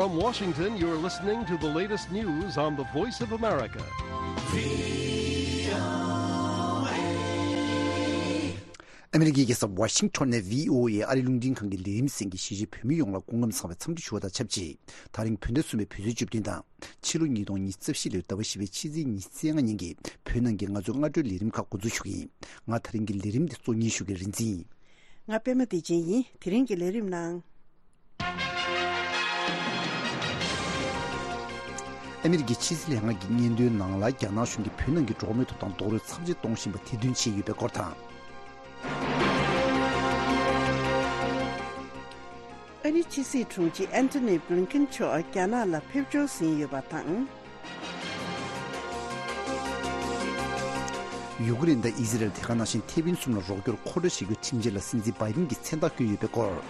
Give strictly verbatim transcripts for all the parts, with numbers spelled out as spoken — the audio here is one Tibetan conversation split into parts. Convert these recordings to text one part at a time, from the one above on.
From Washington, you're listening to the latest news on the Voice of America. ཨ་མི་རི་ཀའི་རྒྱལ་ས་ཝ་ཤིང་ཊོན་ནས་བྷི་ཨོ་ཨེ་ཨ་རི་རླུང་འཕྲིན་ཁང་གི་ལས་རིམ་གསན་མཁན་གཞིས་བྱེས་བོད་མི་ཡོངས་ལ་སྐུ་ཁམས་བཟང་བའི་འཚམས་འདྲི་ཞུ་བ་དང་ཆབས་ཅིག་ད་རིང་བོད་ཟླ་གསུམ་པའི་བོད་ཚེས་བཅུ་བདུན་དང་། ཕྱི་ལོ་ཉིས་སྟོང་ཉི་ཤུ་རྩ་བཞི་ལོའི་ཟླ་བ་བཞི་པའི་ཕྱི་ཚེས་ཉི་ཤུ་རྩ་ལྔ་ཉིན་གྱི་བོད་ནང་གི་ང་ཚོའི་སྔ་དྲོའི་ལས་རིམ་ཁག་འགོ་འཛུགས་ཞུ་གི་ཡིན། ང་ད་རིང་གི་ལས་རིམ་འདི་གཙོ་གཉེར་ཞུ་མཁན་རིག་འཛིན་ཡིན། ང་པད་མ་བདེ་ཆེན་ཡིན། དེ་རིང་གི་ལས་རིམ་ནང་། ཨ་མི་རི་ཀའི་ཕྱི་སྲིད་ལྷན་ཁང་གི་སྙན་ཐོའི་ནང་ལ། རྒྱ་ནག་གཞུང་གིས་བོད་ནང་གི་འགྲོ་བ་མིའི་ཐོབ་ཐང་རྡོག་རོལ་ཚབས་ཆེ་གཏོང་བཞིན་པ་དེ་འདོན་བྱས་ཡོད་པའི་སྐོར་དང་། ཨ་རིའི་ཕྱི་སྲིད་དྲུང་ཆེ་ཨན་ཐོ་ནི་བྷི་ལིན་ཀིན་མཆོག་རྒྱ་ནག་ལ་ཕེབས་འབྱོར་ཟིན་ཡོད་པ་དང་། ཡུཀ་རེན་དང་ཨི་ཟི་རལ། དེ་ག་ནང་བཞིན་ཐེ་ཝན་གསུམ་ལ་རོགས་སྐྱོར་མཁོ་སྤྲོད་བྱེད་རྒྱུའི་ཁྲིམས་འཆར་ལ་སྲིད་འཛིན་བྷའི་ཌེན་གྱིས་མཚན་རྟགས་བསྐྱོན་ཡོད་པའི་སྐོར།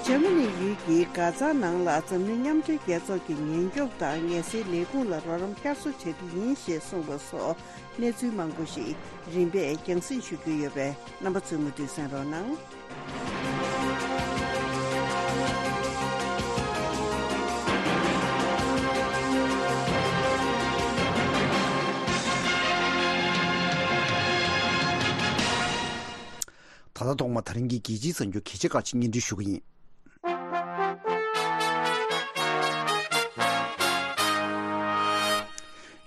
འཇར་མ་ནི་ཡུལ་གྱི་གྷ་ཛ་ནང་ལ་འཛམ་གླིང་མཉམ་འབྲེལ་རྒྱལ་ཚོགས་ཀྱི་ཉེན་སྐྱོབ་དང་ངལ་སེལ་ལས་ཁུངས་ལ་རོགས་རམ་བསྐྱར་གསོ་བྱ་རྒྱུ་ཡིན་ཞེས་གསུངས་པ་སོགས་གནས་ཚུལ་མང་པོ་ཞིག་རིམ་པས་རྒྱང་སྲིང་ཞུ་རྒྱུ་ཡོད་པས། རྣམ་པ་ཚོས་མུ་མཐུད་གསན་རོགས་གནང་། ད་ལྟ་ཐོག་མ་ད་རིང་གི་རྒྱལ་སྤྱིའི་གསར་འགྱུར་གལ་ཆེ་ཁག་ཅིག་སྙན་སྒྲོན་ཞུ་གི་ཡིན།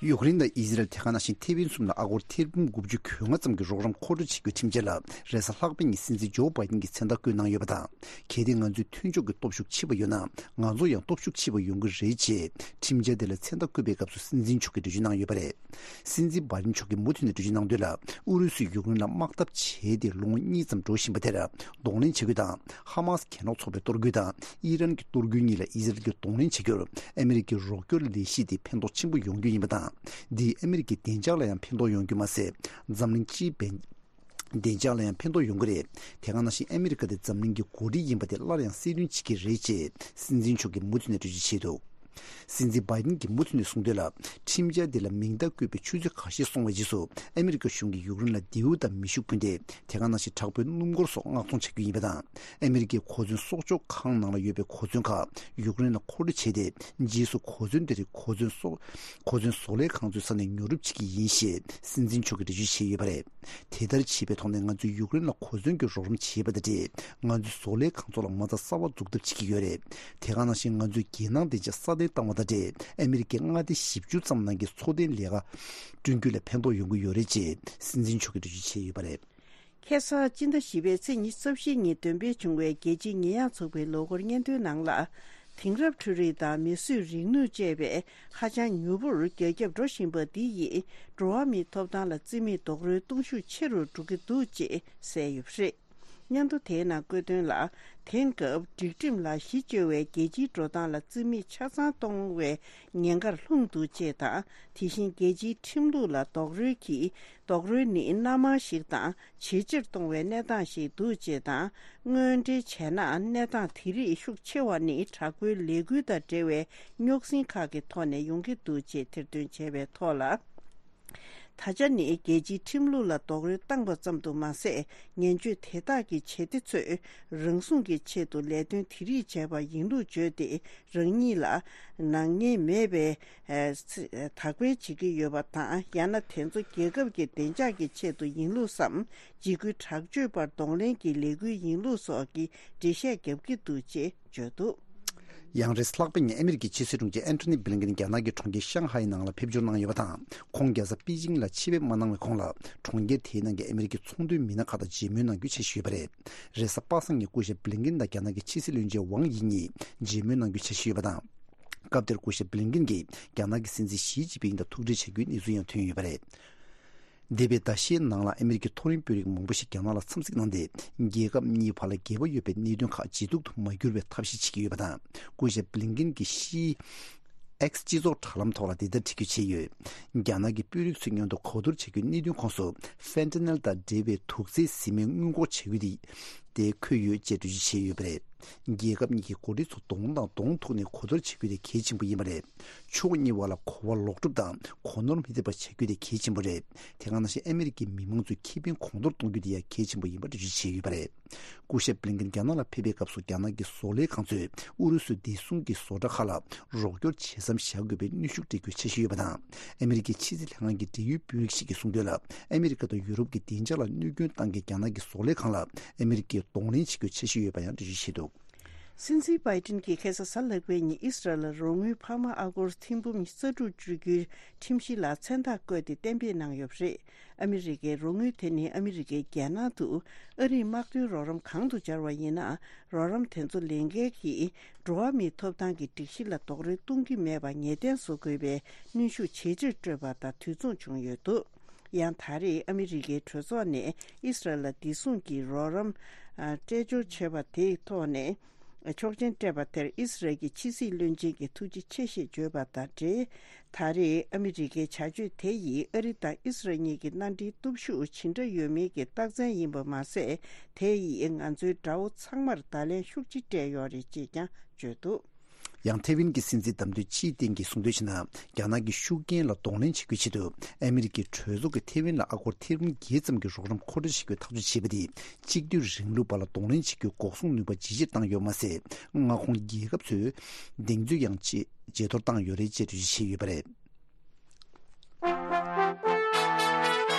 ཡུཀ་རེན་དང་ཨི་ཟི་རལ། དེ་ག་ནང་བཞིན་ཐེ་ཝན་གསུམ་ལ་ཨ་སྒོར་ཐེར་འབུམ་དགུ་བཅུ་གོ་ལྔ་ཙམ་གྱི་རོགས་རམ་མཁོ་སྤྲོད་བྱེད་རྒྱུའི་ཁྲིམས་འཆར་ལ་རེས་གཟའ་ལྷག་པའི་ཉིན་སྲིད་འཛིན་ཇོ་བྷའི་ཌེན་གྱིས་མཚན་རྟགས་བཀོད་གནང་ཡོད་པ་དང་། གལ་ཏེ་ང་ཚོའི་མཐུན་ཕྱོགས་ཀྱི་སྟོབས་ཤུགས་ཆེ་བ་ཡོད་ན། ང་ཚོ་ཡང་སྟོབས་ཤུགས་ཆེ་བ་ཡོང་གི་རེད་ཅེས་ཁྲིམས་འཆར་དེ་ལ་མཚན་རྟགས་བཀོད་པའི་སྐབས་སུ་སྲིད་འཛིན་མཆོག་གིས་འགྲེལ་བརྗོད་གནང་ཡོད་པ་རེད། སྲིད་འཛིན་བྷའི་ཌེན་མཆོག་གིས་མུ་མཐུད་ནས་འགྲེལ་བརྗོད་གནང་དོན་ལ། ཨུ་རུ་སུས་ཡུཀ་རེན་ལ་དམག་འཐབ་བྱས་ཏེ་ལོ་ངོ་གཉིས་ཙམ་འགྲོ་བཞིན་པ་དེར་གདོང་ལེན་བྱེད་རྒྱུ་དང་། ཧ་མཱས་གྱེན་ལོག་ཚོགས་པའི་གཏོར་རྒོལ་དང་ཨི་རན་གྱི་གཏོར་རྒོལ་གཉིས་ལ་ཨི་ཟི་རལ་གྱིས་གདོང་ལེན་བྱེད་རྒྱུར་ཨ་མི་རི་ཀའི་རོགས་སྐྱོར་ལས་གཞི་དེ་ཕན་ཐོགས་ཆེན་པོ་ཡོང་རྒྱུ་ཡིན་པ་དང་། འདིས་ཨ་མི་རི་ཀའི་བདེ་འཇགས་ལ་ཡང་ཕན་ཐོགས་ཡོང་རྒྱུ་མ་ཟད། འཛམ་གླིང་སྤྱིའི་བདེ་འཇགས་ལ་ཡང་ཕན་ཐོགས་ཡོང་གི་རེད། དེ་ག་ནང་བཞིན་ཨ་མི་རི་ཀ་དེ་འཛམ་གླིང་གི་འགོ་ཁྲིད་ཡིན་པ་དེ་སླར་ཡང་གསལ་སྟོན་བྱེད་ཀྱི་རེད་ཅེས་སྲིད་འཛིན་མཆོག་གིས་མུ་མཐུད་ནས་འགྲེལ་བརྗོད་བྱས་འདུག་སྲིད་འཛིན་བྷའི་ཌེན་གྱིས་མུ་མཐུད་ནས་གསུངས་དོན་ལ། ཁྲིམས་འཆར་འདི་ལ་མིང་རྟགས་བཀོད་པའི་ཆུ་ཚོད་ཁ་ཤས་སོང་བའི་རྗེས་སུ་ཨ་མི་རི་ཀ་གཞུང་གིས་ཡུཀ་རེན་ལ་མདེའུ་དང་མེ་ཤུགས་འཕུར་མདེལ། དེ་ག་ནང་བཞིན་དྲག་པོའི་སྣུམ་འཁོར་སོགས་མངགས་གཏོང་བྱ་རྒྱུ་ཡིན་པ་དང་། ཨ་མི་རི་ཀའི་གོ་མཚོན་གསོག་འཇོག་ཁང་ནང་ལ་ཡོད་པའི་གོ་མཚོན་ཁག་ཡུཀ་རེན་ལ་མཁོ་སྤྲོད་བྱས་ཏེ། རྗེས་སུ་གོ་མཚོན་དེ་རིགས་གོ་མཚོན་གསོག་གོ་མཚོན་བཟོ་ལས་ཁང་ཚོའི་ས་ནས་ཉོ་སྒྲུབ་བྱེད་ཀྱི་ཡིན་ཞེས་སྲིད་འཛིན་མཆོག་གིས་འགྲེལ་བརྗོད་བྱས་ཡོད་པ་རེད། དེ་ལྟར་བྱས་པའི་ཐོག་ནས་ང་ཚོས་ཡུཀ་རེན་ལ་གོ་མཚོན་གྱི་རོགས་རམ་བྱས་པ་དང་འབྲེལ། ང་ཚོའི་བཟོ་ལས་ཁང་ཚོ་ལ་མ་རྩ་གསར་པ་འཛུགས་ཐབས་བྱེད་ཀྱི་ཡོད་རེད། དེ་ག་ནང་བཞིན་ང་ཚོས་རྒྱལ་ནང་བདེ་འཇགས་སྲ་བརྟན་བཏང་བ་དང་འབྲེལ། ཨ་མི་རི་ཀའི་མངའ་སྡེ་བཞི་བཅུ་ཙམ་ནང་གི་འཚོ་རྟེན་ལས་ཀ་བསྐྲུན་རྒྱུ་ལ་ཕན་ཐོགས་ཡོང་གི་ཡོད་རེད་ཅེས་སྲིད་འཛིན་མཆོག་གིས་འགྲེལ་བརྗོད་བྱས་ཡོད་པ་རེད། ཁ་སང་སྤྱི་ཟླ་བཞི་པའི་ཚེས་ཉི་ཤུ་རྩ་བཞི་ཉིན་འདོན་སྤེལ་བྱུང་བའི་རྒྱལ་སྤྱིའི་ཉེས་ཡངས་ཚོགས་པའི་ལོ་འཁོར་སྙན་ཐོའི་ནང་ལ། དེང་རབས་འཕྲུལ་རིག་དང་མིས་བཟོས་རིག་ནུས་བཅས་པའི་ཧ་ཅང་མྱུར་པོར་རྒྱ་ཁྱབ་འགྲོ་བཞིན་པ་འདི་ཡིས་འགྲོ་བ་མིའི་ཐོབ་ཐང་ལ་བརྩི་མེད་རྡོག་རོལ་གཏོང་ཤུགས་ཆེ་རུ་འགྲོ་གི་འདུག་ཅེས་གསལ་ཡོད་པ་རེད། སྙན་ཐོ་དེའི་ནང་བཀོད་དོན་ལ། དེང་སྐབས་སྒྲིག་ཁྲིམས་ལ་གཞི་བཅོལ་བའི་རྒྱལ་སྤྱིའི་འགྲོ་སྟངས་ལ་བརྩི་མེད་ཆ་ཚང་གཏོང་བའི་ཉེན་ཁར་ལྷུང་འདུག་ཅེས་དང་། དེ་བཞིན་རྒྱལ་སྤྱིའི་ཁྲིམས་ལུགས་ལ་རྡོག་རོལ་གྱིས། རྡོག་རོལ་ནི་སྣ་མང་ཞིག་དང་ཇེ་ཆེར་གཏོང་བའི་གནས་སྟངས་ཤིག་འདུག་ཅེས་དང་། དངོས་འབྲེལ་བྱས་ན། གནས་སྟངས་དེ་རིགས་ཤུགས་ཆེ་བ་ནི་དྲག་པོའི་ལས་འགུལ་དང་འབྲེལ་བའི་རྙོག་ཟིང་ཁག་གི་ཐོག་ནས་ཡོང་གི་འདུག་ཅེས་ཐེར་འདོན་བྱས་པའི་ཐོག་ལ། ད་ཆ་ནི་རྒྱལ་སྤྱིའི་ཁྲིམས་ལུགས་ལ་རྡོག་རོལ་བཏང་པ་ཙམ་དུ་མ་ཟད། ངན་སྤྱོད་དེ་དག་གི་བྱེད་གཏེ་ཚོས་རང་སྲུང་གི་ཆེད་དུ་ལས་དོན་དེ་རིགས་བྱས་པ་ཡིན་ལུགས་བརྗོད་དེ། རང་ཉིད་ལ་ནག་ཉེས་མེད་པའི་ཨ་དག་སྤེལ་བྱེད་ཀྱི་ཡོད་པ་དང་། ཡང་ན་དེ་ཚོ་རྒྱལ་ཁབ་ཀྱི་བདེ་འཇགས་ཀྱི་ཆེད་དུ་ཡིན་ལུགས་སམ། འཇིགས་སྐུལ་དྲག་སྤྱོད་པར་གདོང་ལེན་གྱི་ལས་འགུལ་ཡིན་ལུགས་སོགས་ཀྱི་འགྲེལ་བཤད་བརྒྱབ་ཀྱི་འདུག་ཅེས་བརྗོད་འདུག་ཡང་རེས་ལྷག་པའི་ཉིན་ཨ་མི་རི་ཀའི་ཕྱི་སྲིད་དྲུང་ཆེ་ཨན་ཐོ་ནི་བྷི་ལིན་ཀིན་རྒྱ་ནག་གི་གྲོང་ཁྱེར་ཤང་ཧའེ་ནང་ལ་ཕེབས་འབྱོར་གནང་ཡོད་པ་དང་། ཁོང་རྒྱལ་ས་པེ་ཅིང་ལ་ཆེད་ཕེབས་མ་གནང་བའི་གོང་ལ། གྲོང་ཁྱེར་དེའི་ནང་གི་ཨ་མི་རི་ཀའི་ཚོང་དོན་མི་སྣ་ཁག་དང་མཇལ་མོལ་གནང་རྒྱུའི་འཆར་གཞི་ཡོད་པ་རེད། རེས་གཟའ་པ་སངས་ཉིན་སྐུ་ཞབས་བྷི་ལིན་ཀིན་དང་རྒྱ་ནག་གི་ཕྱི་སྲིད་བློན་ཆེན་ཝང་དབྱི་གཉིས་མཇལ་མོལ་གནང་རྒྱུའི་འཆར་གཞི་ཡོད་པ་དང་། སྐབས་དེར་སྐུ་ཞབས་བྷི་ལིན་ཀིན་རྒྱ་ནག་གི་སྲིད་འཛིན་ཞི་ཅིན་ཕིང་དང་ཐུག་འཕྲད་བྱ་རྒྱུའི་གནས་ཚུལ་ཡང་ཐོན་ཡོད་པ་རེད། འདས་པའི་ཟླ་ཤས་ནང་ལ་ཨ་མི་རི་ཀའི་མཐོ་རིམ་དཔོན་རིགས་མང་པོ་ཞིག་རྒྱ་ནག་ལ་འཚམས་གཟིགས་གནང་སྟེ། རྒྱལ་ཁབ་གཉིས་བར་ལ་འགལ་བ་ཡོད་པའི་གནད་དོན་ཁག་ཇེ་སྡུག་ཏུ་མ་གྱུར་བའི་ཐབས་ཤེས་བྱེད་ཀྱི་ཡོད་པ་དང་། སྐུ་ཞབས་བྷི་ལིན་ཀིན་གྱིས་ཤི་ཨེགས་སྤྱི་ཚོགས་དྲ་ལམ་ཐོག་ལ་འདི་ལྟར་བྲིས་བརྗོད་བྱས་ཡོད། རྒྱ་ནག་གི་དཔོན་རིགས་ཚོའི་མཉམ་དུ་གོ་བསྡུར་བྱ་རྒྱུའི་གནད་དོན་ཁོངས་སུ་ཧྥེན་ཐ་ནེལ་དང་འབྲེལ་བའི་དུག་རྫས་བཟི་སྨན་སྔོན་འགོག་བྱ་རྒྱུ་དེ། དེ་འཁོད་ཡོད་ཅེས་འགྲེལ་བརྗོད་བྱས་ཡོད་པ་རེད། རྒྱལ་ཁབ་གཉིས་ཀྱི་འགོ་ཁྲིད་ཚོ་གདོང་དང་གདོང་ཐུག་ནས་གོ་བསྡུར་བྱེད་རྒྱུ་དེ་གལ་ཆེན་པོ་ཡིན་པ་རེད། ཕྱོགས་གཉིས་བར་ལ་གོ་བ་ལོག་སྒྲུབ་དང་གོ་ནོར་མི་ཐེབས་པ་བྱ་རྒྱུ་དེ་གལ་ཆེན་པོ་རེད། དེ་ག་ནང་བཞིན་ཨ་མི་རི་ཀའི་མི་མང་ཚོའི་ཁེ་ཕན་གོང་མཐོར་གཏོང་རྒྱུ་དེ་ཡང་གལ་ཆེན་པོ་ཡིན་པ་འགྲེལ་བརྗོད་བྱས་ཡོད་པ་རེད། སྐུ་ཞབས་བྷི་ལིན་ཀེན་རྒྱ་ནག་ལ་ཕེབས་པའི་སྐབས་སུ་རྒྱ་ནག་གི་བཟོ་ལས་ཁང་ཚོས་ཨུ་རུ་སུའི་བདེ་སྲུང་གི་བཟོ་གྲྭ་ཁག་ལ་རོགས་སྐྱོར་བྱེད་མཚམས་བཞག་དགོས་པའི་གནོན་ཤུགས་སྤྲད་རྒྱུའི་འཆར་གཞི་ཡོད་པ་དང་། ཨ་མི་རི་ཀའི་ཕྱི་སྲིད་ལྷན་ཁང་གི་འབྲེལ་ཡོད་དཔོན་རིགས་ཤིག་གིས་གསུངས་དོན་ལ། ཨ་མི་རི་ཀ་དང་ཡུ་རོབ་ཀྱི་བདེ་འཇགས་ལ་གནོད་སྐྱོན་བཏང་མཁན་རྒྱ་ནག་གི་བཟོ་ལས་ཁང་ལ་ཨ་མི་རི་ཀས་གདོང་ལེན་བྱེད་རྒྱུའི་འཆར་གཞི་ཡོད་པ་ཡང་འགྲེལ་བརྗོད་བྱས་འདུག། སྲིད་འཛིན་བྷའི་ཏིན་གྱིས་ཁ་སང་གཟའ་ལྷག་པའི་ཉིན་ཨི་སི་རལ་ལ་རོགས་དངུལ་འཕར་མ་ཨ་སྒོར་ཐེར་འབུམ་ཉི་ཤུ་རྩ་དྲུག་སྤྲོད་རྒྱུའི་ཁྲིམས་གཞི་ལ་མཚན་རྟགས་བཀོད་དེ་གཏན་འབེབས་གནང་ཡོད་པ་རེད། ཨ་མི་རི་ཀའི་རོགས་དངུལ་དེ་ནི་ཨ་མི་རི་ཀའི་རྒྱལ་ནང་དུ་ཨ་རིའི་དམག་དོན་རོགས་རམ་གང་དུ་སྦྱར་བ་ཡིན་ན། རོགས་རམ་དེ་ཚོ་ལེན་མཁན་གྱིས་འགྲོ་བ་མིའི་ཐོབ་ཐང་གི་སྒྲིག་གཞི་ལ་རྡོག་རོལ་གཏོང་གི་མེད་པ་ངེས་གཏན་བཟོ་དགོས་པའི་གནོན་ཤུགས་ཇེ་ཆེར་སྤྲོད་པ་དང་དུས་མཚུངས་བྱུང་ཡོད་འདུག། ཡང་ད་རེས་ཨ་མི་རི་ཀའི་གྲོས་ཚོགས་ནས་ཨི་སི་རལ་ལ་བདེ་སྲུང་གི་རོགས་རམ་སྤྲད་སྦྱོར་བྱས་པ་དེའི་ཐོག་ནས་ཆོག་མཆན་སྤྲད་པ་དེར་ཨི་སི་རལ་གྱི་ཕྱི་སྲིད་བློན་ཆེན་གྱིས་ཐུགས་རྗེ་ཆེ་ཞེས་བརྗོད་པ་དང་འབྲེལ། ད་རེས་ཨ་མི་རི་ཀའི་བྱ་སྤྱོད་དེ་ཡིས་ཨ་རི་དང་ཨི་སི་རལ་གཉིས་ཀྱི་མནའ་འབྲེལ་སྟོབས་ཤུགས་ཇི་འདྲ་ཡོད་མིན་གྱི་རྟགས་མཚན་ཡིན་པ་མ་ཟད། དེ་ཡིས་ང་ཚོའི་དགྲ་བོ་ཚང་མར་བརྡ་ལན་ཤུགས་ཆེ་སྤྲད་ཡོད་རེད་ཅེས་ཀྱང་བརྗོད་འདུག། ཡང་ཐེ་ཝན་གྱི་སྲིད་འཛིན་བདམས་ཐོན་ཆི་ཡིན་ཕིང་གིས་གསུངས་དོན་བྱས་ན། རྒྱ་ནག་གི་ཤུགས་རྐྱེན་ལ་གདོང་ལེན་བྱེད་རྒྱུའི་ཆེད་དུ་ཨ་མི་རི་ཀའི་གྲོས་ཚོགས་ཀྱིས་ཐེ་ཝན་ལ་ཨ་སྒོར་ཐེར་འབུམ་བརྒྱད་ཙམ་གྱི་རོགས་རམ་མཁོ་སྤྲོད་བྱེད་རྒྱུའི་ཐག་གཅོད་བྱས་པ་དེས་གཅིག་སྡུད་རིང་ལུགས་པ་ལ་གདོང་ལེན་བྱེད་རྒྱུའི་འགོག་སྲུང་ནུས་པ་ཇེ་ཆེར་བཏང་ཡོད་མ་ཟད། མངའ་ཁོངས་རྒྱལ་ཁབ་ཚོའི་གདེང་ཚོད་ཡང་ཇེ་ཇེ་མཐོར་བཏང་ཡོད་རེད་ཅེས་འགྲེལ་བརྗོད་བྱས་ཡོད་པ་རེད།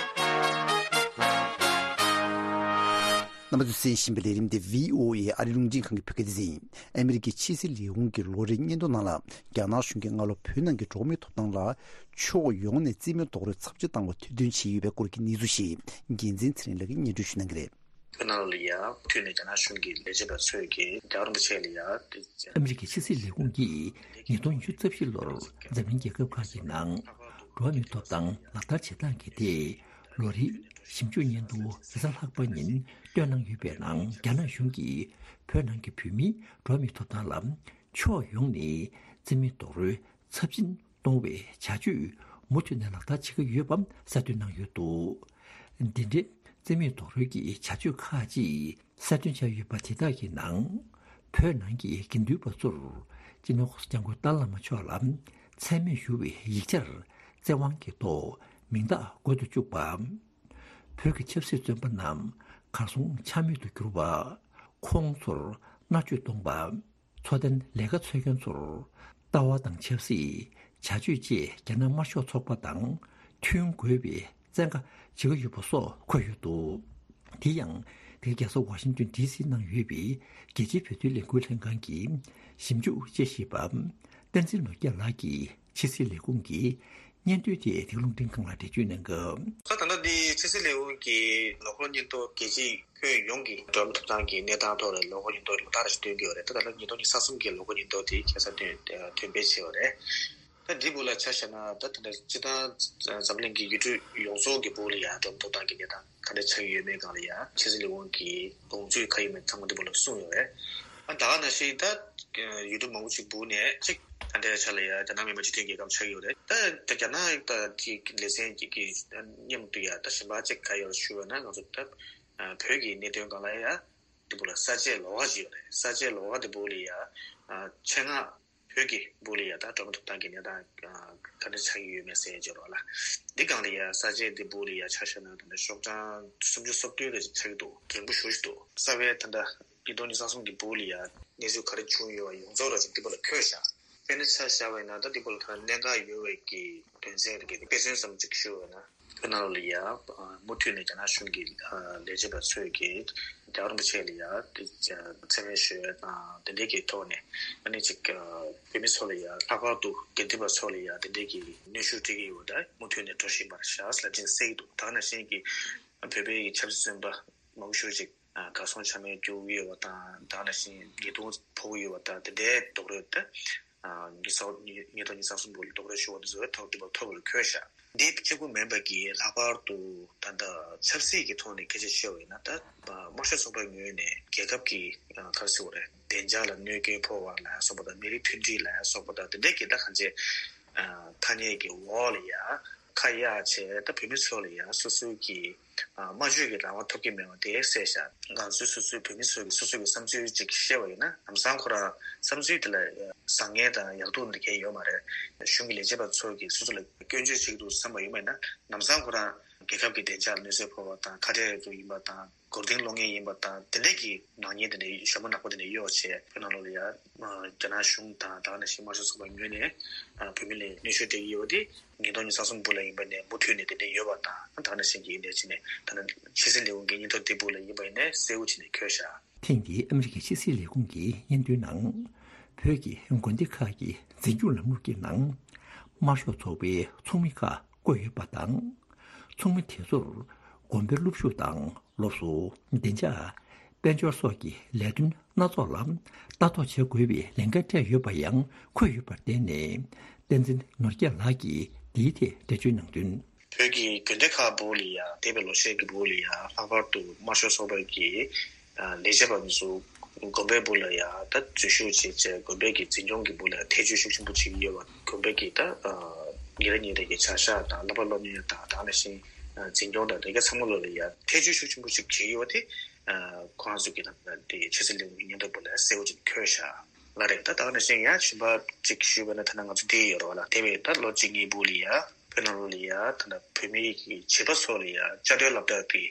རྣམ་པ་ཚོས་གསན་བཞིན་པའི་ལས་རིམ་འདི་བྷི་ཨོ་ཨེ་ཨ་རི་རླུང་འཕྲིན་ཁང་གི་བོད་སྐད་སྡེ་ཚན་ཡིན། ཨ་མི་རི་ཀའི་ཕྱི་སྲིད་ལས་ཁུངས་ཀྱི་ལོ་རེའི་སྙན་ཐོ་ནང་ལ། རྒྱ་ནག་གཞུང་གིས་སྔ་ལོ་བོད་ནང་གི་འགྲོ་བ་མིའི་ཐོབ་ཐང་ལ་ཕྱོགས་ཡོངས་ནས་རྩིས་མེད་རྡོག་རོལ་ཚབས་ཆེ་བཏང་བ་ཐེར་འདོན་བྱས་ཡོད་པའི་སྐོར་གྱི་གནས་ཚུལ་ཞིག་རྒྱལ་མཚན་ཚེ་རིང་ལགས་ཀྱིས་སྙན་སྒྲོན་ཞུ་གནང་གི་རེད། བོད་ནང་ལ་ཡ་མུ་མཐུད་ནས་རྒྱ་ནག་གཞུང་གི་ལས་བྱེད་པ་ཚོས་ཀྱིས་རྒྱལ་བ་རིན་པོ་ཆེ་ལ་ཡ། ཨ་མི་རི་ཀའི་ཕྱི་སྲིད་ལས་ཁུངས་ཀྱིས་ཉིས་སྟོང་ཉི་ཤུ་རྩ་བཞི་ལོར་འཛམ་གླིང་རྒྱལ་ཁབ་ཁག་གི་ནང་འགྲོ་བ་མིའི་ཐོབ་ཐང་ལག་བསྟར་བྱེད་སྟངས་ཀྱི་ཐད་ལོ་རེའི་ཞིབ་འཇུག་སྙན་ཐོ་རེས་གཟའ་ལྷག་པ་ཉིན་བཏོན་གནང་ཡོད་པའི་ནང་། རྒྱ་ནག་གཞུང་གིས་བོད་ནང་གི་བོད་མིའི་འགྲོ་བ་མིའི་ཐོབ་ཐང་ལ་ཕྱོགས་ཡོངས་ནས་རྩིས་མེད་རྡོག་རོལ་ཚབས་ཆེན་གཏོང་བའི་བྱ་སྤྱོད་མུ་མཐུད་ནས་ལག་བསྟར་བྱེད་ཀྱི་ཡོད་པ་གསལ་སྟོན་གནང་ཡོད་འདུག། འདི་འདྲའི་རྩིས་མེད་རྡོག་རོལ་གྱི་བྱ་སྤྱོད་ཁག་ཅིག་གསལ་སྟོན་བྱས་ཡོད་པ་དེ་དག་གི་ནང་། བོད་ནང་གི་དགེ་འདུན་པ་ཚོར་སྤྱི་ནོར་༸གོང་ས་༸སྐྱབས་མགོན་ཏཱ་ལའི་བླ་མ་མཆོག་ལ་མཚན་སྨད་ཞུ་བའི་ཡིག་ཆར་བཙན་དབང་གི་ཐོག་མིང་རྟགས་འགོད་དུ་བཅུག་པ། བོད་ཀྱི་ཆབ་སྲིད་བཙོན་པ་རྣམས་གར་སོང་ཆ་མེད་དུ་གྱུར་བ། ཁོང་ཚོར་མནར་གཅོད་གཏོང་པ། འཚོ་རྟེན་ལས་ཀ་འཚོལ་མཁན་ཚོར་ལྟ་བ་དང་ཆབ་སྲིད་བྱ་སྤྱོད་བཅས་རྒྱ་ནག་དམར་ཤོག་ཚོགས་པ་དང་མཐུན་དགོས་པའི་བཙན་བཀའ་བྱེད་ཀྱི་ཡོད་པ་སོགས་འཁོད་ཡོད་འདུག། དེ་ཡང་དེ་རྒྱལ་ས་ཝ་ཤིང་ཏོན་ཌི་སི་ནང་ཡོད་པའི་རྒྱལ་སྤྱིའི་བོད་དོན་ལས་འགུལ་ལྷན་ཁང་གི་ཞིབ་འཇུག་དཔྱད་ཞིབ་པ་བསྟན་འཛིན་ནོར་རྒྱས་ལགས་ཀྱིས་ཕྱི་སྲིད་ལས་ཁུངས་ཀྱི་སྙན་ཐོའི་ཐད་དེ་རླུང་འཕྲིན་ཁང་ལ་འགྲེལ་བརྗོད་གནང་སྐབས། ད་ལྟ་འདི་ཕྱི་སྲིད་ལས་ཁུངས་ཀྱི་ལོ་འཁོར་སྙན་ཐོ་རྒྱལ་སྤྱིའི་ཁྱོན་ཡོངས་ཀྱི་འགྲོ་བ་མིའི་ཐོབ་ཐང་གི་གནས་སྟངས་ཐོག་ལ་ལོ་འཁོར་སྙན་ཐོ་ལོ་ལྟར་ཞིག་སྟོན་གྱི་ཡོད་རེད། ད་ད་ལྟ་ཉིས་སྟོང་ཉི་ཤུ་རྩ་གསུམ་གྱི་ལོ་འཁོར་སྙན་ཐོ་དེ་ཁ་སང་ཐོན་ཐོན་སྤེལ་བྱས་ཡོད་རེད། ད་འདི་སྦུག་ལ་ཆ་བཞག་ན་ད་ད་ལྟ་སྤྱིར་བཏང་འཛམ་གླིང་གི་ཡུལ་གྲུ་ཡོངས་རྫོགས་ཀྱི་སྦུག་ལ་ཡང་འགྲོ་བ་མིའི་ཐོབ་ཐང་གི་གནས་སྟངས་ག་འདྲ་ཆགས་ཀྱི་ཡོད་མེད་སྒང་ལ་ཡང་ཕྱི་སྲིད་ལས་ཁུངས་ཀྱི་དགོངས་ཚུལ་ག་ཡིན་མིན་ཚང་མ་འདི་སྦུག་ལ་གསུངས་ཡོད་རེད། ཨ་ད་ག་ནང་བཞིན་ད་ཡུལ་གྲུ་མང་པོ་ཅིག་སྦུག་ནས་གཅིག་ད་ལྟའི་ཆ་ལ་ཡང་རྒྱ་ནག་མི་དམངས་སྤྱི་མཐུན་རྒྱལ་ཁབ་ཆགས་ཀྱི་ཡོད་རེད། ད་ད་རྒྱ་ནག་ད་དེ་ལེ་ཚན་གྱི་གི་མཉམ་དུ་ཡང་ད་གཞན་པ་གཅིག་ག་ཡོད་ཞུ་བ་ན་ང་ཚོ་ད་བོད་ཀྱི་གནད་དོན་སྒང་ལ་ཡང་། དེ་སྦུག་ལ་ས་དཔྱད་ལོགས་ཀ་ཅིག་ཡོད་རེད། ས་དཔྱད་ལོགས་ཀ་དེ་སྦུག་ལ་ཡ། ཨ་ཆེད་མངགས་བོད་ཀྱི་སྦུག་ལ་ཡ་ད་འགྲོ་བ་མིའི་ཐོབ་ཐང་གི་གནས་སྟངས་ཨ་ག་འདྲ་ཆགས་ཀྱི་ཡོད་མེད་ཟེར་ཡ་ཅིག་ཡོད་རེད་བ་ལ། འདི་སྒང་ལ་ཡ་ས་དཔྱད་དེ་སྦུག་ལ་ཡ་ཆ་བཞག་ན་ད་ལྟ་ཤོག་གྲངས་སུམ་ཅུ་སོ་བདུན་རེ་ཅིག་ཆགས་ཀྱི་འདུག། རྒན་པོ་ཞེ་པོ་ཅིག་འདུག། རྩ་བའི་ད་ལྟ་ཉིས་སྟོང་ཉི་ཤུ་རྩ་གསུམ་གྱི་སྦུག་ལ་ཡ་གནས་ཚུལ་ག་རེ་བྱུང་ཡོད་པ་ཡོངས་རྫོགས་ར་ཅིག་འདི་སྦུག་ལ་འཁོད་བཞག། དཔེར་ན་ཆ་བཞག་པ་ཡིན་ན་ད་འདི་སྦུག་ལ་ད་གནད་འགག་ཡོད་པའི་གི་དོན་ཚན་རེ་གི་དཔེ་མཚོན་ཙམ་ཅིག་ཞུ་བ་ཡིན་ན། བོད་ནང་ལ་ཡ་མུ་མཐུད་ནས་རྒྱ་ནག་གཞུང་གི་ལས་བྱེད་པ་ཚོས་ཀྱིས་རྒྱལ་བ་རིན་པོ་ཆེ་ལ་ཡ་མཚན་སྨད་ཞུ་ཡ་དང་དེ་འདྲའི་གི་ཐོག་ནས་ཨ་ནི་ཅིག་བོད་མི་ཚོ་ལ་ཡ་ལྷག་པར་དུ་དགེ་འདུན་པ་ཚོ་ལ་ཡ་དེ་འདྲའི་གི་གནོན་ཤུགས་སྤྲད་ཀྱི་ཡོད་ད་མུ་མཐུད་ནས་འགྲོ་བཞིན་པ་རེད་ཤག་ཟེར་ལབ་ཅིག་གསལ་གྱི་འདུག། ད་ག་ནང་བཞིན་གྱི་བོད་པའི་ཆབ་སྲིད་བཙོན་པ་མང་པོ་ཞེ་པོ་ཅིག་གར་སོང་ཆ་མེད་སྐྱོ་གི་ཡོད་པ་དང་ད་ག་ནང་བཞིན་ཉེས་རྡུང་ཕོག་གི་ཡོད་པ་དང་དེ་འདྲའི་རྡོག་རོལ་ད། ཉིས་སྟོང་ཉི་ཤུ་རྩ་གསུམ་པོ་ལ་རྡོག་རོལ་ཤོར་བ་དེ་ཚོ་ཐོག་དེ་བ་ཐོག་ལ་འཁོད་ཤག། འདི་གཅིག་པུ་མིན་པ་གི་ལྷག་པར་དུ་ད་ལྟ་ཆབ་སྲིད་ཀྱི་ཐོག་ནས་སྐད་ཆ་བཤད་པ་ཡིན་ན་ད་དམར་ཤོག་ཚོགས་པའི་ངོས་ནས་རྒྱལ་ཁབ་ཀྱི་ག་རེ་ཟེར་དགོས་རེད་བདེ་འཇགས་ལ་གནོད་སྐྱོན་ཕོག་པ་ལ་སོགས་པ་དང་མི་རིགས་མཐུན་སྒྲིལ་ལ་སོགས་པ་དང་དེ་འདྲའི་གི་ད་གང་ཅི་ཐ་སྙད་ཀྱི་འོག་ལ་ཡ་ ཁ་གཡར་བྱས་ད་བོད་མི་ཚོ་ལ་ཡང་སོ་སོའི་གི་ཨ་སྨྲ་བརྗོད་ཀྱི་རང་དབང་ཐོབ་ཀྱི་མེད་པ་དེ་གསལ་བཞག་ང་ཚོའི་སོ་སོའི་བོད་མི་ཚོ་གི་སོ་སོ་གི་བསམ་ཚུལ་ཅིག་བཤད་པ་ཡིན་ན་ལམ་སང་ཁོ་རང་བསམ་ཚུལ་དེ་ལ་བཟང་ངན་དང་ཡག་སྡུག་འདི་གས་ཡོད་མ་རེད། གཞུང་གི་ལས་བྱེད་པ་ཚོ་གི་སོ་སོ་ལ་སྐྱོན་བརྗོད་བྱེད་ཀྱི་འདུག་བསམ་པ་ཡོད་མ་ཡིན་ན་ལམ་སང་ཁོ་རང་རྒྱལ་ཁབ་ཀྱི་བདེ་འཇགས་ལ་གནོད་འཚེ་ཕོག་པ་དང་ཁ་བྲལ་དུ་ཡིན་པ་དང་། མགོ་རྟིང་སློག་མཁན་ཡིན་པ་དང་དེ་འདྲས་ཀྱི་ནག་ཉེས་དེ་འདྲས་ཞྭ་མོ་ནག་པོ་དེ་འདྲས་གཡོགས་བྱས་བོད་ནང་ལོགས་ལ་ཡ་རྒྱ་ནག་གཞུང་དང་ད་ག་ནང་བཞིན་དམར་ཤོག་ཚོགས་པ་ངོས་ནས་བོད་མི་ལ་གནོན་ཤུགས་སྤྲད་ཀྱི་ཡོད་པ་དེ་ཉིས་སྟོང་ཉི་ཤུ་གསུམ་བར་ལ་ཡིན་པ་ནས་མུ་མཐུད་ནས་དེ་འདྲས་ཡོད་པ་དང་ད་ག་ནང་བཞིན་གྱི་འདྲས་བྱས་ནས་ད་ནི་ཕྱི་སྲིད་ལས་ཁུངས་ཀྱི་སྙན་ཐོ་དེ་བར་ལ་ཡིན་པ་ཡིན་ནས་གསལ་བོ་བྱས་ནས་འཁོད་བཞག་ཐེངས་འདིའི་ཨ་མི་རི་ཀའི་ཕྱི་སྲིད་ལས་ཁུངས་ཀྱི་སྙན་ཐོའི་ནང་། བོད་ཀྱི་དགོན་སྡེ་ཁག་གི་འཛིན་སྐྱོང་ལམ་ལུགས་ཀྱི་ནང་། དམར་ཤོག་ཚོགས་པའི་ཚོགས་མི་ཁག་བསྐོས་ཡོད་པ་དང་། ཚོགས་མི་དེ་ཚོར་དགོན་པའི་སློབ་ཞུགས་དང་སློབ་གསོ། བདེ་འཇགས། དཔལ་འབྱོར་སོགས་ཀྱི་ལས་དོན་སྣ་ཚོགས་ལ་ལྟ་རྟོག་བྱེད་དགོས་པའི་ལས་འགན་སྤྲད་ཡོད་པ་ཡང་འཁོད་ཡོད་པར་བརྟེན་ནས། བསྟན་འཛིན་ནོར་རྒྱས་ལགས་ཀྱིས་འདིའི་ཐད་འགྲེལ་བརྗོད་གནང་དོན། བོད་ཀྱི་དགོན་སྡེ་ཁག་བར་ལ་ཡང་འདས་པའི་ལོ་ཤས་ཀྱི་བར་ལ་ཡང་ལྷག་པར་དུ་དམར་ཤོག་ཚོགས་པ་གི་ལས་བྱེད་པ་ཚོ་དགོན་པའི་བར་ལ་ཡང་ད་འཛུལ་ཞུགས་བྱས་བྱས་དགོན་པའི་གི་འཛིན་སྐྱོང་གི་བར་ལ་ཐེ་བྱུས་ཤུགས་ཆེན་པོ་བྱེད་ཀྱི་ཡོད་པ། དགོན་པའི་གི་ད་ཉིན་རེ་ཉིན་རེ་གི་བྱ་གཞག་དང་བསླབ་པ་སློབ་གཉེར་དང་ད་ག་ནང་བཞིན་འཛིན་སྐྱོང་དང་དེ་ག་ཚང་མ་ལོ་ལ་ཡང་ཐེ་བྱུས་ཤུགས་ཆེན་པོ་ཞིག་བྱེད་ཀྱི་ཡོད་པ་དེ་ཁོ་རང་ཚོ་གི་ད་དེ་ཕྱི་སྲིད་ལས་ཁུངས་ཀྱི་སྙན་ཐོ་བར་ལ་གསལ་བོ་ཅིག་འཁོད་བཞག་ལ་རེད། ད་ད་ག་ནང་བཞིན་ཡང་གཞན་པ་ཅིག་ཞུས་པ་ན་ད་ནང་ང་ཚོ་འདི་ཡོད་རེད་བ་ལ་དེ་བས་ད་ལོ་གཅིག་གཉིས་བར་ལ་ཡང་བོད་ནང་ལོགས་ལ་ཡང་ད་ལྟ་བོད་མིའི་གི་བྱིས་པ་ཚོ་ལ་ཡང་བཅའ་སྡོད་སློབ་གྲྭ་གི་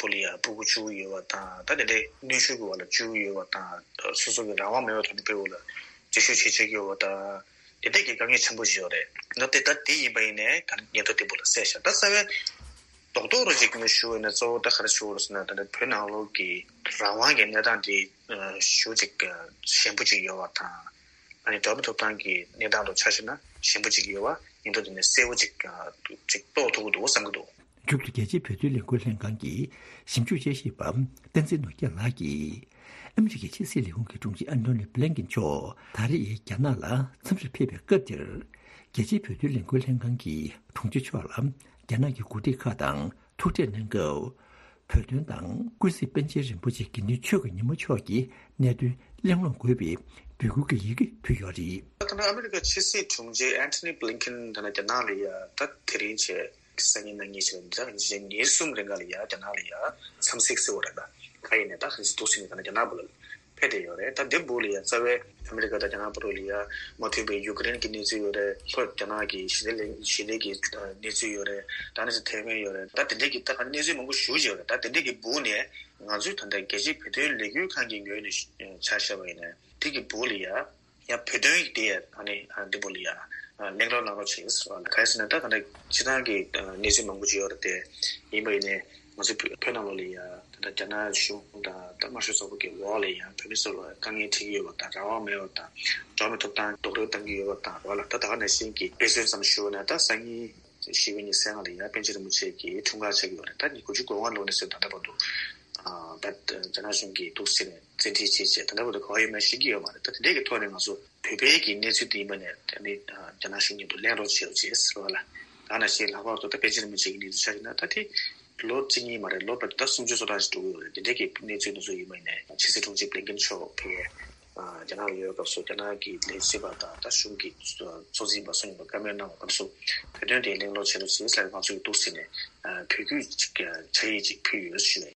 བར་ལ་ཡང་སྤུ་གུ་བཅུག་ཡོད་པ་དང་ད་དེ་འདྲའི་གནོན་ཤུགས་ཀྱི་འོག་ལ་བཅུག་ཡོད་པ་དང་སོ་སོ་གི་རང་དབང་མེད་པའི་ཐོག་ནས་བོད་ལ་འཛུལ་ཞུགས་བྱེད་བྱེད་ཀྱི་ཡོད་པ་དང་དེ་འདྲའི་གི་དཀའ་ངལ་ཆེན་པོ་ཞིག་ཡོད་རེད། ད་དེ་ད་དེ་ཡིན་པ་ཡིན་ནའི་ད་སྙན་ཐོ་དེ་བར་ལ་གསལ་བཞག་ད་རྩ་བའི་རྡོག་རྡོག་རུ་ཅིག་ནས་ཞུ་བ་ཡིན་ན་གཙོ་བོ་ད་ག་རེ་ཞུ་དགོས་རེད་ཟེར་ན་ད་ནི་བོད་ནང་ལོགས་ཀྱི་རང་དབང་གི་གནས་སྟངས་དེ་ཞེ་པོ་ཅིག་ཞན་པོ་ཅིག་ཡོད་པ་དང་། ཨ་ནི་འགྲོ་མི་ཐོབ་ཐང་གི་གནས་སྟངས་དང་ཆ་བཞག་ན་ཞན་པོ་ཅིག་ཡོད་པ་ཡིན་མདོག་དེ་ནས་གསལ་པོ་ཅིག་ཅིག་རྟོགས་ཐུབ་ཀྱི་འདུག་བསམ་གྱི་འདུག་མཇུག་ཏུ་རྒྱལ་སྤྱིའི་བོད་དོན་ལས་འགུལ་ལྷན་ཁང་གི་ཞིབ་འཇུག་དཔྱད་ཞིབ་པ་བསྟན་འཛིན་ནོར་རྒྱས་ལགས་ཀྱིས། ཨ་མི་རི་ཀའི་ཕྱི་སྲིད་ལས་ཁུངས་ཀྱི་དྲུང་ཆེ་ཨན་ཐོ་ནི་བྷི་ལན་ཀིན་མཆོག་ད་རེས་རྒྱ་ནག་ལ་འཚམས་འདྲིར་ཕེབས་པའི་སྐབས་འདིར། རྒྱལ་སྤྱིའི་བོད་དོན་ལས་འགུལ་ལྷན་ཁང་གི་དྲུང་ཆེ་མཆོག་ལ་རྒྱ་ནག་གི་འགོ་ཁྲིད་ཁག་དང་ཐུག་འཕྲད་གནང་སྐབས། བོད་དོན་དང་ཀུན་གཟིགས་པཎ་ཆེན་རིན་པོ་ཆེ་དགེ་འདུན་ཆོས་ཀྱི་ཉི་མ་མཆོག་གི་གནད་དོན་གླེང་སློང་དགོས་པའི་འབོད་སྐུལ་གྱི་ཡི་གེ་ཕུལ་ཡོད་རེད། ད་ལྟ་ཨ་མི་རི་ཀ་ཕྱི་སྲིད་དྲུང་ཆེ་ཨན་ཐོ་ནི་བྷི་ལིན་ཀིན་ད་ལྟ་རྒྱ་ནག་ལ་ཡ་ད་དེ་རིང་བྱས་སང་ཉིན་གནངས་ཉིན་བྱས་ད་ཉིན་གསུམ་རིང་ག་ལ་ཡ་རྒྱ་ནག་ལ་ཡ་འཚམས་གཟིགས་ཟེར་བ་རེད་ད་ག་ཡིན་ནས་ད་ག་ཚོད་འདུག་ཟེར་ནས་ད་ལྟ་རྒྱ་ནག་བར་ལ། ཕེབས་བསྡད་ཡོད་རེད། ད་འདི་བར་ལ་ཡང་རྩ་བའི་ཨ་མི་རི་ཀ་དང་རྒྱ་ནག་བར་ལ་ཡང་མ་མཐུན་པའི་ཡུ་ཀེ་རེན་གྱི་གནས་ཚུལ་ཡོད་རེད། ལྷོ་རྒྱ་ནག་གི་ཞི་བདེ་ལས་ཞི་བདེ་གི་གནས་ཚུལ་ཡོད་རེད། ད་ནི་ཐའེ་ཝན་ཡོད་རེད། ད་དེ་འདྲས་ཀྱི་ད་ག་གནས་ཚུལ་མང་པོ་ཞེ་པོ་ཅིག་ཡོད་རེད། ད་དེ་འདྲས་ཀྱི་བར་ནས་ང་ཚོས་ད་ལྟ་རྒྱལ་སྤྱིའི་བོད་དོན་ལས་འགུལ་ཁང་གི་ངོས་ནས་ཆ་བཞག་པ་ཡིན་ན་དེ་གི་བར་ལ་ཡང་ཡང་བོད་དོན་གྱི་དེ་ཡང་ཨ་ནི་འདི་བར་ལ་ཡང་གླེང་རོགས་གནང་རོགས་བྱེད་ཟེར་བ་ལ་ག་རེ་ཟེར་ན་ད་ག་ནས་སྤྱི་བཏང་གི་གནས་ཚུལ་མང་པོ་ཅིག་ཡོད་རེད་དེ་ཡིན་པ་ཡིན་ནས། ང་ཚོ་བོད་བོད་ནང་ལོགས་ལ་ཡང་ད་ལྟ་རྒྱ་ནག་གཞུང་དང་ད་དམར་ཤོག་ཚོགས་པ་གི་འོག་ལ་ཡང་བོད་མི་ཚོ་ལ་དཀའ་ངལ་འཕྲད་ཀྱི་ཡོད་པ་དང་རང་དབང་མེད་པ་དང་འགྲོ་བ་མིའི་ཐོབ་ཐང་རྡོག་རོལ་བཏང་གི་ཡོད་པ་དང་རོགས་ལ་ད་ད་ག་ནང་བཞིན་གྱི་དཔེ་མཚོན་ཙམ་ཞུ་བ་ན་ད་སང་ཉིན་བཞི་པའི་ཉི་ཤུ་རྩ་ལྔ་ལ་ཡང་པཎ་ཆེན་རིན་པོ་ཆེ་གི་འཁྲུངས་སྐར་ཆགས་ཀྱི་ཡོད་རེད། ད་ཉིས་སྟོང་དགུ་བཅུ་གོ་ལྔ་ལོ་ནས་བཟུང་ད་ལྟ་བར་དུ་ད་རྒྱ་ནག་གཞུང་གིས་འདུག་ཟེར་ནས་བཙན་ཁྲིད་བྱས་བྱས་ད་ལྟ་བར་དུ་ག་བ་ཡོད་མེད་ཤེས་ཀྱི་ཡོད་མ་རེད། ད་དེ་འདྲས་ཀྱི་ཐོག་ནས་ང་ཚོ་བོད་པའི་གི་གནས་ཚུལ་དེ་ཡིན་པ་ནས་ད་ནི་རྒྱ་ནག་གཞུང་མཉམ་དུ་གླེང་རོགས་བྱེད་རོགས་བྱེད་ཟེར་བ་ལ། ད་ནང་བཞིན་ལྷག་པར་དུ་ད་པཎ་ཆེན་རིན་པོ་ཆེ་གི་གནས་ཚུལ་ཆ་བཞག་ན་ད་དེ་ལོ་གཅིག་གཉིས་མ་རེད། ལོ་བར་དུ་ད་སུམ་ཅུ་སོ་གྲངས་ཤིག་འགྲོ་གི་ཡོད་རེད། དེ་འདྲའི་གི་གནས་ཚུལ་དེ་ཚོ་ཡིན་པ་ནས་ཕྱི་སྲིད་དྲུང་ཆེ་བྷི་ལིན་ཀིན་མཆོག་ཕེབས་རྒྱ་ནག་ལ་ཡོད་སྐབས་སུ་རྒྱ་ནག་གི་ལས་བྱེད་པ་དང་ད་གཞུང་གི་གཙོ་འཛིན་པ་སོགས་ཡིན་པ་བཀའ་མོལ་གནང་བ་སྐབས་སུ་བོད་དོན་དེ་གླེང་སློང་བྱེད་རོགས་བྱེད་ཟེར་ང་ཚོ་གི་འདུག་ཟེར་ནས་བོད་བརྒྱུད་ཅིག་ཕྱག་ཡིག་ཅིག་ཕུལ་ཡོད་ཞུ་ཡ།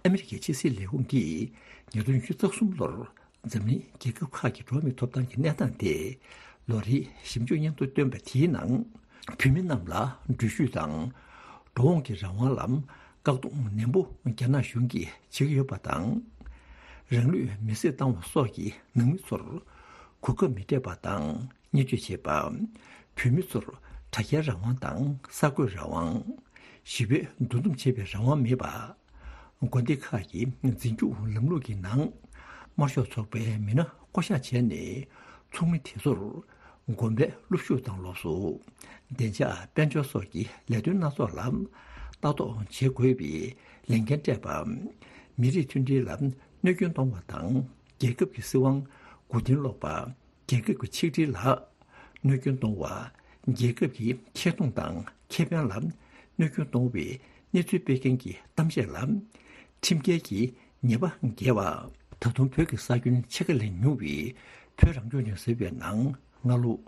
ཨ་མི་རི་ཀའི་ཕྱི་སྲིད་ལས་ཁུངས་ཀྱིས་ཉིས་སྟོང་ཉི་ཤུ་རྩ་གསུམ་ལོར་འཛམ་གླིང་རྒྱལ་ཁབ་ཁག་གི་འགྲོ་བ་མིའི་ཐོབ་ཐང་གི་གནས་སྟངས་ཐད་ལོ་རེའི་ཞིབ་འཇུག་སྙན་ཐོ་བཏོན་པ་དེའི་ནང་། བོད་མི་རྣམས་ལ་འགྲུལ་བཞུད་དང་འགྲོ་འོང་གི་རང་དབང་ལ་བཀག་སྡོམ་ནན་པོ་རྒྱ་ནག་གཞུང་གིས་བྱེད་ཀྱི་ཡོད་པ་དང་། རང་ལུས་མེར་སྲེག་བཏང་བ་སོགས་ཀྱི་ནང་མི་ཚོར་གོ་སྐབས་མི་སྤྲད་པ་དང་། བརྙས་བཅོས་བྱེད་པ། བོད་མི་ཚོར་དྲ་རྒྱའི་རང་དབང་དང་གསར་འགོད་རང་དབང་། ཞི་བའི་འདུ་འཛོམས་བྱེད་པའི་རང་དབང་མེད་པ། དགོན་སྡེ་ཁག་གི་འཛིན་སྐྱོང་ལམ་ལུགས་ཀྱི་ནང་། དམར་ཤོག་ཚོགས་པའི་མི་སྣ་བསྐོ་གཞག་བྱས་ནས་ཚོགས་མི་དེ་ཚོར་དགོན་པའི་སློབ་ཞུགས་དང་སློབ་གསོ། བདེ་འཇགས་དཔལ་འབྱོར་སོགས་ཀྱི་ལས་དོན་སྣ་ཚོགས་ལ་ལྟ་རྟོག་བྱེད་དགོས་པའི་ལས་འགན་སྤྲད་པ། མི་རིགས་མཐུན་སྒྲིལ་ལ་གནོད་སྐྱོན་གཏོང་བ་དང་རྒྱལ་ཁབ་ཀྱི་སྲིད་དབང་མགོ་རྟིང་སློག་པ། རྒྱལ་ཁབ་ཀྱི་ཆིག་སྒྲིལ་ལ་གནོད་སྐྱོན་གཏོང་བ། རྒྱལ་ཁབ་ཀྱི་ཁྱད་སྟོང་དང་ཁེ་ཕན་ལ་གནོད་སྐྱོན་གཏོང་བའི་གནས་ཚུལ་སྤེལ་མཁན་གྱི་གཏམ་བཤད་ལ་ཁྲིམས་འགལ་གྱི་ཉེས་པ་འགེལ་བ། ད་དུང་བོད་ཀྱི་ས་ཁྱོན་ཕྱེད་ཀ་ལས་ཉུང་བའི་བོད་རང་སྐྱོང་ལྗོངས་ཟེར་བའི་ནང་སྔ་ལོ་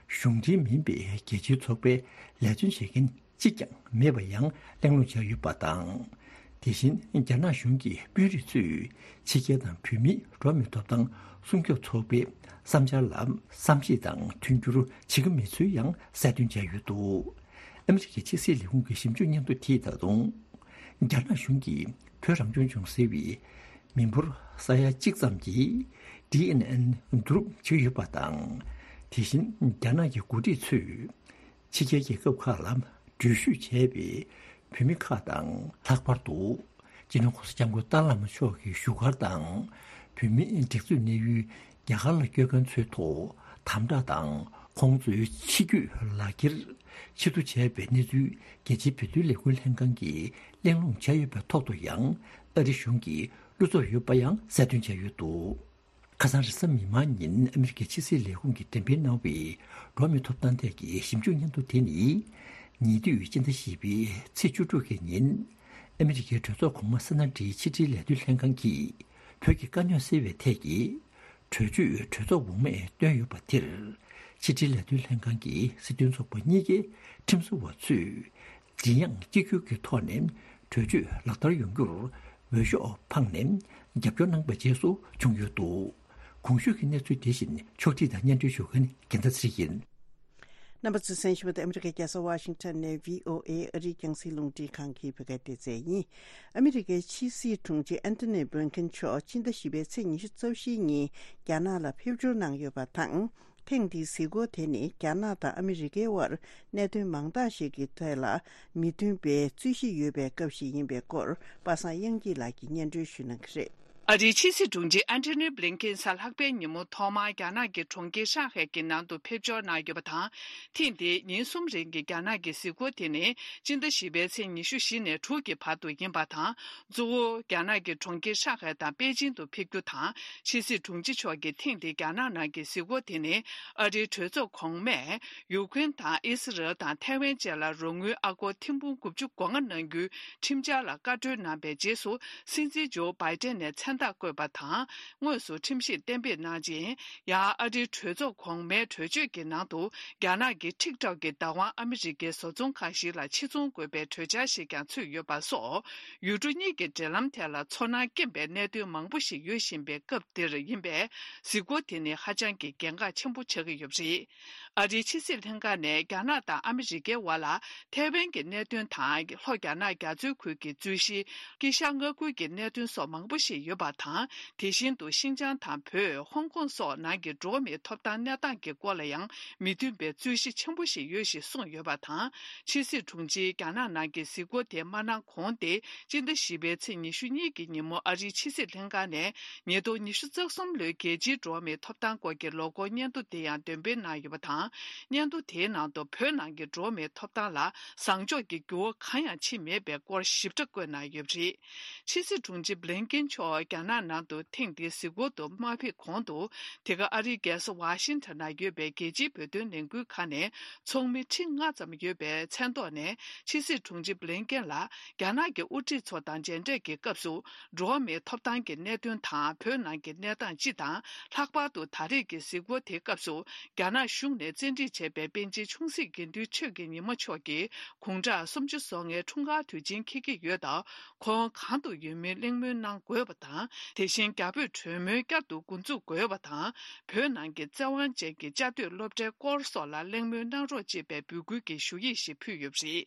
གཞུང་འབྲེལ་མིན་པའི་རྒྱལ་སྤྱིའི་ཚོགས་པའི་ལས་དོན་བྱེད་མཁན་གཅིག་ཀྱང་མེད་པ་ཡང་གླེང་སློང་བྱས་ཡོད་པ་དང་། དེ་བཞིན་རྒྱ་ནག་གཞུང་གི་དཔོན་རིགས་ཚོས་ཕྱི་རྒྱལ་དང་བོད་མིའི་འགྲོ་བ་མིའི་ཐོབ་ཐང་སྲུང་སྐྱོབ་ཚོགས་པའི་བསམ་འཆར་ལ་བསམ་ཤེས་དང་མཐུན་འགྱུར་བྱེད་ཀྱི་མེད་ཚུལ་ཡང་གསལ་སྟོན་བྱས་ཡོད་འདུག་ཨ་མི་རི་ཀའི་ཕྱི་སྲིད་ལས་ཁུངས་ཀྱི་ཞིབ་འཇུག་སྙན་ཐོ་དེས་ད་དུང་། རྒྱ་ནག་གཞུང་གིས་བོད་རང་སྐྱོང་ལྗོངས་ཟེར་བའི་མི་འབོར་ས་ཡ་གཅིག་ཙམ་གྱི་ཌི་ཨེན་ཨེན་བསྡུ་རུབ་བྱས་ཡོད་པ་དང་། དེ་བཞིན་རྒྱ་ནག་གི་འགོ་ཁྲིད་ཚོས་ཕྱི་རྒྱལ་རྒྱལ་ཁབ་ཁག་ལ་འགྲུལ་བཞུད་བྱས་པའི་བོད་མི་ཁག་དང་། ལྷག་པར་དུ་སྤྱི་ནོར་༸གོང་ས་༸སྐྱབས་མགོན་ཏཱ་ལའི་བླ་མ་མཆོག་གི་བཞུགས་སྒར་དང་། བོད་མིའི་སྒྲིག་འཛུགས་གནས་ཡུལ་རྒྱ་གར་ལ་སྐྱོད་མཁན་ཚོའི་ཐོག་དམ་དྲག་དང་། ཁོང་ཚོའི་ཕྱི་སྐྱོད་ལག་འཁྱེར་ཕྱིར་བསྡུ་བྱས་པའི་གནས་ཚུལ། རྒྱལ་སྤྱིའི་བོད་དོན་ལས་འགུལ་ལྷན་ཁང་གིས་གླེང་སློང་བྱས་ཡོད་པའི་ཐོག་ཏུ་ཡང་། ཨ་རི་གཞུང་གི་བློ་འཚབ་ཡོད་པ་ཡང་གསལ་སྟོན་བྱས་ཡོད་འདུག་ཁ་སང་རེས་གཟའ་མིག་དམར་ཉིན་ཨ་མི་རི་ཀའི་ཕྱི་སྲིད་ལས་ཁུངས་ཀྱིས་འགྲེམས་སྤེལ་གནང་བའི་འགྲོ་བ་མིའི་ཐོབ་ཐང་ཐད་ཀྱི་ཞིབ་འཇུག་སྙན་ཐོ་དེ་ནི། ཉེ་དུས་སྤྱི་ཟླ་བཞི་པའི་ཚེས་བཅུ་དྲུག་གི་ཉིན། ཨ་མི་རི་ཀའི་གྲོས་ཚོགས་གོང་མ་སེ་ན་ཏིའི་ཕྱི་དྲིལ་ལས་དོན་ལྷན་ཁང་གིས་བོད་ཀྱི་དཀའ་རྙོག་སེལ་བའི་ཐད་ཀྱི་གྲོས་ཆོད་གྲོས་ཚོགས་འོག་མས་བཏོན་ཡོད་པ་དེར། ཕྱི་དྲིལ་ལས་དོན་ལྷན་ཁང་གི་སྲིད་དོན་ཚོགས་པ་གཉིས་ཀའི་ཁྲིམས་བཟོ་བ་ཚོས་མགྲིན་དབྱངས་གཅིག་གྱུར་གྱི་ཐོག་ནས་གྲོས་ཆོད་ལག་བསྟར་ཡོང་རྒྱུར་འོས་ཤོག་འཕངས་ནས་རྒྱབ་སྐྱོར་གནང་པའི་རྗེས་སུ་བྱུང་ཡོད་འདུག་གོང་ཞུས་ཀྱི་གནས་ཚུལ་དེ་བཞིན་ཕྱོགས་སྒྲིག་དང་སྙན་སྒྲོན་ཞུ་མཁན་རྒྱལ་མཚན་ཚེ་རིང་ཡིན། རྣམ་པ་ཚོས་གསན་བཞིན་པ་དེ་ཨ་མི་རི་ཀའི་རྒྱལ་ས་ཝ་ཤིང་ཊོན་ནས་བྷི་ཨོ་ཨེ་ཨ་རིའི་རྒྱང་སྲིང་རླུང་འཕྲིན་ཁང་གི་བོད་སྐད་སྡེ་ཚན་ཡིན། ཨ་མི་རི་ཀའི་ཕྱི་སྲིད་དྲུང་ཆེ་ཨན་ཐོ་ནི་བྷི་ལིན་ཀེན་མཆོག་སྤྱི་ཟླ་བཞི་པའི་ཚེས་ཉི་ཤུ་རྩ་བཞིའི་ཉིན་རྒྱ་ནག་ལ་ཕེབས་འབྱོར་གནང་ཡོད་པ་དང་། ཐེངས་འདིའི་གཟིགས་སྐོར་དེ་ནི་རྒྱ་ནག་དང་ཨ་མི་རི་ཀའི་དབར་གནད་དོན་མང་དག་ཞིག་གི་ཐད་ལ་མི་མཐུན་པའི་རྩོད་གཞི་ཡོད་པའི་སྐབས་ཤིག་ཡིན་པའི་སྐོར་པ་སངས་དབྱངས་སྐྱིད་ལགས་ཀྱིས་སྙན་སྒྲོན་ཞུ་གནང་གི་རེད། ཨ་རིའི་ཕྱི་སྲིད་དྲུང་ཆེ་ཨན་ཐོ་ནི་བྷི་ལིན་ཀེན་གཟའ་ལྷག་པའི་ཉིན་མོ་ཐོག་མར་རྒྱ་ནག་གི་གྲོང་ཁྱེར་ཧྲང་ཧའེ་གི་ནང་དུ་ཕེབས་འབྱོར་གནང་ཡོད་པ་དང་། ཐེངས་འདིའི་ཉིན་གསུམ་རིང་གི་རྒྱ་ནག་གི་གཟིགས་སྐོར་དེ་ནི་སྤྱི་ཟླ་བཞི་པའི་ཚེས་ཉི་ཤུ་བཞི་ནས་དྲུག་གི་བར་དུ་ཡིན་པ་དང་། གཙོ་བོ་རྒྱ་ནག་གི་གྲོང་ཁྱེར་ཧྲང་ཧའེ་དང་པེ་ཅིང་དུ་ཕེབས་རྒྱུ་དང་། ཕྱི་སྲིད་དྲུང་ཆེ་མཆོག་གིས་ཐེངས་འདིའི་རྒྱ་ནག་ནང་གི་གཟིགས་སྐོར་དེ་ནི་ཨ་རིའི་གྲོས་ཚོགས་གོང་མས་ཡུཀ་རེན་དང་ཨི་སི་རལ་དང་ཐའེ་ཝན་བཅས་ལ་རོགས་དངུལ་ཨ་སྒོར་ཐེར་འབུམ་དགུ་བཅུ་གོ་ལྔ་གནང་རྒྱུའི་ཁྲིམས་འཆར་ལ་བཀའ་འཁྲོལ་གནང་པའི་རྗེས་སུ། སྲིད་འཛིན་ཇོ་བྷའི་ཏན་ནས་མཚན་རྟགས་བཀོད་པ་དང་། དངོས་སུ་ཁྲིམས་ཞིབ་གཏན་འབེབས་གནང་རྗེས། ཡང་ཨ་རིའི་གྲོས་ཚོགས་གོང་མའི་གྲོས་ཆོད་ཀྱི་ནང་དུ། རྒྱ་ནག་གི་ཊིག་ཊོག་གི་བདག་དབང་ཨ་མི་རི་ཀའི་བཟོ་ཚོང་ཁང་ཞིག་ལ་ཕྱིར་ཚོང་དགོས་པའི་གྲོས་འཆར་ཞིག་ཀྱང་ཚུད་ཡོད་པ་སོགས། ཡུལ་གྲུ་གཉིས་ཀྱི་འབྲེལ་ལམ་ཐད་ལ་ཚོར་སྣང་སྐྱེན་པའི་གནད་དོན་མང་པོ་ཞིག་ཡོད་བཞིན་པའི་སྐབས་འདིར་ཡིན་པས། གཟིགས་སྐོར་དེ་ནི་ཧ་ཅང་གི་གལ་འགངས་ཆེན་པོ་ཆགས་ཀྱི་ཡོད་པ་རེད། ཨ་རིའི་ཕྱི་སྲིད་ལྷན་ཁང་ནས་རྒྱ་ནག་དང་ཨ་མི་རི་ཀའི་དབར་ལ་ཐའེ་ཝན་གྱི་གནད་དོན་དང་། ལྷོ་རྒྱ་ནག་རྒྱ་མཚོའི་ཁུལ་གྱི་རྩོད་གཞི། དཀྱིལ་ཤར་མངའ་ཁུལ་གྱི་གནད་དོན་སོགས་མང་པོ་ཞིག་ཡོད་པ་དང་། དེ་བཞིན་དུ་ཤིན་ཅང་དང་བོད། ཧོང་ཀོང་སོགས་ནང་གི་འགྲོ་བ་མིའི་ཐོབ་ཐང་གནས་སྟངས་ཀྱི་སྐོར་ལ་ཡང་མི་མཐུན་པའི་རྩོད་གཞི་ཆེན་པོ་ཞིག་ཡོད་ཞེས་གསུངས་ཡོད་པ་དང་། ཕྱི་སྲིད་དྲུང་ཆེའི་རྒྱ་ནག་ནང་གི་གཟིགས་སྐོར་དེ་མ་གནང་གོང་སྟེ། སྤྱི་ཟླ་བཞི་པའི་ཚེས་ཉི་ཤུ་གཉིས་ཀྱི་ཉིན་མོ་ཨ་རིའི་ཕྱི་སྲིད་ལྷན་ཁང་ནས་ཉིས་སྟོང་ཉི་ཤུ་རྩ་གསུམ་ལོའི་རྒྱལ་སྤྱིའི་འགྲོ་བ་མིའི་ཐོབ་ཐང་སྐོར་གྱི་ལོ་འཁོར་སྙན་ཐོ་དེ་ཡང་འདོན་སྤེལ་གནང་ཡོད་པ་དང་། སྙན་ཐོ་དེའི་ནང་དུ་བོད་ནང་གི་འགྲོ་བ་མིའི་ཐོབ་ཐང་ལ་བཟང་ཕྱོགས་ཀྱི་འགྱུར་བ་གང་ཡང་ཕྱིན་མེད་པའི་སྐོར་ཞིབ་ཕྲ་བཀོད་གནང་ཡོད་པ་རེད། ཕྱི་སྲིད་དྲུང་ཆེ་བྷི་ལིན་ཀེན་མཆོག་རྒྱ་ནག་ནང་དུ་ཐེངས་འདིའི་གཟིགས་སྐོར་དུ་མ་ཕེབས་གོང་དུ། དེ་ག་ཨ་རིའི་རྒྱལ་ས་ཝ་ཤིང་ཊོན་ན་ཡོད་པའི་རྒྱལ་སྤྱིའི་བོད་དོན་ལས་འགུལ་ཁང་ནས་ཚོགས་མི་ཁྲི་ལྔ་ཙམ་ཡོད་པའི་མཚན་ཐོག་ནས། ཕྱི་སྲིད་དྲུང་ཆེ་བྷི་ལིན་ཀེན་ལ་རྒྱ་ནག་གི་དབུ་ཁྲིད་ཚོ་དང་མཇལ་འཕྲད་ཀྱི་སྐབས་སུ། འགྲོ་བ་མིའི་ཐོབ་ཐང་གི་གནད་དོན་དང་། བོད་ནང་གི་གནས་སྟངས་སྤྱི་དང་། ལྷག་པར་དུ་ད་རེས་ཀྱི་གཟིགས་སྐོར་དེའི་སྐབས་སུ། རྒྱ་ནག་གཞུང་ནས་བཙན་ཁྲིད་བྱས་པའི་པཎ་ཆེན་ཆུང་སྲིད་དགེ་འདུན་ཆོས་ཀྱི་ཉི་མ་མཆོག་གི་དགུང་གྲངས་སུམ་ཅུ་སོ་ལྔའི་འཁྲུངས་སྐར་དུས་ཆེན་འཁེལ་གྱི་ཡོད་སྟབས། ཁོང་གང་དུ་ཡོད་མིན་གླེང་མོལ་གནང་དགོས་པ་དང་། དེ་བཞིན་རྒྱ་བོད་གྲོས་མོལ་བསྐྱར་དུ་འགོ་འཛུགས་དགོས་པ་དང་། བོད་ནང་གི་བཙན་དབང་ཅན་གྱི་བཅའ་སྡོད་སློབ་གྲྭའི་སྐོར་སོགས་ལ་གླེང་མོལ་གནང་རོགས་ཅེས་པའི་འབོད་སྐུལ་གྱི་ཞུ་ཡིག་ཞིག་ཕུལ་ཡོད་པ་རེད།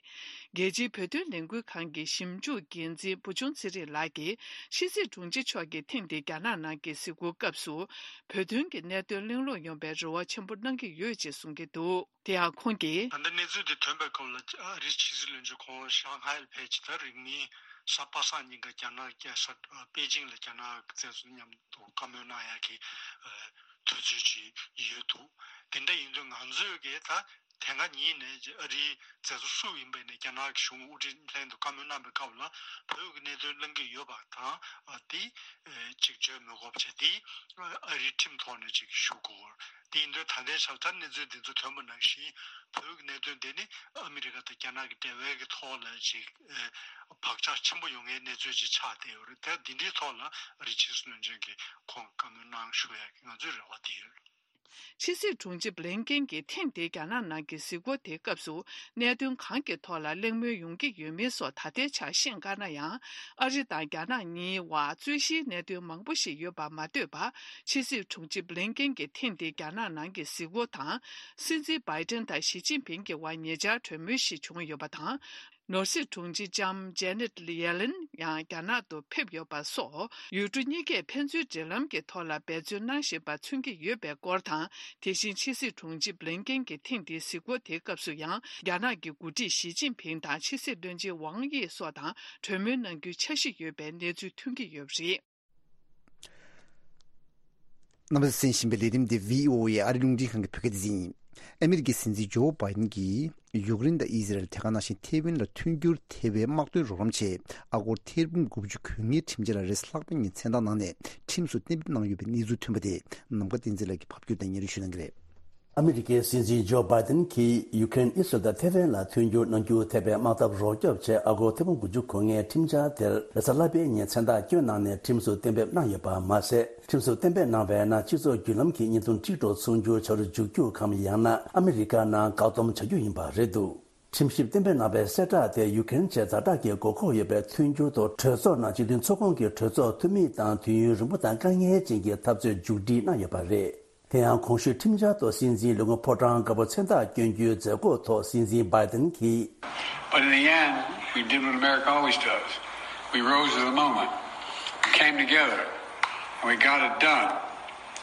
རྒྱལ་སྤྱིའི་བོད་དོན་ལས་འགུལ་ཁང་གི་ཞིབ་འཇུག་འགན་འཛིན་བུ་ཆུང་ཚེ་རིང་ལགས་ཀྱིས། ཕྱི་སྲིད་དྲུང་ཆེ་མཆོག་གིས་ཐེངས་འདིའི་རྒྱ་ནག་ནང་གི་གཟིགས་སྐོར་སྐབས་སུ། བོད་དོན་གྱི་གནད་དོན་གླེང་སློང་ཡོང་བའི་རེ་བ་ཆེན་པོ་གནང་གི་ཡོད་ཅེས་གསུང་གི་འདུག་དེ་ཡང་ཁོང་གིས། ད་ལྟ་གནས་ཚུལ་འདི་ཐོན་པའི་སྐབས་ལ་ཨ་རིའི་ཕྱི་སྲིད་བློན་ཆེན་ཁོང་ཧྲང་ཧའེ་ལ་ཕེབས་ཀྱི། ད་རིང་མིན་གཟའ་པ་སངས་ཉིན་ཀ་རྒྱ་ནག་རྒྱལ་ས་པེ་ཅིང་ལ་རྒྱ་ནག་གི་བཙན་བཟུང་མཉམ་དུ་བཀའ་མོལ་གནང་ཡག་གི་དུས་ཚོད་ཅིག་ཡོད་འདུག་དེ་འདྲ་ཡིན་དུས་ང་ཚོས་ཀྱི་ད་དེ་སྔ་ཉིད་ནས་ཨ་རིའི་བཙན་བཟུང་སུ་ཡིན་པ་ནས་རྒྱ་ནག་གི་གཞུང་དབུ་ཁྲིད་ལྷན་དུ་བཀའ་མོལ་གནང་པའི་སྐབས་ལ་བོད་ཀྱི་གནད་དོན་གླེང་གི་ཡོད་པ་དང་། ཨ་དེ་ཅིག་བརྗོད་མི་དགོས་པ་བྱས་ཏེ། ཨ་རིའི་ཁྲིམས་ཐོག་ནས་ཅིག་ཞུ་དགོས། དེ་ཡིན་དུས་ད་ལྟའི་ཆར་ད་གནས་ཚུལ་འདི་ཚོ་ཐོན་པ་ནང་བཞིན་བོད་ཀྱི་གནད་དོན་འདི་ནི་ཨ་མི་རི་ཀ་དང་རྒྱ་ནག་གི་འབྲེལ་བའི་གི་ཐོག་ལ་ཅིག་བག་ཆགས་ཆེན་པོ་ཡོང་མཁན་གནས་ཚུལ་ཅིག་ཆགས་བསྡད་ཡོད་རེད། ད་འདི་འདྲའི་ཐོག་ལ་ཨ་རིའི་ཕྱི་སྲིད་བློན་ཆེན་གྱིས་ཁོང་བཀའ་མོལ་གནང་ཞུ་ཡག་གི་ང་ཚོའི་རེ་བ་དེ་ཡོད། ཕྱི་སྲིད་དྲུང་ཆེ་བྷི་ལིན་ཀེན་གྱིས་ཐེངས་འདིའི་རྒྱ་ནག་ནང་གི་གཟིགས་སྐོར་དེའི་སྐབས་སུ། གནད་དོན་གང་གི་ཐོག་ལ་གླེང་མོལ་ཡོང་གི་ཡོད་མིན་སོགས་ད་ལྟའི་ཆར་ཤེས་དཀའ་ན་ཡང་། ཨ་རི་དང་རྒྱ་ནག་གཉིས་བར་རྩོད་གཞིའི་གནད་དོན་མང་པོ་ཞིག་ཡོད་པ་མ་ལྟོས་པར། ཕྱི་སྲིད་དྲུང་ཆེ་བྷི་ལིན་ཀེན་གྱི་ཐེངས་འདིའི་རྒྱ་ནག་ནང་གི་གཟིགས་སྐོར་དང་། སྲིད་འཛིན་བྷའི་ཏན་དང་ཞི་ཅིན་ཕིང་གི་བར་ཉེ་ཆར་གྲོས་མོལ་ཞིག་བྱུང་ཡོད་པ་དང་། ནོར་སྲིད་དྲུང་ཆེ་ལྕམ་ཇེ་ནེད་ཡེ་ལེན་ཡང་རྒྱ་ནག་ཏུ་ཕེབས་ཡོད་པ་སོགས། ཡུལ་གྲུ་གཉིས་ཀས་ཕན་ཚུན་འབྲེལ་ལམ་གྱི་ཐོག་ལ་འབད་བརྩོན་གནང་བཞིན་པ་མཚོན་གྱི་ཡོད་པའི་སྐོར་དང་། དེ་བཞིན་ཕྱི་སྲིད་དྲུང་ཆེ་བྷི་ལིན་ཀེན་གྱི་ཐེངས་འདིའི་གཟིགས་སྐོར་དེའི་སྐབས་སུ་ཡང་། རྒྱ་ནག་གི་འགོ་ཁྲིད་ཞི་ཅིན་ཕིང་དང་ཕྱི་སྲིད་བློན་ཆེན་ཝང་དབྱི་སོགས་དང་གྲོས་མོལ་གནང་རྒྱུའི་འཆར་གཞི་ཡོད་པའི་གནས་ཚུལ་ཐོན་གྱི་ཡོད་པ་རེད། རྣམ་པ་གསན་བཞིན་པའི་ལས་རིམ་འདི་བྷི་ཨོ་ཨེ་ཨ་རི་རླུང་འཕྲིན་ཁང་གི་བོད་སྐད་སྡེ་ཚན་ཡིན། ཨ་མི་རི་ཀའི་སྲིད་འཛིན་ཇོ་བྷའི་ཏན་གྱིས་ཡུཀ་རེན་དང་ཨི་ཟི་རལ། དེ་ག་ནང་བཞིན་ཐེ་ཝན་ལ་མཐུན་འགྱུར་ཐེ་བའི་དམག་དོན་རོགས་རམ་ཆེད་ཨ་སྒོར་ཐེར་འབུམ་དགུ་བཅུ་གོ་ལྔའི་ཁྲིམས་འཆར་ལ་རེས་གཟའ་ལྷག་པའི་ཉིན་མཚན་རྟགས་གནང་ནས་ཁྲིམས་སུ་གཏན་འབེབས་གནང་ཡོད་པའི་གནས་ཚུལ་ཐོན་པ་དེ། ནམ་མཁའ་བསྟན་འཛིན་ལགས་ཀྱིས་ཕབ་སྒྱུར་དང་སྙན་སྒྲོན་ཞུ་གནང་གི་རེད། ཨ་མི་རི་ཀའི་སྲིད་འཛིན་ཇོ་བྷའི་ཏན་གྱིས་ཡུ་ཀེ་རེན་ཨི་སི་རལ་དང་ཐེ་ཝན་ལ་མཐུན་འགྱུར་གནང་རྒྱུ་ཐེ་བའི་དམག་འཐབ་རོགས་སྐྱོབ་ཆེད་ཨ་སྒོར་ཐེར་འབུམ་དགུ་བཅུ་གོ་ལྔའི་ཁྲིམས་འཆར་དེར་རེས་གཟའ་ལྷག་པའི་ཉིན་མཚན་རྟགས་བསྐྱོན་གནང་ནས་ཁྲིམས་སུ་གཏན་འབེབས་གནང་ཡོད་པ་མ་ཟད། ཁྲིམས་སུ་གཏན་འབེབས་གནང་བའི་ནང་སྤྱི་ཚོགས་བརྒྱུད་ལམ་གྱི་བརྙན་ཐུང་ཊིག་ཊོག་ཚོང་སྒྱུར་བྱ་རུ་འཇུག་རྒྱུ་གམ། ཡང་ན་ཨ་མི་རི་ཀ་ནང་བཀག་སྡོམ་བྱ་རྒྱུ་ཡིན་པ་རེད་འདུག་ཁྲིམས་ཞིབ་གཏན་འབེབས་གནང་བའི་གསལ་བསྒྲགས་དེ་ཡུ་ཀེ་རེན་ཆེད་ཛ་དྲག་གི་དགོས་མཁོ་ཡོད་པའི་མཐུན་འགྱུར་ཐོག་གྲོས་ཚོགས་ནང་སྤྱི་མཐུན་ཚོགས་ཁོངས་ཀྱི་གྲོས་ཚོགས་འཐུས་མི་དང་དུས་ཡུན་རིང་པོ་དང་དཀའ་ངལ་ཅན་གྱི་འཐབ་རྩོད་མཇུག་སྒྲིལ་གནང་ཡོད་པ་རེད། དེ་ཡང་གོང་ཞུས་ཁྲིམས་འཆར་ཐོག་སྲིད་འཛིན་ལས་ཁུངས་ཕོ་བྲང་དཀར་པོ་མཚན་རྟགས་བསྐྱོན་རྒྱུའི་མཛད་སྒོ་ཐོག་སྲིད་འཛིན་བྷའི་ཏན་གྱིས། But in the end, we did what America always does. We rose to the moment. We came together. And we got it done.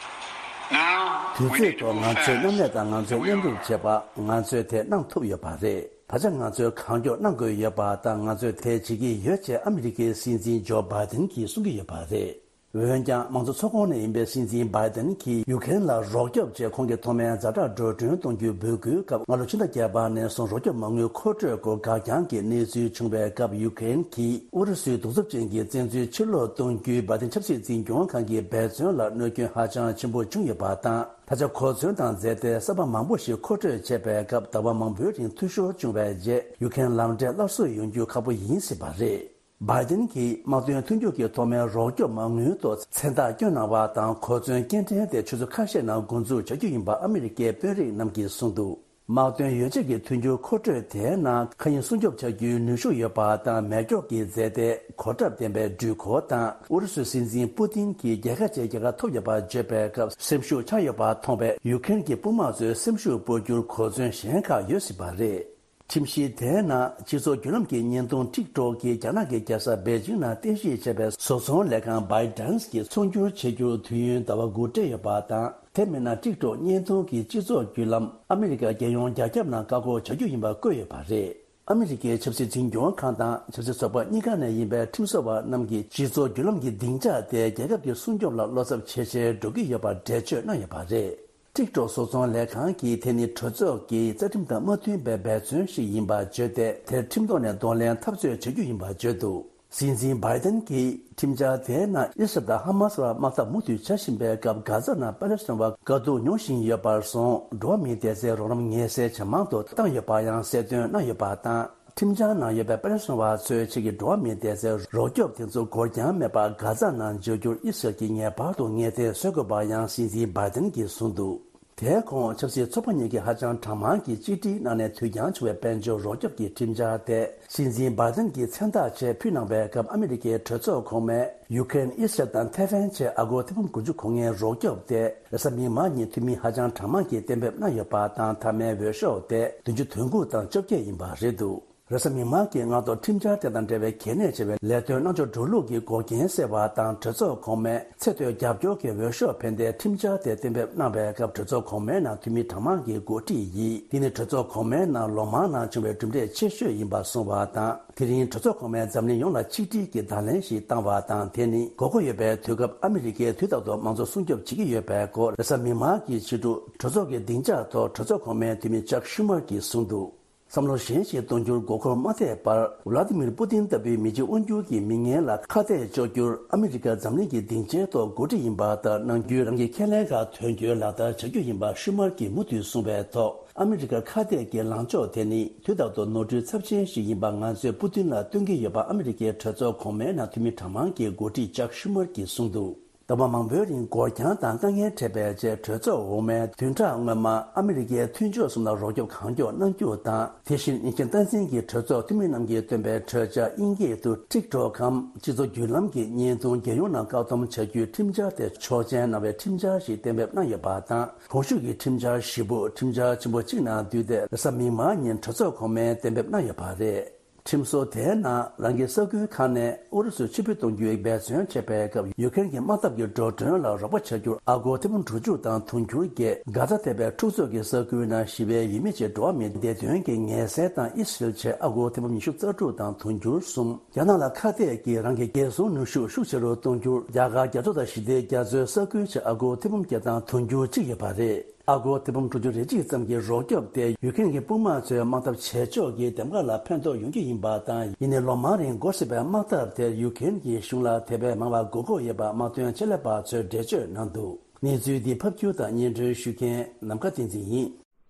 Now, དུས་we ཚོད་need to ཐོག་move ང་ཚོས་མཉམ་ལས་དང་ང་ཚོས་མཉམ་རུབ་བྱས་པ། ང་ཚོས་དེ་གནང་ཐུབ་ཡོད་པ་རེད། ད་ཆ་ང་ཚོས་གང་མགྱོགས་གནང་དགོས་ཡོད་པ་དང་། ང་ཚོས་དེ་བྱེད་ཀྱི་ཡོད་ཅེས་ཨ་མི་རི་ཀའི་སྲིད་འཛིན་ཇོ་བྷའི་ཏན་གྱིས་གསུང་གི་ཡོད་པ་རེད། འོན་ཀྱང་། མང་གཙོ་ཚོགས་ཁོངས་ནས་ཡིན་པའི་སྲིད་འཛིན་བྷའི་ཏན་གྱིས་ཡུ་ཀེ་རེན་ལ་རོགས་སྐྱོབ་ཆེད་ཁོང་གིས་ཐོག་མའི་ཛ་དྲག་འགྲོ་གྲོན་གཏོང་རྒྱུའི་འབོད་སྐུལ་སྐབས། སྔ་ལོ་ཕྱི་ཟླ་བརྒྱད་པ་ནས་བཟུང་རོགས་སྐྱོབ་མ་དངུལ་མཁོ་སྤྲོད་སྐོར་འགག་རྐྱང་གི་གནས་ཚུལ་བྱུང་བའི་སྐབས། ཡུ་ཀེ་རེན་གྱིས་ཨུ་རུ་སུའི་གདུག་རྩུབ་ཅན་གྱི་བཙན་འཛུལ་ཕྱིར་སློག་གཏོང་རྒྱུའི་བྷའི་ཏན་ཆབ་སྲིད་འཛིན་སྐྱོང་ཁང་གི་འབད་བརྩོན་ལ་གནོད་སྐྱོན་ཧ་ཅང་ཆེན་པོ་བྱུང་ཡོད་པ་དང་། ད་ཆ་གོ་མཚོན་དང་རྫས་མཐའི་གསར་པ་མང་པོ་ཞིག་མཁོ་སྤྲོད་བྱས་པའི་སྐབས། ཟླ་བ་མང་པོའི་རིང་འཐུས་ཤོར་བྱུང་བའི་རྗེས། ཡུ་ཀེ་རེན་ལམ་འབྲས་སླར་གསོ་ཡོང་རྒྱུ་ཁག་པོ་ཡིན་སྲིད་པ་རེད། བྷའི་ཏན་གྱིས་དམག་དོན་མཐུན་འགྱུར་གྱི་ཐོག་མའི་རོགས་སྐྱོབ་མ་དངུལ་ཐོག་མཚན་རྟགས་བསྐྱོན་གནང་བ་དང་། གོ་མཚོན་སྐྱེལ་འདྲེན་དེ་ཆུ་ཚོད་ཁ་ཤས་ནང་འགོ་འཛུགས་བྱ་རྒྱུ་ཡིན་པ་ཨ་མི་རི་ཀའི་དཔོན་རིགས་རྣམས་ཀྱིས་གསུངས་འདུག་དམག་དོན་ཡོ་བྱད་ཀྱི་མཐུན་འགྱུར་མཁོ་སྤྲོད་དེའི་ནང་། མཁའ་དབྱིངས་སྲུང་སྐྱོབ་བྱ་རྒྱུའི་ནུས་ཤུགས་ཡོད་པ་དང་། མེ་སྒྱོགས་ཀྱི་རྫས་མཐའི་གོ་ཁྲབ་ལྡན་པའི་འགྲུལ་འཁོར་དང་། ཨུ་རུ་སུའི་སྲིད་འཛིན་པུ་ཏིན་གྱིས་རྒྱལ་ཁ་ཅན་རྒྱལ་ཁ་ཐོབ་ཡོད་པ་བརྗོད་པའི་སྐབས། སེམས་ཤུགས་ཆག་ཡོད་པ་མཐོང་བས། ཡུ་ཀེ་རེན་གྱི་དཔུང་དམག་ཚོའི་སེམས་ཤུགས་སྤོ་རྒྱུར་གོ་མཚོན་གཞན་ཁག་ཡོད་སྲིད་པ་རེད། ཁྲིམས་གཞི་དེའི་ནང་། སྤྱི་ཚོགས་བརྒྱུད་ལམ་གྱི་བརྙན་ཐུང་ཊིག་ཊོག་གིས་རྒྱ་ནག་གི་རྒྱལ་ས་པེ་ཅིང་ནང་རྟེན་གཞི་བྱས་པའི་བཟོ་ཚོང་ལས་ཁང་བྷའི་ཏན་གྱི་ཚོང་སྒྱུར་བྱེད་རྒྱུར་དུས་ཡུན་ཟླ་བ་དགུ་སྤྲད་ཡོད་པ་དང་། དེ་མིན་ན་ཊིག་ཊོག་བརྙན་ཐུང་གི་སྤྱི་ཚོགས་བརྒྱུད་ལམ་ཨ་མི་རི་ཀ་རྒྱལ་ཡོངས་རྒྱ་ཁྱབ་ནང་བཀག་འགོག་བྱ་རྒྱུ་ཡིན་པ་བཀོད་ཡོད་པ་རེད། ཨ་མི་རི་ཀའི་ཆབ་སྲིད་འཛིན་སྐྱོང་ཁང་དང་ཆབ་སྲིད་ཚོགས་པ་གཉིས་ཀ་ནས་ཡིན་པའི་ཁྲིམས་བཟོ་བ་རྣམས་ཀྱིས་སྤྱི་ཚོགས་བརྒྱུད་ལམ་གྱི་སྡིངས་ཆ་དེ་རྒྱལ་ཁབ་ཀྱི་སྲུང་སྐྱོབ་ལ་བློ་འཚབ་ཇེ་ཆེར་འགྲོ་གི་ཡོད་པར་འགྲེལ་བརྗོད་གནང་ཡོད་པ་རེད། ཊིག་ཊོག་བཟོ་ཚོང་ལས་ཁང་གིས་དེ་ནི་གྲོས་ཚོགས་ཀྱི་རྩ་ཁྲིམས་དང་མ་མཐུན་པའི་འབད་བརྩོན་ཞིག་ཡིན་པར་བརྗོད་དེ། དེར་ཁྲིམས་ཐོག་ནས་གདོང་ལེན་འཐབ་རྩོད་བྱ་རྒྱུ་ཡིན་པར་བརྗོད་འདུག་སྲིད་འཛིན་བྷའི་ཏན་གྱིས་ཁྲིམས་འཆར་དེའི་ནང་ཨི་སི་རལ་དང་ཧ་མ་སི་བར་དམག་འཐབ་མུ་མཐུད་བྱ་བཞིན་པའི་སྐབས། གྷ་ཛ་ནང་པ་ལེ་སི་ཐན་བ་དཀའ་སྡུག་མྱོང་བཞིན་ཡོད་པར་སོང་། འགྲོ་བ་མིའི་བདེ་རྩའི་རོགས་རམ་ངེས་གསལ་ཇེ་མང་དུ་བཏང་ཡོད་པ་ཡང་གསལ་སྟོན་གནང་ཡོད་པ་དང་། ཁྲིམས་འཆར་ནང་ཡོད་པའི་པ་ལེ་སི་ཐན་བ་ཚོའི་ཆེད་ཀྱི་འགྲོ་བ་མིའི་བདེ་རྩའི་རོགས་སྐྱོབ་དེ་ཚོ་འགོར་འགྱངས་མེད་པར་གྷ་ཛ་ནང་འབྱོར་རྒྱུར་ཨི་སི་རལ་གྱིས་ངེས་པར་དུ་ངེས་གཏན་བཟོ་དགོས་པ་ཡང་སྲིད་འཛིན་བྷའི་ཏན་གྱིས་གསུངས་འདུག་དེའི་གོང་ཆབ་སྲིད་ཚོགས་པ་གཉིས་ཀྱིས་ཧ་ཅང་གྲངས་མང་གིས་གཅིག་སྒྲིལ་གནང་ནས། དུས་འགྱངས་བྱུང་བའི་དཔལ་འབྱོར་རོགས་སྐྱོབ་ཀྱི་ཁྲིམས་འཆར་དེ་སྲིད་འཛིན་བྷའི་ཏན་གྱིས་མཚན་རྟགས་ཆེད་ཕུལ་གནང་བའི་སྐབས། ཨ་མི་རི་ཀའི་གྲོས་ཚོགས་གོང་མས་ཡུ་ཀེ་རེན། ཨི་སི་རལ་དང་ཐེ་ཝན་ཆེད་ཨ་སྒོར་ཐེར་འབུམ་དགུ་བཅུ་གོ་ལྔའི་རོགས་སྐྱོབ་དེ་རེས་གཟའ་མིག་དམར་ཉིན་འཐུས་མི་ཧ་ཅང་གྲངས་མང་གིས་གཏན་འབེབས་གནང་ཡོད་པ་དང་། མཐའ་མའི་འོས་ཤོག་དེ་བདུན་ཅུ་དོན་དགུ་དང་བཅོ་བརྒྱད་ཡིན་པ་རེད་འདུག་རེས་གཟའ་མིག་དམར་གྱི་སྔ་དྲོ་ཁྲིམས་འཆར་དེ་དང་འབྲེལ་བའི་གལ་གནད་ཆེ་བའི་ལས་དོན་གནང་ཕྱོགས་འགྲོ་ལུགས་ཀྱི་འགོག་རྐྱེན་སེལ་བ་དང་། གྲོས་ཚོགས་གོང་མས་ཚད་མཐོའི་རྒྱབ་སྐྱོར་གྱི་འོས་ཤོག་ཕན་བདེའི་ཁྲིམས་འཆར་དེ་གཏན་འབེབས་གནང་བའི་སྐབས། གྲོས་ཚོགས་གོང་མའི་ནང་འཐུས་མི་གྲངས་མང་གིས་འགོ་ཁྲིད་ཡིན། འདི་ནི་གྲོས་ཚོགས་གོང་མའི་ནང་ལོ་མང་ནང་བྱུང་བའི་གྲུབ་འབྲས་ཆེ་ཤོས་ཡིན་པ་གསུངས་པ་དང་། དེ་རིང་གྲོས་ཚོགས་གོང་མས་འཛམ་གླིང་ཡོངས་ལ་ཆིག་སྒྲིལ་གྱི་བརྡ་ལན་ཞིག་བཏང་བ་དང་། དེ་ནི་དགོས་མཁོ་ཡོད་པའི་དུས་སྐབས་ཨ་མི་རི་ཀས་དུས་རྟག་ཏུ་མང་གཙོ་སྲུང་སྐྱོབ་བྱེད་ཀྱི་ཡོད་པའི་སྐོར། རེས་གཟའ་མིག་དམར་གྱི་ཕྱི་དྲོ་གྲོས་ཚོགས་ཀྱི་སྡིངས་ཆ་ཐོག་གྲོས་ཚོགས་གོང་མའི་འཐུས་མི་ཅག་ཤུ་མར་གྱིས་གསུངས་འདུག་བསམ་བློ་གཞན་ཞིག་གཏོང་རྒྱུར་མགོ་འཁོར་མ་ཐེབས་པར། ཝ་ལ་ཏི་མིར་པུ་ཏིན་ལྟ་བུའི་མི་གཅིག་དབང་སྒྱུར་གྱི་མི་ངན་ལ་ཁ་གཏད་གཅོག་རྒྱུར་ཨ་མི་རི་ཀ་འཛམ་གླིང་གི་སྡིངས་ཆའི་ཐོག་འགོ་ཁྲིད་ཡིན་པ་ལྟར་གནང་རྒྱུའི་རང་གི་ཁས་ལེན་ཁག་དོན་འཁྱོལ་ལག་བསྟར་བྱ་རྒྱུ་ཡིན་པ་ཤུ་མར་གྱིས་མུ་མཐུད་གསུངས་པའི་ཐོག་ཨ་མི་རི་ཀར་ཁ་གཏད་ཀྱི་ལངས་ཕྱོགས་དེ་ནི་དུས་རྟག་ཏུ་ནོར་འཁྲུལ་ཚབས་ཆེན་ཞིག་ཡིན་པ་ང་ཚོས་པུ་ཏིན་ལ་སྟོན་གྱི་ཡོད་པ་ཨ་མི་རི་ཀའི་གྲོས་ཚོགས་གོང་མའི་ནང་འཐུས་མི་གྲངས་མང་གི་འགོ་ཁྲིད་ཅག་ཤུ་མར་གྱིས་གསུངས་འདུག་ཟླ་བ་མང་པོའི་རིང་འགོར་འགྱངས་དང་དཀའ་ངལ་འཕྲད་པའི་རྗེས། གྲོས་ཚོགས་འོག་མའི་བདུན་ཕྲག་སྔོན་མར་ཨ་མི་རི་ཀའི་མཐུན་ཕྱོགས་གསུམ་ལ་རོགས་སྐྱོབ་གང་མགྱོགས་གནང་རྒྱུ་དང་། དེ་བཞིན་ཉེན་ཁྱབ་སྟངས་འཛིན་གྱི་གྲོས་ཚོགས་འཐུས་མི་རྣམས་ཀྱིས་བཏོན་པའི་གྲོས་འཆར་དབྱིན་སྐད་དུ་ཊིག་ཊོག་གམ། སྤྱི་ཚོགས་བརྒྱུད་ལམ་གྱི་བརྙན་ཐུང་རྒྱལ་ཡོངས་ནང་བཀག་སྡོམ་བྱ་རྒྱུའི་ཁྲིམས་འཆར་དེ་ཆོག་མཆན་གནང་བའི་ཁྲིམས་འཆར་ཞིག་གཏན་འབེབས་གནང་ཡོད་པ་དང་། གོང་ཞུས་ཀྱི་ཁྲིམས་འཆར་བཞི་པོ་ཁྲིམས་འཆར་ཆེན་པོ་གཅིག་ནང་བསྡུས་ཏེ། རེས་གཟའ་མིག་དམར་ཉིན་གྲོས་ཚོགས་གོང་མས་གཏན་འབེབས་གནང་ཡོད་པ་རེད། ཁྲིམས་བཟོ་དེའི་ནང་རང་གི་ས་ཁུལ་ཁག་ནས་ཨུ་རུ་སུར་ཕྱིར་འབུད་གཏོང་རྒྱུའི་འབད་བརྩོན་བྱས་པའི་སྐབས། ཡུ་ཀེ་རེན་གྱི་དམག་འཐབ་ཀྱི་འགྲོ་གྲོན་ལ་རོགས་པ་བྱ་རྒྱུར་ཨ་སྒོར་ཐེར་འབུམ་དྲུག་ཅུ་དང་དུང་ཕྱུར་བརྒྱད། གྷ་ཛ་ཐེ་བའི་འཁྲུག་རྩོད་ཀྱི་ས་ཁུལ་ནང་ཞི་བའི་ཡུལ་མི་བཅས་འགྲོ་བ་མིའི་བདེ་དོན་གྱི་ངལ་སེལ་དང་ཨི་སི་རེལ་བཅས་ཨ་སྒོར་ཐེར་འབུམ་ཉི་ཤུ་རྩ་དྲུག་དང་དུང་ཕྱུར་གསུམ། རྒྱ་ནག་ལ་ཁ་གཏད་ཀྱིས་རང་གི་རྒྱལ་སྲུང་ནུས་ཤུགས་ཤུགས་ཆེ་རུ་གཏོང་རྒྱུར། རྒྱ་གར་རྒྱ་མཚོ་དང་ཞི་བདེའི་རྒྱ་མཚོའི་ས་ཁུལ་བཅས་ཨ་སྒོར་ཐེར་འབུམ་བརྒྱད་དང་དུང་ཕྱུར་གཅིག་ཡོད་པ་རེད། ཨ་སྒོར་ཐེར་འབུམ་དྲུག་ཅུ་རེ་གཅིག་ཙམ་གྱི་རོགས་སྐྱོབ་དེ་ཡུ་ཀེ་རེན་གྱི་དཔུང་དམག་ཚོས་དམག་འཐབ་བྱེད་ཕྱོགས་ཀྱི་འདེམས་ཀ་ལ་ཕན་ཐོགས་ཡོང་རྒྱུ་ཡིན་པ་དང་། ཡིན་ནའི་ལོ་མང་རིང་འགོར་སྲིད་པའི་དམག་འཐབ་དེར་ཡུ་ཀེ་རེན་གྱི་གཞུང་ལ་དེ་བས་མང་བ་དགོས་མཁོ་ཡོད་པ་དམག་དོན་ཆེད་ལས་པ་ཚོས་འགྲེལ་བརྗོད་གནང་འདུག་གནས་ཚུལ་འདི་ཕབ་སྒྱུར་དང་སྙན་སྒྲོན་ཞུ་མཁན་ནམ་མཁའ་བསྟན་འཛིན་ཡིན།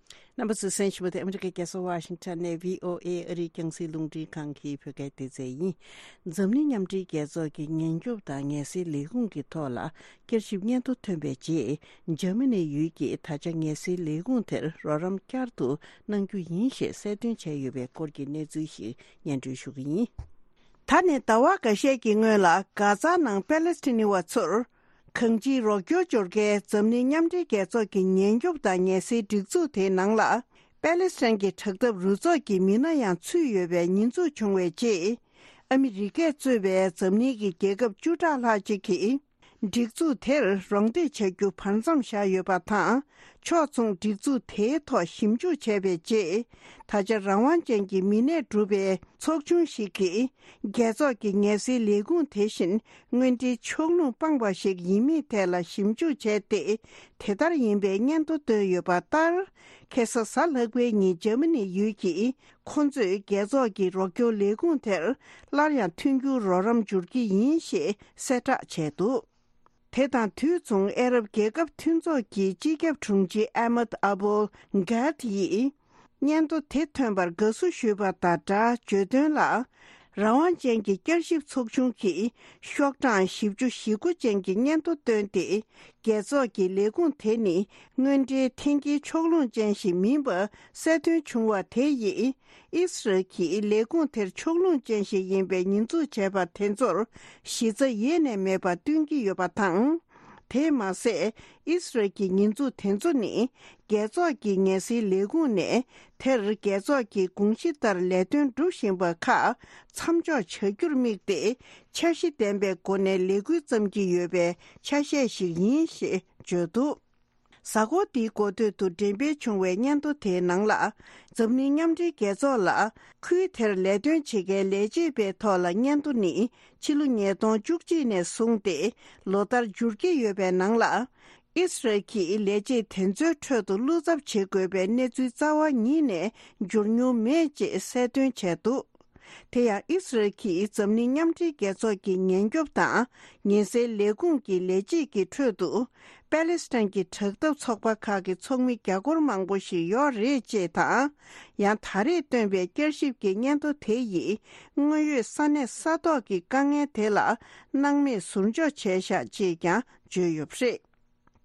རྣམ་པ་ཚོས་གསན་བཞིན་པ་དེ་ཨ་མི་རི་ཀའི་རྒྱལ་ས་ཝ་ཤིང་ཊོན་ནས་བྷི་ཨོ་ཨེ་ཨ་རིའི་རྒྱང་སྲིང་རླུང་འཕྲིན་ཁང་གི་བོད་སྐད་སྡེ་ཚན་ཡིན། འཛམ་གླིང་མཉམ་འབྲེལ་རྒྱལ་ཚོགས་ཀྱི་ཉེན་སྐྱོབ་དང་ངལ་སེལ་ལས་ཁུངས་ཀྱི་ཐོག་ལ་བསྐྱར་ཞིབ་སྙན་ཐོ་ཐོན་པའི་རྗེས། འཇར་མ་ནི་ཡུལ་གྱིས་ད་ཆ་ངལ་སེལ་ལས་ཁུངས་དེར་རོགས་རམ་བསྐྱར་དུ་གནང་རྒྱུ་ཡིན་ཞེས་གསལ་སྟོན་བྱས་ཡོད་པའི་སྐོར་གྱི་གནས་ཚུལ་ཞིག་སྙན་སྒྲོན་ཞུ་གི་ཡིན། ད་ནས་ཟླ་བ་འགའ་ཤས་ཀྱི་སྔོན་ལ་གྷ་ཛ་ནང་པེ་ལེ་སི་ཐན་ནི་བ་ཚོར་གང་ཅིའི་རོགས་སྐྱོར་འབྱོར་མཁན་འཛམ་གླིང་མཉམ་འབྲེལ་རྒྱལ་ཚོགས་ཀྱི་ཉེན་སྐྱོབ་དང་ངལ་སེལ་སྒྲིག་འཛུགས་དེའི་ནང་ལ། པེ་ལེ་སི་ཐན་གྱི་དྲག་འཐབ་རུ་ཚོགས་ཀྱི་མི་སྣ་ཡང་ཚུད་ཡོད་པའི་ཉེས་འཛུགས་བྱུང་བའི་རྗེས། ཨ་མི་རི་ཀས་གཙོས་པའི་འཛམ་གླིང་གི་རྒྱལ་ཁབ་བཅུ་ཕྲག་ལྷག་ཅིག་གིས། སྒྲིག་འཛུགས་དེར་རོགས་འདེགས་བྱ་རྒྱུ་བར་མཚམས་བཞག་ཡོད་པ་དང་། ཕྱོགས་མཚུངས་སྒྲིག་འཛུགས་དེའི་ཐོག་ཞིབ་འཇུག་བྱས་པའི་རྗེས། ད་ཆ་རང་དབང་ཅན་གྱི་མི་སྣས་གྲུབ་པའི་ཚོགས་ཆུང་ཞིག་གིས། རྒྱལ་ཚོགས་ཀྱི་ངལ་སེལ་ལས་ཁུངས་དེ་བཞིན་དངོས་འབྲེལ་ཕྱོགས་ལྷུང་སྤངས་པ་ཞིག་ཡིན་མིན་ཐད་ལ་ཞིབ་འཇུག་བྱས་ཏེ། དེ་ལྟར་ཡིན་པའི་སྙན་ཐོ་བཏོན་ཡོད་པ་ལྟར། ཁ་སང་གཟའ་ལྷག་པའི་ཉིན་འཇར་མ་ནི་ཡུལ་གྱིས། ཁོ་ཚོས་རྒྱལ་ཚོགས་ཀྱི་རོགས་སྐྱོར་ལས་ཁུངས་དེར་སླར་ཡང་མཐུན་འགྱུར་རོགས་རམ་འབྱོར་གྱི་ཡིན་ཞེས་གསལ་བསྒྲགས་བྱས་འདུག་དེ་དང་དུས་མཚུངས། ཨ་རབ་རྒྱལ་ཁབ་མཐུན་ཚོགས་ཀྱི་སྤྱི་ཁྱབ་དྲུང་ཆེ་ཨ་མད་ཨ་བོལ་གྷད་ཡིས། སྙན་ཐོ་དེ་ཐོན་པར་དགའ་བསུ་ཞུས་པ་དང་སྦྲགས། བརྗོད་དོན་ལ། རང་དབང་ཅན་གྱི་བསྐྱར་ཞིབ་ཚོགས་ཆུང་གིས་ཤོག་གྲངས་བཞི་བཅུ་ཞེ་དགུ་ཅན་གྱི་སྙན་ཐོ་བཏོན་ཏེ། རྒྱལ་ཚོགས་ཀྱི་ལས་ཁུངས་དེ་ནི་དངོས་འབྲེལ་འཐེན་འཁྱེར་ཕྱོགས་ལྷུང་ཅན་ཞིག་མིན་པ་གསལ་སྟོན་བྱུང་བ་དེ་ཡིས། ཨི་སི་རལ་གྱིས་ལས་ཁུངས་དེར་ཕྱོགས་ལྷུང་ཅན་ཞིག་ཡིན་པའི་ཉེས་འཛུགས་བྱས་པ་དེ་ཚོར་གཞི་རྩ་ཡེ་ནས་མེད་པ་སྟོན་གྱི་ཡོད་པ་དང་། དེས་མ་ཟད། ཨི་སི་རལ་གྱི་ཉེས་འཛུགས་དེ་ཚོ་ནི། རྒྱལ་ཚོགས་ཀྱི་ངལ་སེལ་ལས་ཁུངས་ནས་དེར་རྒྱལ་ཚོགས་ཀྱི་དགོངས་གཞི་ལྟར་ལས་དོན་སྒྲུབ་བཞིན་པ་ཁག་མཚམས་འཇོག་བྱ་རྒྱུར་དམིགས་ཏེ། འཆར་གཞི་ལྡན་པའི་སྒོ་ནས་ལས་འགུལ་བརྩམས་ཀྱི་ཡོད་པའི་ཆ་ཤས་ཤིག་ཡིན་ཞེས་བརྗོད་འདུག་གཟའ་འཁོར་འདིའི་འགོ་སྟོད་དུ་འགྲེམས་སྤེལ་བྱུང་བའི་སྙན་ཐོ་དེའི་ནང་ལ། འཛམ་གླིང་མཉམ་འབྲེལ་རྒྱལ་ཚོགས་ལ། ཁུལ་དེར་ལས་དོན་བྱེད་མཁན་ལས་བྱེད་པའི་ཐོག་ལ་སྙན་ཐོ་ནི། ཕྱི་ལོ་ཉིས་སྟོང་བཅུ་གཅིག་ནས་བཟུང་སྟེ། ལོ་ལྟར་འབྱོར་གྱི་ཡོད་པའི་ནང་ལ། ཨི་སི་རལ་གྱིས་ལས་བྱེད་དེ་ཚོའི་ཁྲོད་དུ་བློ་འཚབ་བྱེད་དགོས་པའི་གནས་ཚུལ་རྩ་བ་ཉིད་ནས་འབྱོར་མྱོང་མེད་ཅེས་གསལ་སྟོན་བྱས་འདུག་དེ་ཡང་ཨི་སི་རལ་གྱིས་འཛམ་གླིང་མཉམ་འབྲེལ་རྒྱལ་ཚོགས་ཀྱི་ཉེན་སྐྱོབ་དང་ཉེན་སེལ་ལས་ཁུངས་ཀྱི་ལས་བྱེད་ཀྱི་ཁྲོད་དུ། པེ་ལེ་སི་ཐན་གྱི་དྲག་འཐབ་ཚོགས་པ་ཁག་གི་ཚོགས་མི་རྒྱ་སྒོར་མང་པོ་ཞིག་ཡོད་རེད་ཅེས་དང་། ཡང་ད་རེས་བཏོན་པའི་བསྐྱར་ཞིབ་ཀྱི་སྙན་ཐོ་དེ་ཡིས་དངོས་ཡོད་ས་གནས་ས་ཐོག་གི་དཀའ་ངལ་དེ་ལ་སྣང་མེད་ཟུར་འཇོག་བྱས་བཞག་ཅེས་ཀྱང་བརྗོད་ཡོད་པ་རེད།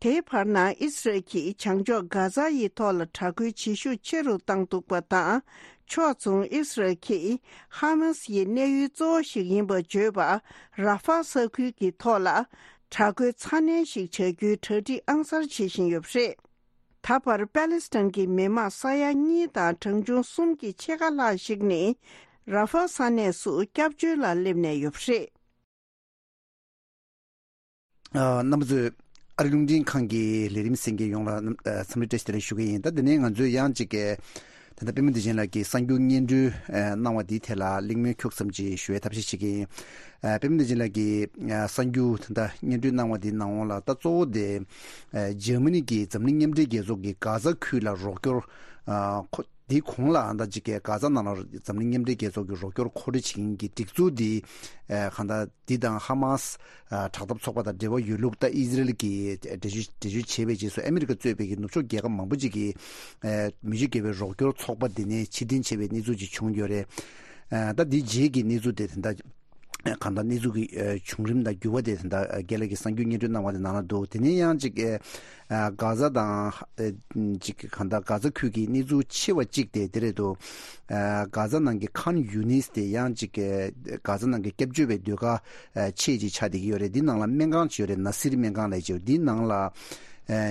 དེའི་བར་ན་ཨི་སི་རལ་གྱིས་བྱང་ཕྱོགས་གྷ་ཛ་ཡི་ཐོག་ལ་དྲག་རྒོལ་བྱེད་ཤུགས་ཆེ་རུ་བཏང་འདུག་པ་དང་། ཕྱོགས་མཚུངས་ཨི་སི་རལ་གྱིས་ཧ་མ་སི་ཡི་གནས་ཡུལ་གཙོ་བོ་ཞིག་ཡིན་པར་བརྗོད་པ་ར་ཧྥ་ས་ཁུལ་གྱི་ཐོག་ལ་དྲག་རྒོལ་ཚ་ནན་ཞིག་བྱ་རྒྱུའི་གྲ་སྒྲིག་ཨང་གསར་བྱེད་བཞིན་ཡོད་པ་རེད། ད་བར་པེ་ལེ་སི་ཐན་གྱི་མི་མང་ས་ཡ་གཉིས་དང་གྲངས་ཆུང་གསུམ་གྱི་ཕྱེད་ཀ་ལྷག་ཞིག་ནི་ར་ཧྥ་ས་གནས་སུ་སྐྱབས་བཅོལ་ལ་སླེབས་ནས་ཡོད་པ་རེད། ཨ། རྣམ་པ་ཚོས་ཨ་རི་རླུང་འཕྲིན་ཁང་གི་ལས་རིམ་གསན་མཁན་ཡོངས་ལ་རྣམ། ཨ། འཚམས་འདྲི་བཀྲ་ཤིས་བདེ་ལེགས་ཞུ་གི་ཡིན། ད་དེ་ནས་ང་ཚོས་ཡང་གཅིག་གི་ད་ལྟ་པད་མ་བདེ་ཆེན་ལགས་ཀྱིས་གསར་འགྱུར་སྙན་སྒྲོན། ཨ། གནང་བ་འདིའི་ཐད་ལ་གླེང་མོལ་ཁྱུག་ཙམ་ཅིག་ཞུ་བའི་ཐབས་ཤེས་བྱེད་ཀྱི་ཡིན། ཨ། པད་མ་བདེ་ཆེན་ལགས་ཀྱིས། ཨ། གསར་འགྱུར་ད་ལྟ་སྙན་སྒྲོན་གནང་བ་འདིའི་ནང་ལ་ད་གཙོ་བོ་དེ། ཨ། འཇར་མ་ནི་གིས་འཛམ་གླིང་མཉམ་འབྲེལ་རྒྱལ་ཚོགས་ཀྱི་གྷ་ཛ་ཁུལ་ལ་རོགས་སྐྱོར། ཨ། ཁོ། དེའི་གོང་ལ་ཨ་ད་ཅིག་གི་གྷ་ཛ་ནང་ལ་འཛམ་གླིང་མཉམ་འབྲེལ་རྒྱལ་ཚོགས་ཀྱི་རོགས་སྐྱོར་མཁོ་སྤྲོད་བྱེད་མཁན་གྱི་སྒྲིག་འཛུགས་འདི། ཨ། གང་ལྟར་འདི་དང་ཧ་མ་སི། ཨ། དྲག་འཐབ་ཚོགས་པ་དང་འབྲེལ་བ་ཡོད་ལུགས། ད་ཨི་ཟི་རལ་གྱིས་འགྲེལ་བརྗོད་འགྲེལ་བརྗོད་བྱས་པའི་རྗེས་སུ་ཨ་མི་རི་ཀ་གཙོས་པའི་གི་ནུབ་ཕྱོགས་རྒྱལ་ཁབ་མང་པོ་ཅིག་གིས། ཨ། མི་ཆོས་དགེ་བའི་རོགས་སྐྱོར་ཚོགས་པ་འདི་ནས་ཕྱིར་འཐེན་བྱས་པའི་གནས་ཚུལ་ཅིག་བྱུང་ཡོད་རེད། ཨ། ད་འདི་རྗེས་ཀྱི་གནས་ཚུལ་དེ་ད་ལྟ་ གང་ལྟར་གནས་ཚུལ་གྱི་བྱུང་རིམ་དང་འགྱུར་བ་དེ་ད་རྒན་ལགས་ཀྱིས་གསར་འགྱུར་སྙན་སྒྲོན་གནང་བ་དེ་ནང་ལ་འདུག་དེ་ནས་ཡང་ཅིག་གྷ་ཛ་དང་ཅིག་གང་ལྟར་གྷ་ཛ་ཁུལ་གྱི་གནས་ཚུལ་ཆེ་བ་གཅིག་དེ་དེ་རེད་འདུག་གྷ་ཛ་ནང་གི་ཁཱན་ཡུ་ནིས་དེ་ཡང་ཅིག་གྷ་ཛ་ནང་གི་སྐྱབས་བཅོལ་བའི་སྡོད་སྒར་ཆེ་ཅིག་ཆགས་བསྡད་ཀྱི་ཡོད་རེད། འདི་ནང་ལ་སྨན་ཁང་ཅིག་ཡོད་རེད། ན་སིར་སྨན་ཁང་ལབ་ཅིག་འདི་ནང་ལ་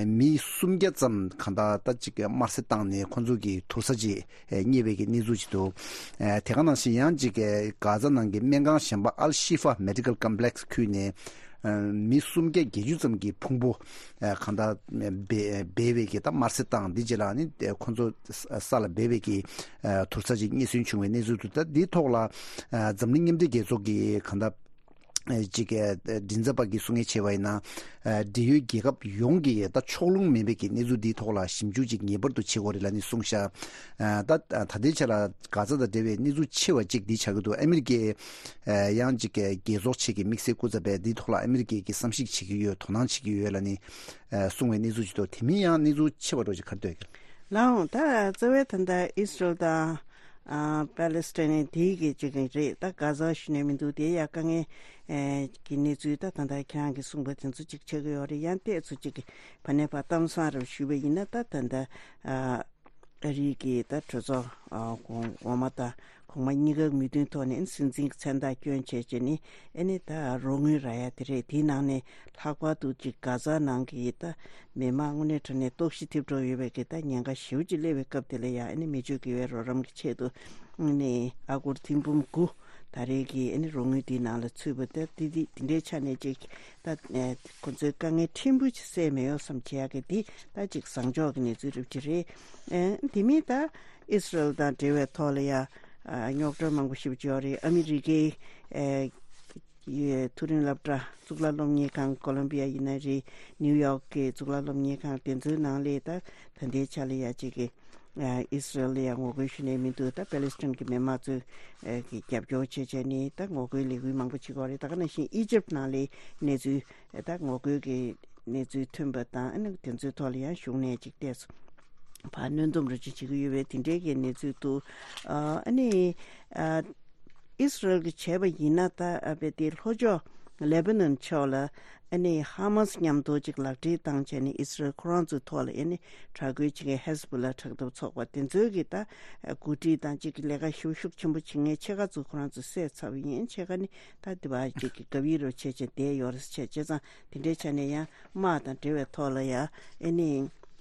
མི་སུམ་བརྒྱ་ཙམ་གང་ལྟར་ད་ཅིག་དམར་གསོད་བཏང་ནས་ཁོང་ཚོ་གི་དུར་ས་ཅིག་རྙེད་པའི་གི་གནས་ཚུལ་ཅིག་འདུག་དེ་ག་ནང་བཞིན་ཡང་ཅིག་གྷ་ཛ་ནང་གི་སྨན་ཁང་གཞན་པ་ཨལ་ཤི་ཧྥ་མེ་ཌི་ཀལ་ཀམ་པི་ལེག་སི་ཁུལ་ནས་མི་སུམ་བརྒྱ་བརྒྱད་ཅུ་ཙམ་གྱི་ཕུང་པོ་གང་ལྟར་སྦས་པའི་གི་ད་དམར་གསོད་བཏང་འདི་རྗེས་ལ་ནི་ཁོང་ཚོ་ས་ལ་སྦས་པའི་གི་དུར་ས་ཅིག་རྙེད་སོན་བྱུང་བའི་གནས་ཚུལ་འདུག་ད་འདིའི་ཐོག་ལ་འཛམ་གླིང་མཉམ་འབྲེལ་རྒྱལ་ཚོགས་ཀྱི་གང་ལྟར་ཅིག་མགྲིན་ཚབ་པ་གིས་གསུང་ཡས་བྱས་པ་ཡིན་ན། འབྲེལ་ཡོད་རྒྱལ་ཁབ་ཡོངས་ཀྱིས་ད་ཕྱོགས་ལྷུང་མིན་པའི་གི་གནས་ཚུལ་འདིའི་ཐོག་ལ་ཞིབ་འཇུག་ཅིག་ངེས་པར་དུ་བྱེད་དགོས་རེད་ལབ་ནས་གསུངས་ཤག་ད་ད་ལྟའི་ཆ་ལ་གྷ་ཛ་དང་འབྲེལ་བའི་གནས་ཚུལ་ཆེ་བ་གཅིག་འདི་ཆགས་ཀྱི་འདུག་ཨ་མི་རི་ཀས་ཡང་ཅིག་རྒྱལ་ཚོགས་ཆེད་ཀྱི་དམིགས་བསལ་སྐུ་ཚབ་པས་འདིའི་ཐོག་ལ་ཨ་མི་རི་ཀས་ཀྱི་བསམ་གཞིག་བྱེད་ཀྱི་ཡོད། དོ་སྣང་བྱེད་ཀྱི་ཡོད་ལབ་ནས་གསུངས་པའི་གནས་ཚུལ་ཅིག་འདུག་དེ་མིན་ཡང་གནས་ཚུལ་ཆེ་བ་འགྲོ་ཅིག་ག་རེ་འདུག་གི། ལགས་འོང་། ད་རྩ་བའི་ད་ལྟ་ཨི་སི་རལ་དང་ཨ་པ་ལེ་སི་ཐན་དེའི་གི་ཅིག་རེད། ད་གྷ་ཛ་ཞུ་ནས་མི་འདུག་དེ་ཡ་དཀའ་ངལ་ཨེ་གི་གནས་ཚུལ་ད་ད་ལྟ་ཁྱེད་རང་གིས་གསུངས་པ་དེ་ཚོ་ཅིག་ཆགས་ཀྱི་ཡོད་རེད། ཡང་ཏོག་ཙམ་ཅིག་གི་ཕ་ནས་ཕར་གཏམ་བཟང་རུ་ཞུས་པ་ཡིན་ན། ད་ད་ལྟ་ཨ་ཨ་རིའི་གི་ད་གྲོས་ཚོགས་ཨ་གོང་འོག་མ་དང་གོང་མ་གཉིས་ཀ་མོས་མཐུན་ཐོག་ནས་སྲིད་འཛིན་གྱི་མཚན་རྟགས་བསྐྱོན་བྱས་བྱས་ནས་ཨ་ནི་ད་རོགས་དངུལ་རག་ཡ་དེ་རེད། དེའི་ནང་ནས་ལྷག་པར་དུ་ཅིག་གྷ་ཛ་ནང་གི་ད་མི་མང་དངོས་གནས་དྲང་གནས་ལྟོགས་ཤི་ཐེབས་འགྲོ་ཡོད་པའི་གི་ད་ཉེན་ཁ་ཞེ་པོ་ཅིག་སླེབས་པའི་སྐབས་དེ་ལ་ཡང་ཨ་ནི་མི་ཆོས་དགེ་བའི་རོགས་རམ་གྱི་ཆེད་དུ་ཨ་ནི་ཨ་སྒོར་ཐེར་འབུམ་དགུ་ད་རེས་ཀྱི་ཨ་ནི་རོགས་དངུལ་དེའི་ནང་ལ་ཚུད་པ་དེ་དེ་དེ་དེ་འདྲའི་ཆ་ནས་ཅིག་ད་ཁོ་ཚོའི་དཀའ་ངལ་ཕྲན་བུ་ཅིག་སེལ་མེད་ཡོད་བསམ་བྱེད་ཡག་གི་འདི་ད་ཅིག་བཟང་ཕྱོགས་ཀྱི་གནས་ཚུལ་རེད་ཅིག་རེད། ཨ་དེ་མིན་ད་ཨི་སི་རལ་དང་འབྲེལ་བའི་ཐོག་ལ་ཡང་རྙོག་དྲ་མང་པོ་ཞེ་པོ་ཅིག་ཡོད་རེད། ཨ་མི་རི་ཀའི་ཨ་ཡི་མཐོ་རིམ་སློབ་གྲྭ་གཙུག་ལག་སློབ་གཉེར་ཁང་ཀོ་ལོམ་བི་ཡ་ཡིན་ན་རེད། ནིའུ་ཡོག་གི་གཙུག་ལག་སློབ་གཉེར་ཁང་དེ་ཚོའི་ནང་ལ་ད་ད་ལྟའི་ཆ་ལ་ཡ་གཅིག་གི་ཨ་ཨི་སི་རལ་ལ་ཡ་ངོ་རྒོལ་ཞུ་ནས་མི་འདུག་ད་པེ་ལེ་སི་ཐན་གྱི་མི་མང་ཚོས་ཨ་གི་རྒྱབ་སྐྱོར་བྱས་བྱས་ནས་ད་ངོ་རྒོལ་ལས་འགུལ་མང་པོ་བྱེད་ཀྱི་ཡོད་རེད། ད་ག་ནང་བཞིན་ཨི་ཇིབ་ནང་ལ་གནས་ཚུལ་ད་ངོ་རྒོལ་གྱི་གནས་ཚུལ་ཐོན་པ་དང་ཨ་ནི་དེ་ཚོའི་ཐོག་ལ་ཡང་གཞུང་ནས་ཅིག་ཏོག་ཙམ་ཕར་གནོན་སྡོམ་རུ་ཅིག་བྱེད་ཀྱི་ཡོད་པའི་དེ་འདྲའི་གི་གནས་ཚུལ་འདུག་ཨ་ནི་ཨ་ཨི་སི་རལ་གྱིས་བྱས་པ་ཡིན་ན་ད་ཨ་བེ་དེ་ལྷོ་ཕྱོགས་ལེ་བྷ་ནོན་ཕྱོགས་ལ་ཨ་ནི་ཧ་མ་སི་མཉམ་དུ་ཅིག་ལག་འབྲེལ་བཏང་བྱས་ནས་ཨི་སི་རལ་ཁོ་རང་ཚོའི་ཐོག་ལ་ཨ་ནི་དྲག་རྒོལ་བྱེད་མཁན་ཧེ་ཟི་བྷོ་ལ་དྲག་འཐབ་ཚོགས་པ་དེ་ཚོའི་གི་ད་འགོ་ཁྲིད་དང་ཅིག་གི་ལས་ཀ་ཞེ་པོ་ཤུགས་ཆེན་པོ་བྱེད་མཁན་ཕྱེད་ཀ་ཚོ་ཁོ་རང་ཚོ་བསད་ཚར་བ་ཡིན། ཕྱེད་ཀ་ནི་ད་དེ་བ་ཅིག་གི་གབ་ཡིབ་རུ་བྱས་བྱས་བསྡད་ཡོད་རེད་བྱས། བྱས་ཙང་དེ་འདྲའི་ཆ་ནས་ཡང་དམག་དང་འབྲེལ་བའི་ཐོག་ལ་ཡང་ཨེ་ནི་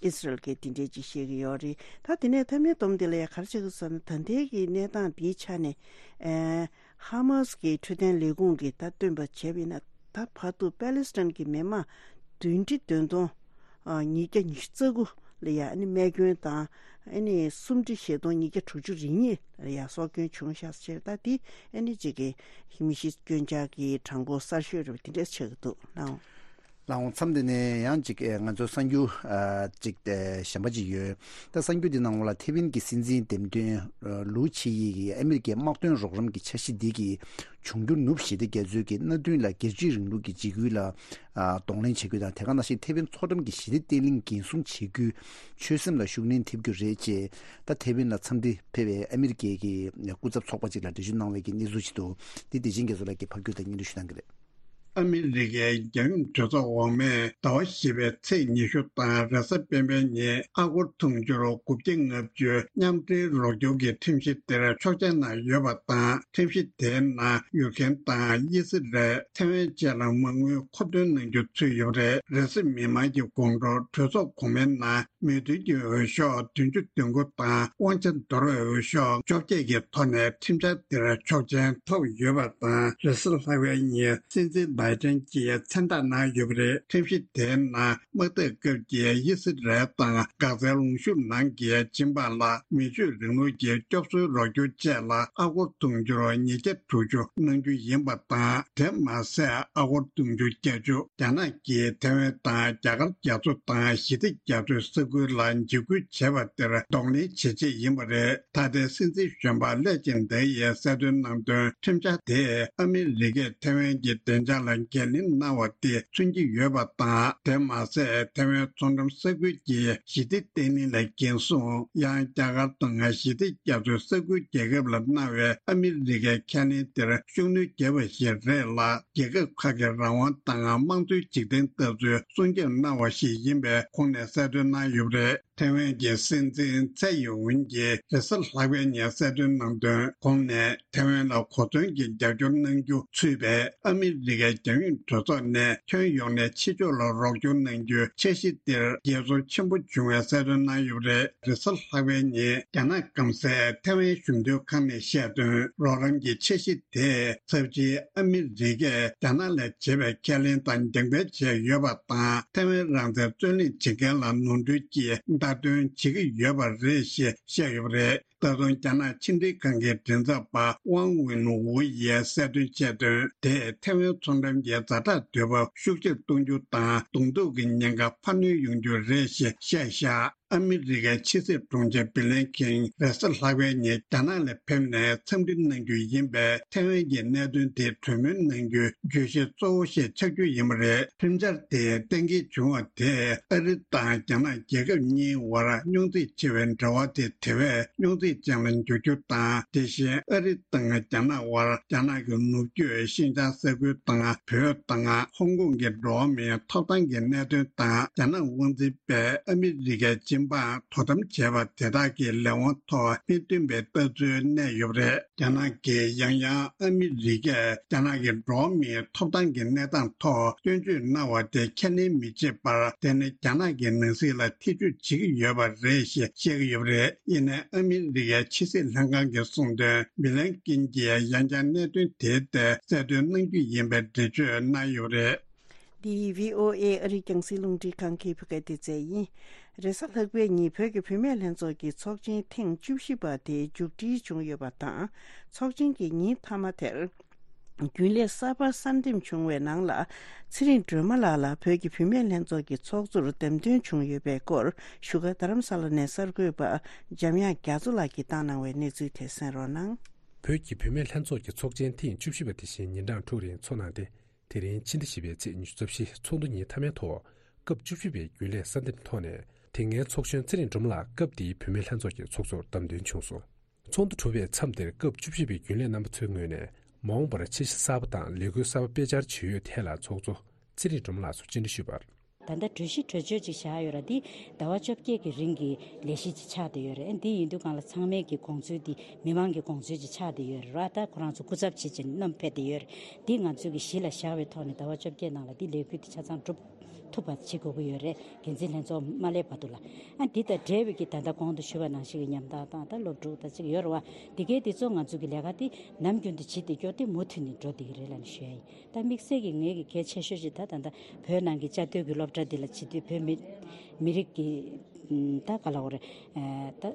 ཨི་སི་རལ་གྱིས་དེ་འདྲའི་ཅིག་བཤད་ཀྱི་ཡོད་རེད། ད་དེ་ནས་མཐའ་མའི་སྡོམ་དེ་ལ་ཡང་ག་རེ་བྱེད་ཀྱི་ཟེར་ན། ད་ལྟའི་གི་གནས་སྟངས་འདིའི་ཆ་ནས་ཨེ་ཧ་མ་སི་གི་འཕྲོད་བསྟེན་ལས་ཁུངས་ཀྱིས་ད་སྟོན་པ་བྱས་པ་ཡིན་ན། ད་བར་དུ་པེ་ལེ་སི་ཐན་གྱི་མི་མང་བདུན་ཁྲི་བདུན་སྟོང་ཉིས་བརྒྱ་ཉི་ཤུ་རྩ་དགུ་ལ་ཡ་ཨ་ནི་རྨས་སྐྱོན་དང་། ཨ་ནི་སུམ་ཁྲི་བཞི་སྟོང་ཉིས་བརྒྱ་དྲུག་ཅུ་རེ་གཉིས་ལ་ཡ་སྲོག་སྐྱོན་བྱུང་ཤག་ཟེར། ད་དེ་ཨ་ནི་གཅིག་གི་མི་ཤི་སྐྱོན་ཆག་གི་གྲངས་འབོར་གསར་ཤོས་རེད་པ། དེ་འདྲས་ཆགས་ཀྱི་འདུག་ལགས། ལགས་འོང་། མཚམས་འདི་ནས་ཡང་ཅིག་ཨེ་ང་ཚོའི་གསར་འགྱུར་ཨ་ཅིག་ཨེ་གཞན་པ་ཅིག་ཡོད། ད་གསར་འགྱུར་འདི་ནང་ལ་ཐེ་ཝན་གྱི་སྲིད་འཛིན་འདེམས་ཐོན་ཨ་ལུའུ་ཆི་ཡི་གིས་ཨ་མི་རི་ཀའི་དམག་དོན་རོགས་རམ་གྱི་འཆར་གཞི་འདི་གི་འབྱུང་འགྱུར་ནུབ་ཞི་བདེ་རྒྱ་མཚོའི་གི་མནའ་མཐུན་ལ་སྒེར་གཅོད་རིང་ལུགས་ཀྱི་འཇིགས་སྐུལ་ལ་ཨ་གདོང་ལེན་བྱེད་རྒྱུ་དང་། དེ་ག་ནང་བཞིན་ཐེ་ཝན་མཚོ་འགྲམ་གྱི་ཞི་བདེ་བརྟན་ལྷིང་འགན་སྲུང་བྱེད་རྒྱུའི་ཆོད་སེམས་ལ་ཤུགས་སྣོན་ཐེབས་རྒྱུ་རེད་ཅེས་ད་ཐེ་ཝན་ལ་འཚམས་འདྲི་ཕེབས་པའི་ཨ་མི་རི་ཀའི་གི་སྐུ་ཚབ་ཚོགས་པ་ཅིག་ལ་འགྲེལ་བརྗོད་གནང་བའི་གི་གནས་ཚུལ་ཅིག་འདུག་འདི་བདེ་ཆེན་རྒྱ་མཚོ་ལགས་ཀྱིས་ཕབ་སྒྱུར་དང་སྙན་སྒྲོན་ཞུ་གནང་གི་རེད། ཨ་མི་རི་ཀའི་རྒྱལ་ཡོངས་གྲོས་ཚོགས་འོག་མས་ཟླ་བ་བཞི་པའི་ཚེས་ཉི་ཤུ་དང་རེས་གཟའ་སྤེན་པའི་ཉིན་ཨ་སྒོར་དུང་ཕྱུར་དགུ་བརྒྱ་ལྔ་བཅུ་མཉམ་འབྲེལ་རོགས་སྐྱོར་གྱི་ཁྲིམས་གཞི་དེར་ཆོག་མཆན་གནང་ཡོད་པ་དང་། ཁྲིམས་གཞི་དེའི་ནང་ཡུཀ་རེན་དང་དབྱི་སི་རལ། ཐེ་ཝན་བཅས་ལ་མ་དངུལ་མཁོ་འདོན་གནང་རྒྱུ་ཚུད་ཡོད་པ་རེད། རེས་གཟའ་མིག་དམར་གྱི་དགོང་དྲོ་གྲོས་ཚོགས་གོང་མའི་ནང་མོས་མཐུན་གྱི་འོས་ཤོག་བདུན་ཅུ་དོན་དགུ་དང་དབང་ཆ་འདོར་བའི་འོས་ཤོག་བཅོ་བརྒྱད་ཀྱི་ཐོག་ནས་ཁྲིམས་འཆར་དེར་ཆོག་མཆན་ཐོབ་ཡོད་པ་དང་། རེས་གཟའ་ལྷག་པའི་ཉིན་སྲིད་འཛིན་བྷའི་ཏན་གྱིས་མཚན་རྟགས་གནང་ཡོད་པ་རེད། ཁྲིམས་གཞི་དེའི་ནང་དམག་འཐབ་སྐབས་ཀྱི་དབྱི་སི་རལ་དང་འགག་རྩའི་ལུང་གཤོང་ནང་གི་སྦྱིན་པ་ལ་མི་ཆོས་རིང་ལུགས་ཀྱི་སྐྱོབ་གསོའི་རོགས་སྐྱོར་བཅས་ལ་ཨ་སྒོར་དུང་ཕྱུར་ཉིས་བརྒྱ་དྲུག་ཅུ་གནང་རྒྱུ་ཡིན་པ་དང་། དེ་མ་ཟད་ཨ་སྒོར་དུང་ཕྱུར་བརྒྱད་ཅུ་རྒྱ་ནག་གིས་ཐེ་ཝན་དང་རྒྱ་གར་རྒྱ་མཚོ་དང་ཞི་བདེ་རྒྱ་མཚོའི་ས་ཁུལ་ལ་འཇིགས་སྐུལ་བྱས་པ་དེར་གདོང་ལེན་བྱེད་ཆེད་ཡིན་པ་རེད། ད་ལྟའི་སྲིད་འཛིན་གཞོན་པ་ལེ་ཅིན་ཏེ་ཡིས་གསལ་སྟོན་གནང་དོན། ཁྲིམས་འཆར་དེས་ཨ་མི་རི་ཀས་ཐེ་ཝན་གྱི་བདེ་འཇགས་ལ་ འགན་ལེན་གནང་བ་དེ་མཚོན་གྱི་ཡོད་པ་དང་། དེ་མ་ཟད་ཐེ་ཝན་མཚོ་འགྲམ་ས་ཁུལ་གྱི་ཞི་བདེ་བརྟན་ལྷིང་ལ་འགན་སྲུང་། ཡང་རྒྱ་གར་དང་ཞི་བདེ་རྒྱ་མཚོའི་ས་ཁུལ་རྒྱལ་ཁབ་ལ་གནང་བའི་ཨ་མི་རི་ཀའི་ཁས་ལེན་དེར་ཤུགས་སྣོན་བརྒྱབ་པ་ཞིག་རེད་ལ། རྒྱལ་ཁབ་ཁག་གི་རང་དབང་དང་དམངས་གཙོའི་འཇིག་རྟེན་ལྟ་ཚུལ་སྲུང་སྐྱོབ་གནང་བ་ཞིག་ཡིན་པའི་ཁོངས་ནས་གསལ་སྟོན་གནང་ཡོད་པ་རེད། ཐེ་ཝན་གྱི་སྲིད་འཛིན་ཚའེ་ཡིན་ཝུན་གྱིས་རེས་གཟའ་ལྷག་པའི་ཉིན་གསལ་སྟོན་གནང་དོན། ཁོང་ནས་ཐེ་ཝན་ལ་གོ་མཚོན་གྱི་རྒྱབ་སྐྱོར་གནང་རྒྱུ་ཚུད་པའི་ཨ་མི་རི་ཀའི་རྒྱལ་ཡོངས་གྲོས་ཚོགས་ནས་ཁྱོན་ཡོངས་ནས་ཕྱི་ཕྱོགས་ལ་རོགས་སྐྱོར་གནང་རྒྱུའི་འཆར་གཞི་དེར་རྒྱས་ཚོར་ཆེན་པོ་བྱུང་བའི་གསལ་སྟོན་གནང་ཡོད་པ་རེད། རེས་གཟའ་ལྷག་པའི་ཉིན་རྒྱ་ནག་སྐམ་སའི་ཐེ་ཝན་གཞུང་དོན་ཁང་ནས་བཤད་དོན། རོགས་རམ་གྱི་འཆར་གཞི་དེས་ཚབས་ཆེའི་ཨ་མི་རི་ཀས་རྒྱ་ནག་ལ་བྱས་པའི་ཁས་ལེན་དང་འགྲེམས་སྤེལ་བྱས་ཡོད་པ་དང་། ཐེ་ཝན་རང་བཙན་རྩོད་ལེན་བྱེད་མཁན་ལ་ནོར་འཁྲུལ་གྱི་བརྡ་སྟོན་བྱེད་ཀྱི་ཡོད་པ་རེད་ཞེས་བཤད་ཡོད་པ་རེད། ད་དུང་རྒྱ་ནག་ཕྱི་འབྲེལ་ཁང་གི་མགྲིན་ཚབ་པ་ཝང་ཝིན་ཝུ་ཡིས་གསལ་སྟོན་བྱས་དོན། དེས་ཐེ་ཝན་མཚོ་འགྲམ་གྱི་ཛ་དྲག་དུས་བབ་ཤུགས་ཆེར་གཏོང་རྒྱུ་དང་། གདོང་ཐུག་གི་ཉེན་ཁ་འཕར་སྣོན་ཡོང་རྒྱུ་རེད་ཞེས་བཤད་བཞག་ཨ་མི་རི་ཀའི་ཕྱི་སྲིད་དྲུང་ཆེ་བྷི་ལན་ཁིན་རེས་གཟའ་ལྷག་པའི་ཉིན་རྒྱ་ནག་ལ་ཕེབས་ནས་འཚམས་འདྲི་གནང་རྒྱུ་ཡིན་པས། ཐེ་ཝན་གྱི་གནད་དོན་དེ་གྲོས་མོལ་གནང་རྒྱུའི་བརྗོད་གཞི་གཙོ་བོ་ཞིག་ཆགས་རྒྱུ་ཡིན་པ་རེད། ཁྲིམས་འཆར་དེ་གཏན་འཁེལ་བྱུང་བ་དེས་ཨ་རི་དང་རྒྱ་ནག་རྒྱལ་ཁབ་གཉིས་བར་རྙོག་འཛིང་ཆེ་བའི་འབྲེལ་བ་དེ་དེ་བས་རྙོག་འཛིང་ཅན་ལ་འགྱུར་རྒྱུ་དང་། དེ་བཞིན་ཨ་རི་དང་རྒྱ་ནག་དབར་རྒྱ་ནག་གི་ནུབ་རྒྱུད་ཤིན་ཅང་ས་ཁུལ་དང་། བོད་དང་ཧོང་ཀོང་གི་འགྲོ་བ་མིའི་ཐོབ་ཐང་གི་གནད་དོན་དང་། རྒྱ་ནག་དབང་འཛིན་པས་ཨ་མི་རི་ཀའི་སྤྱི་འབངས་དོ་དམ་བྱས་པ་དེ་དག་གི་ལས་དབང་ཐོག་མི་བསྟུན་པའི་ལྟ་ཚུལ་གནས་ཡོད་པ་རེད། རྒྱ་ནག་གིས་ཡང་ཡང་ཨ་མི་རི་ཀས་རྒྱ་ནག་གི་འགྲོ་བ་མིའི་ཐོབ་ཐང་གི་གནས་སྟངས་ཐོག་སྐྱོན་བརྗོད་གནང་བ་དེ་ཁས་ལེན་མི་བྱེད་པར། དེ་ནི་རྒྱ་ནག་གི་ནང་སྲིད་ལ་ཐེ་ཇུས་བྱེད་ཀྱི་ཡོད་པ་རེད་ཞེས་བཤད་ཀྱི་ཡོད་པ་རེད། ཡིན་ནའི་ཨ་མི་རི་ཀའི་ཕྱི་སྲིད་ལྷན་ཁང་གིས་གསུངས་དོན། བྷི་ལན་ཀིན་གྱིས་ཡང་བསྐྱར་གནད་དོན་དེའི་ཐད་གསལ་སྟོན་གནང་རྒྱུ་ཡིན་པའི་འགྲེལ་བརྗོད་གནང་ཡོད་པ་རེད། འདི་བྷི་ཨོ་ཨེ་ཨ་རིའི་རྒྱང་སྲིང་རླུང་འཕྲིན་ཁང་གི་བོད་སྐད་སྡེ་ཚན་ཡིན། རེས་གཟའ་ལྷག་པའི་ཉིན་བོད་ཀྱི་བུད་མེད་ལྷན་ཚོགས་ཀྱི་ཚོགས་ཆེན་ཐེངས་བཅུ་བཞི་པ་དེ་མཇུག་སྒྲིལ་བྱུང་ཡོད་པ་དང་། ཚོགས་ཆེན་གྱི་ཉིན་མཐའ་མ་དེར། རྒྱུན་ལས་གསར་པ་གསར་འདེམས་བྱུང་བའི་ནང་ལ། ཚེ་རིང་སྒྲོལ་མ་ལགས་ལ་བོད་ཀྱི་བུད་མེད་ལྷན་ཚོགས་ཀྱི་ཚོགས་གཙོར་འདེམས་ཐོན་བྱུང་ཡོད་པའི་སྐོར། བཞུགས་སྒར་རྡ་རམ་ས་ལ་ནས་གསར་འགོད་པ་འཇམ་དབྱངས་རྒྱ་མཚོ་ལགས་ཀྱིས་བཏང་གནང་བའི་གནས་ཚུལ་དེ་གསན་རོགས་གནང་། བོད་ཀྱི་བུད་མེད་ལྷན་ཚོགས་ཀྱི་ཚོགས་ཆེན་ཐེངས་བཅུ་བཞི་པ་དེ་བཞིན་ཉིན་གྲངས་དྲུག་རིང་འཚོགས་གནང་སྟེ། དེ་རིང་ཕྱི་ཟླ་བཞི་པའི་ཚེས་ཉི་ཤུ་རྩ་བཞི་ཚོགས་འདུ་ཉིན་མཐའ་མའི་ཐོག་སྐབས་བཅུ་བཞི་པའི་རྒྱུན་ལས་གསར་འདེམས་ཐོག་ནས། དེ་སྔའི་ཚོགས་གཞོན་ཚེ་རིང་སྒྲོལ་མ་ལགས་སྐབས་དེའི་བུད་མེད་ལྷན་ཚོགས་ཀྱི་ཚོགས་གཙོར་བདམས་ཐོན་བྱུང་སོང་། ཚོགས་འདུ་གྲུབ་པའི་མཚམས་དེར་སྐབས་བཅུ་བཞི་པའི་རྒྱུན་ལས་རྣམ་པ་ཚོའི་ངོས་ནས། མ་འོངས་པར་འཆར་གཞི་གསར་པ་དང་ལས་འགུལ་གསར་པ་སྤེལ་འཆར་ཇི་ཡོད་ཐད་ལ་ཚོགས་གཙོ་ཚེ་རིང་སྒྲོལ་མ་ལགས་སུ་བཅར་འདྲི་ཞུས་པར། ད་ལྟ་གྲོས་གཞི་གྲོས་ཆོད་ཅིག་བཞག་ཡོད་ར། འདི་ཟླ་བ་བཅོ་བརྒྱད་ཀྱི་རིང་གི་ལས་གཞི་ཅིག་ཆགས་བསྡད་ཡོད་རེད། འདི་ཡིན་དུས་སྒང་ལ་ཚང་མས་ཀྱི་དགོངས་ཚུལ་འདི་མི་མང་གི་དགོངས་ཚུལ་ཅིག་ཆགས་བསྡད་ཡོད་རེད་ར། ད་ཁོ་རང་ཚོ་སྐུ་ཚབ་བྱེད་ཅིང་བསྣམས་ཕེབས་བསྡད་ཡོད་རེད། འདི་ང་ཚོས་ཀྱི་གཞི་ལ་བཞག་པའི་ཐོག་ནས་ཟླ་བ་བཅོ་བརྒྱད་ནང་ལ་འདི་ལས་འགུལ་འདི་ཆ་ཚང་འགྲུབ་ཐུབ་པ་བྱེད་དགོས་ཀྱི་ཡོད་རེད། འགན་འཛིན་ལྷན་ཚོགས་མ་སླེབས་བར་དུ་ལ། ཨ་འདི་དང་འབྲེལ་བའི་གི་ད་ལྟ་གོང་དུ་ཞུས་པ་ནང་བཞིན་གྱི་ཉམ་ཐག་དང་ད་སློབ་ཕྲུག་དང་ཅིག་ཡོད་རེད་བ། འདི་གའི་འདི་ཚོ་ང་ཚོ་གི་ལས་ཀ་འདི་ནམ་རྒྱུན་དུ་བྱེད་བསྡད་རྒྱུ་དེ་མུ་མཐུད་ནས་འགྲོ་བསྡད་ཀྱི་རེད་ལབ་ནས་ཞུ་ཡ་ཡིན། ད་དམིགས་བསལ་གྱི་ངེད་ཀྱི་གལ་ཆེ་ཤོས་ཤིག་ད་ད་ལྟ་བོད་ནང་གི་བཅའ་སྡོད་ཀྱི་སློབ་གྲྭ་འདི་ལ་བྱེད་དུས་བོད་མི་མི་རིགས་ཀྱི་ད་ག་ལ་འོ་རེད་ད།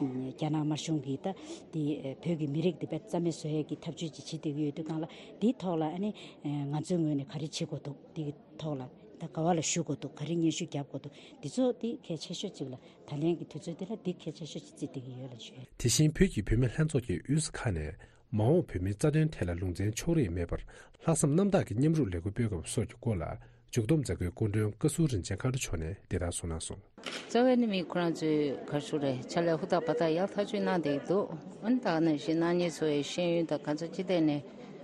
རྒྱ་ནག་དམར་གཞུང་གིས་ད་འདི་བོད་ཀྱི་མི་རིགས་འདི་དཔེ་རྩ་མེད་བཟོ་ཡས་ཀྱི་ཐབས་ཇུས་ཅིག་བྱེད་བསྡད་ཀྱི་ཡོད་དུས་སྒང་ལ། འདིའི་ཐོག་ལ་ཨ་ནི་ང་ཚོའི་ངོས་ནས་ག་རེ་བྱེད་དགོས་འདུག་འདི་གི་ཐོག་ལ་ད་ག་བ་ལ་ཞུ་དགོས་འདུག་ག་རེ་སྙན་ཞུ་རྒྱབ་དགོས་འདུག་འདི་ཚོ་འདི་གལ་ཆེ་ཤོས་ཅིག་ལ་ད་ལན་གྱི་དུས་ཚོད་འདི་ལ་འདི་གལ་ཆེ་ཤོས་ཅིག་བརྩིས་བསྡད་ཀྱི་ཡོད་ལ་ཞུ། དེ་བཞིན་བོད་ཀྱི་བུད་མེད་ལྷན་ཚོགས་ཀྱི་དབུས་ས་ཁག་ནས་མ་འོངས་བོད་མིའི་རྩ་དོན་ཐད་ལ་ལུང་ཚན་ཕྱོགས་རིས་མེད་པར་ལྷག་བསམ་རྣམ་དག་གི་མཉམ་རུབ་ལས་འགུལ་སྤེལ་དགོས་པ་སོགས་ཀྱི་སྐོར་ལ། མཇུག་བསྡོམས་མཛད་སྒོའི་སྐུ་མགྲོན་བཀའ་ཟུར་རིན་ཆེན་མཁའ་འགྲོ་མཆོག་ནས་འདི་ལྟར་གསུངས་གནང་སོང་། རྩ་བའི་ནི་མི་ཁོ་རང་ཚོས་ག་རེ་ཞུ་རེད། ཕྱག་ལས་ཧུར་ཐག་འབད་ཐག་ཡག་ཐག་ཆོད་གནང་བསྡད་ཀྱི་འདུག་ཨ་ནི་ད་ག་ནང་བཞིན་གནངས་ཉིན་ཚོ་བའི་ཤེས་ཡོན་དང་ག་ཚོད་ཅི་ཐད་ནས་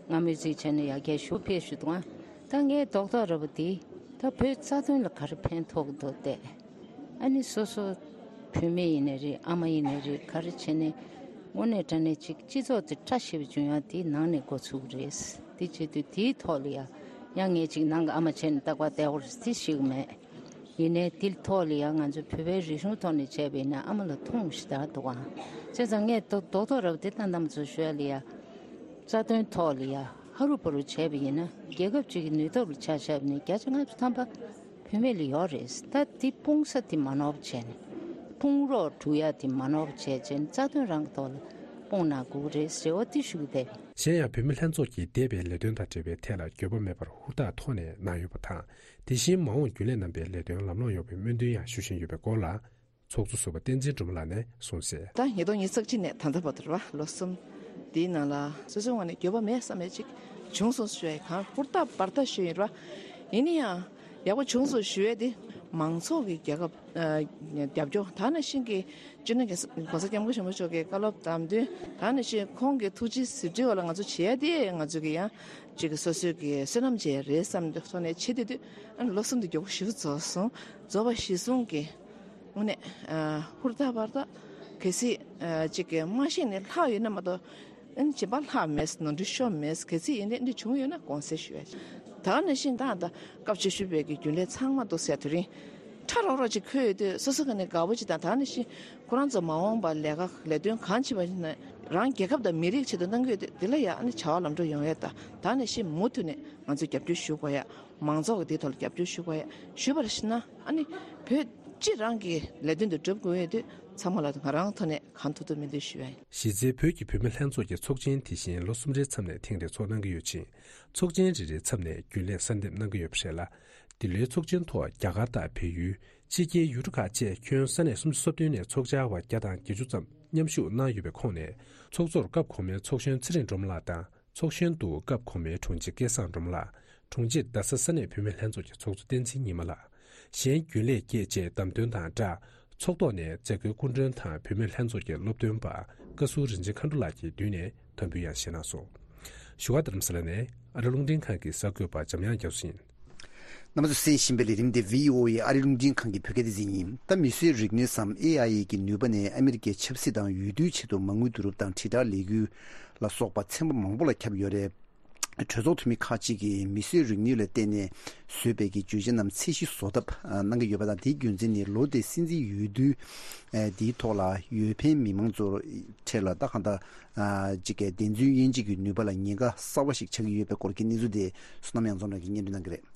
ང་མོས་ཚིག་བྱས་ནས་ཡར་རྒྱས་ཞུ་ཕེབས་ཞུ་འདུག་ཨ་ད་ངའི་རྡོག་རྡོག་ར་བ་འདི་ད་བོད་རྩ་དོན་ལ་ག་རེ་ཕན་ཐོགས་འདུག་སྟེ། ཨ་ནི་སོ་སོ་བུད་མེད་ཡིན་ནའི་རེད། ཨ་མ་ཡིན་ནའི་རེད། ག་རེ་བྱས་ནས་དངོས་གནས་དྲང་གནས་ཅིག་སྤྱི་ཚོགས་དེ་བཀྲ་ཤིས་པའི་འབྱུང་ཡག་དེ་ནང་ནས་འགོ་ཚུགས་རེད། དེ་བྱེད་དུས་དེའི་ཐོག་ལ་ཡ་ཡང་ངས་ཅིག་ནང་གི་ཨ་མ་བྱས་ནས་རྟག་པར་བསྡད་དགོས་རེད་དེ་ཞིག་མེད། ཡིན་ནའི་དེའི་ཐོག་ལ་ཡང་ང་ཚོ་བོད་པའི་རིག་གཞུང་ཐོག་ནས་བྱས་པ་ཡིན་ན་ཨ་མ་ལ་ཐུགས་ཞེ་དྲག་འདུག་ཨང་། བྱས་ཙང་ངས་རྡོག་རྡོག་རྡོག་ར་བ་དེ་ལྟ་ནམ་ཚོ་ཞུ་ཡ་ལ་ཡ། རྩ་དོན་ཐོག་ལ་ཡ་ཧ་རུ་བ་རུ་བྱས་པ་ཡིན་ན་རྒྱལ་ཁབ་ཅིག་གི་ནུས་སྟོབས་ལ་ཆ་བཞག་པ་ཡིན་ན་བརྒྱ་ཆ་ལྔ་བཅུ་ཐམ་པ་བུད་མེད་ལ་ཡོད་རེད། ད་དེ་སྤུངས་ས་དེ་མ་ནོར་བ་བྱས་ནས་སྤུངས་རོགས་སྒྲུབ་ཡ་དེ་མ་ནོར་བ་བྱས་བྱས་ནས་རྩ་དོན་རང་གི་ཐོག་ལ་སྤུངས་ན་དགོས་རེད་ཟེར་བ་དེ་ཞུ་གི་བསྡད། གཞན་ཡང་བུད་མེད་ལྷན་ཚོགས་ཀྱིས་འདས་པའི་ལས་དོན་དང་འབྲེལ་བའི་ཐད་ལ་འགྱོད་པ་མེད་པར་ཧུར་ཐག་ཐོག་ནས་གནང་ཡོད་པ་དང་། དེ་བཞིན་མ་འོངས་རྒྱུན་ལས་རྣམ་པའི་ལས་དོན་ལམ་ལྷོང་ཡོང་བའི་སྨོན་འདུན་ཡང་ཞུ་བཞིན་ཡོད་པའི་སྐོར་ལ། ཚོགས་གཙོ་ཟུར་པ་བསྟན་འཛིན་སྒྲོལ་མ་ལགས་ནས་གསུངས་གསལ། ད་ཉིས་སྟོང་ཉི་ཤུ་རྩ་གཅིག་ནས་ད་ལྟ་བར་དུ་རེད་བ། ལོ་གསུམ་འདིའི་ནང་ལ་སོ་སོའི་ངོས་ནས་འགྱོད་པ་མེད་བསམ་ཡས་ཅིག་ བྱུང་སོང་ཞུ་ཡ་གང་ཧུར་ཐག་འབད་ཐག་ཞུ་ཡིན་ར། ཡིན་ན་ཡང་ཡག་པོ་བྱུང་སོང་ཞུ་ཡ་དེ་མང་ཚོགས་ཀྱི་རྒྱལ་ཁབ་ཨ་རྒྱབ་སྐྱོར། ད་ནང་བཞིན་གྱི་སྤྱི་ནོར་གོང་ས་སྐྱབས་མགོན་ཆེན་པོ་མཆོག་གི་བཀའ་སློབ་དང་བསྟུན། ད་ནང་བཞིན་ཁོང་གི་ཐུགས་རྗེ་གཟིགས་འབུལ་བ་ལ་ང་ཚོ་བྱེད་ཡ་དེ་ང་ཚོ་གི་ཡང་ཅིག་གི་སོ་སོའི་གི་བསོད་ནམས་བྱེད་ཡ་རེད་བསམ་ཐོག་ནས་བྱེད་དེ་དུས། ཨ་ནི་ལོ་གསུམ་དུ་མགྱོགས་པོ་ཞིག་རྫོགས་སོང་། རྫོགས་པ་གཞིར་བཟུང་གི་དངོས་གནས་ཨ་ཧུར་ཐག་འབད་ཐག་གལ་སྲིད་ཨ་ཅིག་གི་མ་ཤེས་ནས་ལྷག་ཡོད་ན་མ་གཏོགས། ཨ་ནི་བྱིས་པ་ལྷག་མེད། ནོར་འཁྲུལ་ཤོར་མེད། གལ་སྲིད་ཡིན་ནའི་འདི་བྱུང་ཡོད་ན་དགོངས་སེལ་ཞུ་ཡ། ད་ནང་བཞིན་ད་ད་སྐབས་བཅུ་བཞི་པའི་གི་རྒྱུན་ལས་ཚང་མ་འདུག་ཟེར་དེ་རིང་ཁྲ་རོག་རོག་ཅིག་འཁོད་ཡོད་དུས་སོ་སོ་ག་ནས་དགའ་པོ་ཅིག་དང་། ད་ནང་བཞིན་ཁོ་རང་ཚོ་མ་འོངས་པ་ལས་ཀ་ལས་དོན་གང་བྱེད་པ་ཡིན་ན་རང་རྒྱལ་ཁབ་དང་མི་རིགས་ཆེད་དུ་གནང་གི་ཡོད་དུས། འདི་ལ་ཡ་ཨ་ནི་བྱ་བ་ལམ་འགྲོ་ཡོང་ཡ། ད་ད་ནང་བཞིན་མུ་མཐུད་ནས་ང་ཚོས་རྒྱབ་སྐྱོར་ཞུ་དགོས་ཡ། མང་ཚོགས་ཀྱི་དེའི་ཐོག་ལ་རྒྱབ་སྐྱོར་ཞུ་དགོས་ཡ། ཞུས་པར་ཞུ་ན་ཨ་ནི་བོད་སྤྱི་རང་གི་ལས་དོན་དུ་སྒྲུབ་དགོས་ཡོད་དུས་ཚང་མ་ལ་ང་རང་ཐོག་ནས་གང་ཐུབ་ཐུབ་སྨོན་འདུན་ཞུ་ཡ་ཡིན། གཞི་རྩའི་བོད་ཀྱི་བུད་མེད་ལྷན་ཚོགས་ཀྱི་ཚོགས་ཆེན་དེ་བཞིན་ལོ་གསུམ་རེའི་མཚམས་ནས་ཐེངས་རེ་ཚོགས་གནང་གི་ཡོད་ཅིང་། ཚོགས་ཆེན་རེ་རེའི་མཚམས་ནས་རྒྱུན་ལས་གསར་འདེམས་གནང་གི་ཡོད་པ་རེད་ལ། འདི་ལོའི་ཚོགས་ཆེན་ཐོག་རྒྱ་གར་དང་བལ་ཡུལ། ཕྱི་རྒྱལ་ཡུལ་གྲུ་ཁག་བཅས་ཁྱོན་ས་གནས་སུམ་ཅུ་སོ་བདུན་ནས་ཚོགས་བཅར་བ་བརྒྱ་དང་བརྒྱད་ཅུ་ཙམ་མཉམ་ཞུགས་གནང་ཡོད་པའི་ཁོངས་ནས། ཚོགས་གཙོར་སྐབས་གོང་མའི་ཚོགས་གཞོན་ཚེ་རིང་སྒྲོལ་མ་ལགས་དང་། ཚོགས་གཞོན་དུ་སྐབས་གོང་མའི་དྲུང་ཆེ་སྐལ་བཟང་སྒྲོལ་མ་ལགས། དྲུང་ཆེར་རྡ་ས་ས་གནས་བུད་མེད་ལྷན་ཚོགས་ཀྱི་ཚོགས་གཙོ་བསྟན་འཛིན་ཉི་མ་ལགས། གཞན་རྒྱུན་ལས་བརྒྱད་བཅས་བདམས་ཐོན་དང་སྦྲགས། ཚོགས་ཐོག་ནས་མཛད་སྒོའི་སྐུ་མགྲོན་དང་བུད་མེད་ལྷན་ཚོགས་ཀྱི་སློབ་སྟོན་པ་བཀའ་ཟུར་རིན་ཆེན་མཁའ་འགྲོ་ལགས་ཀྱིས་མདུན་ནས་དམ་འབུལ་ཡང་བཞེས་གནང་སོང་། བཞུགས་སྒར་རྡ་རམ་ས་ལ་ནས་ཨ་རི་རླུང་འཕྲིན་ཁང་གི་གསར་འགོད་པ་འཇམ་དབྱངས་རྒྱ་མཚོ་ཡིན། རྣམ་པ་ཚོས་གསན་བཞིན་པའི་ལས་རིམ་དེ་བྷི་ཨོ་ཨེ་ཨ་རི་རླུང་འཕྲིན་ཁང་གི་བོད་སྐད་སྡེ་ཚན་ཡིན། ད་མིས་བཟོས་རིག་ནུས་སམ་ཨེ་ཨའི་གི་ནུས་པ་ནས་ཨ་མི་རི་ཀའི་ཆབ་སྲིད་དང་ཡུལ་དུས་ཆེད་དུ་མ་དངུལ་བསྡུ་རུབ་དང་དྲིལ་བསྒྲགས་ལས་འགུལ་ལ་སོགས་པ་ཚན་པ་མང་པོ་ལ་ཁྱབ་ཡོད་རེད། གྲོས་ཚོགས་འཐུས་མི་ཁག་ཅིག་གིས་མིས་བཟོས་རིག་ནུས་ལ་བརྟེན་ནས་བཟོས་པའི་གི་བརྗོད་བྱ་རྣམས་ཚད་གཞི་བཟོ་ཐབས་གནང་གི་ཡོད་པ་དང་། དེའི་རྒྱུ་མཚན་ནི་ལོ་དེའི་སྲིད་འཛིན་འོས་བསྡུ་འདིའི་ཐོག་ལ་འོས་འཕེན་མི་མང་ཚོར་འཕྲལ་ལ་ད་གང་ལྟར་ཅིག་གི་བདེན་རྫུན་དབྱེ་འབྱེད་ཀྱི་ནུས་པ་ལ་ཉེན་ཁ་གསར་བ་ཞིག་ཆགས་ཀྱི་ཡོད་པའི་སྐོར་གྱི་གནས་ཚུལ་དེ་བསོད་ནམས་དབྱངས་འཛོམས་ལགས་ཀྱིས་སྙན་སྒྲོན་གནང་གི་རེད།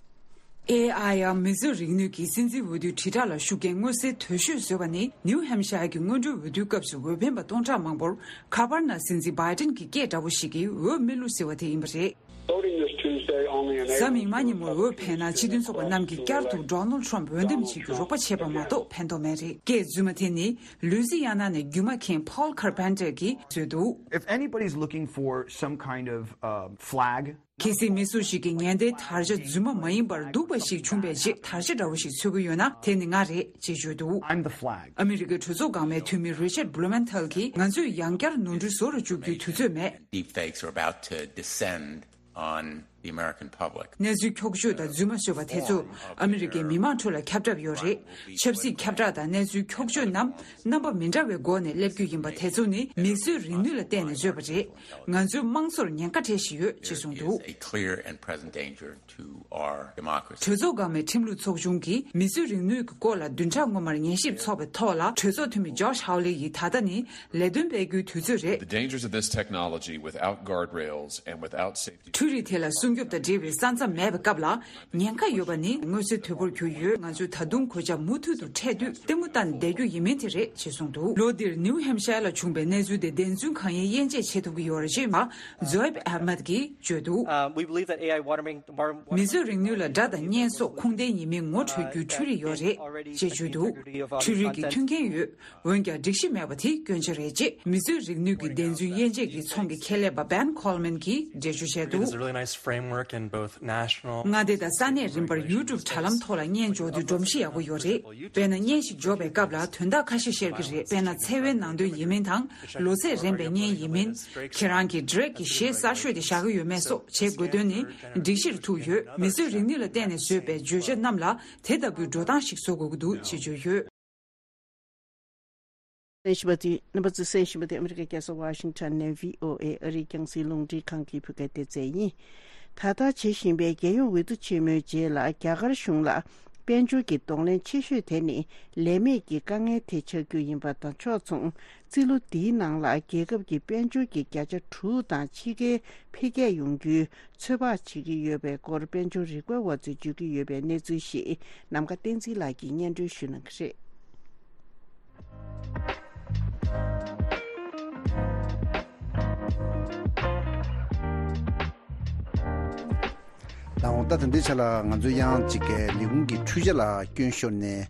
ཨེ་ཨའི་ཡང་མིས་བཟོས་རིག་ནུས་ཀྱིས་སྲིད་འཛིན་འོས་བསྡུའི་དྲིལ་བསྒྲགས་ལ་ཤུགས་རྐྱེན་མངོན་གསལ་དོད་ཤོས་བཟོས་པ་ནི་ནིའུ་ཧེམ་ཤ་ཡར་གྱི་སྔོན་འགྲོའི་འོས་བསྡུའི་སྐབས་སུ་འོས་འཕེན་པ་སྟོང་ཕྲག་མང་པོར་ཁ་པར་ནང་སྲིད་འཛིན་བྷའི་ཏིན་གྱི་སྐད་འདྲ་བོ་ཞིག་གིས་འོས་མི་བླུགས་ཟེར་བ་དེ་ཡིན་པ་རེད། Voting this Tuesday only enables གཟའ་མིག་དམར་ཉིན་མོར་འོས་འཕེན་ན་སྤྱི་མཐུན་ཚོགས་པ་རྣམས་ཀྱིས་བསྐྱར་དུ་ཌོ་ནལ་ཊམ་འོས་འདེམས་བྱེད་རྒྱུ་རོགས་པ་བྱས་པ་མ་གཏོགས་ཕན་ཐོགས་མེད་རེད། སྐད་རྫུན་མ་དེ་ནི་ལུའི་ཛི་ཡ་ན་ནས་རྒྱུ་མ་མཁན་ཕོལ་ཁར་པན་ཏེར་གྱིས་བཟོས་འདུག If anybody's looking for some kind of, um, flag, གལ་སྲིད་མི་སུ་ཞིག་གིས་ངན་བསྡད་དར་ཆ་རྫུན་མ་མ་ཡིན་པར་སྡུག་པ་ཞིག་བྱུང་བའི་རྗེས་དར་ཆ་འདྲ་བོ་ཞིག་འཚོལ་གྱི་ཡོད་ན་དེ་ནི་ང་རེད་ཅེས་བརྗོད་འདུག I'm the flag. ཨ་མི་རི་ཀའི་གྲོས་ཚོགས་འགག་མའི་འཐུས་མི་རི་ཆར་བྷུ་ལུ་མན་ཐལ་གྱིས་ང་ཚོས་ཡང་བསྐྱར་ནོར་འཁྲུལ་བཟོ་རུ་འཇུག་རྒྱུའི་དུས་ཚོད་མེད། Deepfakes are about to descend on the American public. གནས་ཚུལ་འཁྱོག་བརྗོད་དང་རྫུན་མ་བཟོས་པ་དེ་ཚོ་ཨ་མི་རི་ཀའི་མི་མང་ཁྲོད་ལ་ཁྱབ་གྲབས་ཡོད་རེད། ཆབ་སྲིད་ཁྱབ་བསྒྲགས་དང་གནས་ཚུལ་འཁྱོག་བརྗོད་རྣམས་རྣམ་པ་མི་འདྲ་བའི་སྒོ་ནས་སླེབས་རྒྱུ་ཡིན་པ་དེ་ཚོ་ནི་མིས་བཟོས་རིག་ནུས་ལ་བརྟེན་ནས་བཟོས་པ་རེད། ང་ཚོའི་དམངས་གཙོར་ཉེན་ཁ་འཕྲད་བཞིན་ཡོད་ཅེས་གསུངས་འདུག It is a clear and present danger to our democracy. གྲོས་ཚོགས་འགག་མའི་ཁྲིམས་ལུགས་ཚོགས་ཆུང་གིས་མིས་བཟོས་རིག་ནུས་ཀྱི་སྐོར་ལ་བདུན་ཕྲག་སྔོན་མར་ཉན་ཞིབ་ཚོགས་པའི་ཐོག་ལ་གྲོས་ཚོགས་འཐུས་མི་ཇོཤ་ཧའོ་ལེ་ཡིས་ད་ལྟ་ནི་ལས་དོན་སྤེལ་རྒྱུའི་དུས་ཚོད་རེད། The dangers of this technology without guardrails and without safety འཕྲུལ་རིག་དེ་ལ་སྲུང་སྐྱོབ་དང་འབྲེལ་བའི་ས་མཚམས་མེད་པའི་སྐབས་ལ་ཉེན་ཁ་ཡོད་པ་ནི་མངོན་གསལ་དོད་པོར་གྱུར་ཡོད། ང་ཚོས་ད་དུང་གོད་ཆག་མུ་མཐུད་དུ་འཕྲད་དུས་ལྟད་མོ་ལྟ་ནས་བསྡད་རྒྱུ་ཡིན་མིན་དེ་རེད་ཅེས་གསུངས་འདུག་ལོ་འདིར་ནིའུ་ཧེམ་ཤར་ལ་བྱུང་བའི་གནས་ཚུལ་དེ་བདེན་རྫུན་གང་ཡིན་དབྱེ་འབྱེད་བྱེད་ཐུབ་ཀྱི་ཡོད་རེད་ཅེས་མ་ཛོའེབ་ཨ་མད་ཀྱིས་བརྗོད་འདུག Um, we believe that A I watermark- watermark- མིས་བཟོས་རིག་ནུས་ལ་དགྲ་དང་བརྙན་སོགས་ཁུངས་ལྡན་ཡིན་མིན་ངོ་འཕྲོད་རྒྱུའི་འཕྲུལ་རིག་ཡོད་རེད་ཅེས་བརྗོད་འདུག་འཕྲུལ་རིག་གི་མཐུན་རྐྱེན་ཡོད། འོན་ཀྱང་སྒྲིག་གཞི་མེད་པ་དེ་སྐྱོན་ཆ་རེད་ཅེས་མིས་བཟོས་རིག་ནུས་ཀྱི་བདེན་རྫུན་དབྱེ་འབྱེད་ཀྱི་ཚོགས་ཀྱི་ཁྱད་ལས་པ་བན་ཁོལ་མན་གྱིས་འགྲེལ་བརྗོད་བྱས་འདུག There's a really nice framework in both national མངའ་སྡེ་དང་ས་གནས་རིམ་པར་ཡུལ་གྲུ་དྲ་ལམ་ཐོག་ལ་བརྙན་འཇོག་རྒྱུ་སྒྲོམ་གཞི་ཡག་པོ་ཡོད་རེད། དཔེར་ན་བརྙན་ཞིག་འཇོག་པའི་སྐབས་ལ་དོན་དག་ཁ་ཤས་བཤད་ཀྱི་རེད། དཔེར་ན་ཚེ་བའི་ནང་དོན་ཡིན་མིན་དང་ལོ་ཚད་རན་པའི་བརྙན་ཡིན་མིན། ཁྱེད་རང་གི་ཌི་རེག་གི་གཞས་གསར་ཤོས་དེ་བཞག་གི་ཡོད་མེད་སོགས་བྱེད་དགོས་དོན་ནི་སྒྲིག་གཞིར་ཐུག་ཡོད། མིས་བཟོས་རིག་ནུས་ལ་བརྟེན་ནས་བཟོས་པའི་བརྗོད་བྱ་རྣམས་ལ་དེ་ལྟ་བུའི་འགྲོ་སྟངས་ཤིག་བཟོ་དགོས་ཀྱི་འདུག་ཅེས་བརྗོད་ཡོད། གསན་བཞིན་པ་དེ། རྣམ་པ་ཚོས་གསན་བཞིན་པ་དེ་ཨ་མི་རི་ཀའི་རྒྱལ་ས་ཝ་ཤིང་ཊོན་ནས་བྷི་ཨོ་ཨེ་ཨ་རིའི་རྒྱང་སྲིང་རླུང་འཕྲིན་ཁང་གི་བོད་སྐད་སྡེ་ཚན་ཡིན། ད་ལྟ་བྱེད་བཞིན་པའི་རྒྱལ་ཡོངས་འོས་བསྡུ་ཆེན་མོའི་རྗེས་ལ་རྒྱ་གར་གཞུང་ལ་དཔལ་འབྱོར་གྱི་གདོང་ལེན་ཆེ་ཤོས་དེ་ནི་ལས་མེད་ཀྱི་དཀའ་ངལ་དེ་ཆགས་རྒྱུ་ཡིན་པ་དང་ཕྱོགས་མཚུངས། རྩིས་ལོ་འདིའི་ནང་ལ་རྒྱལ་ཁབ་ཀྱི་དཔལ་འབྱོར་གྱི་བརྒྱ་ཆ་དྲུག་དང་ཕྱི་རྒྱལ་འཕེལ་རྒྱས་ཡོང་རྒྱུའི་ཚོད་དཔག་བྱེད་ཀྱི་ཡོད་པའི་སྐོར་དཔལ་འབྱོར་རིག་པ་བ་ཚོས་བརྗོད་ཀྱི་ཡོད་པའི་གནས་ཚུལ་ཞིག་ནམ་མཁའ་བསྟན་འཛིན་ལགས་ཀྱིས་སྙན་སྒྲོན་ཞུ་གནང་གི་རེད། ད་འོང་ད་ད་ལྟའི་ཆ་ལ་ང་ཚོ་ཡང་གཅིག་གི་ལས་ཁུངས་ཀྱི་འཕྲུལ་ཆས་ལ་སྐྱོན་ཤོར་ནས།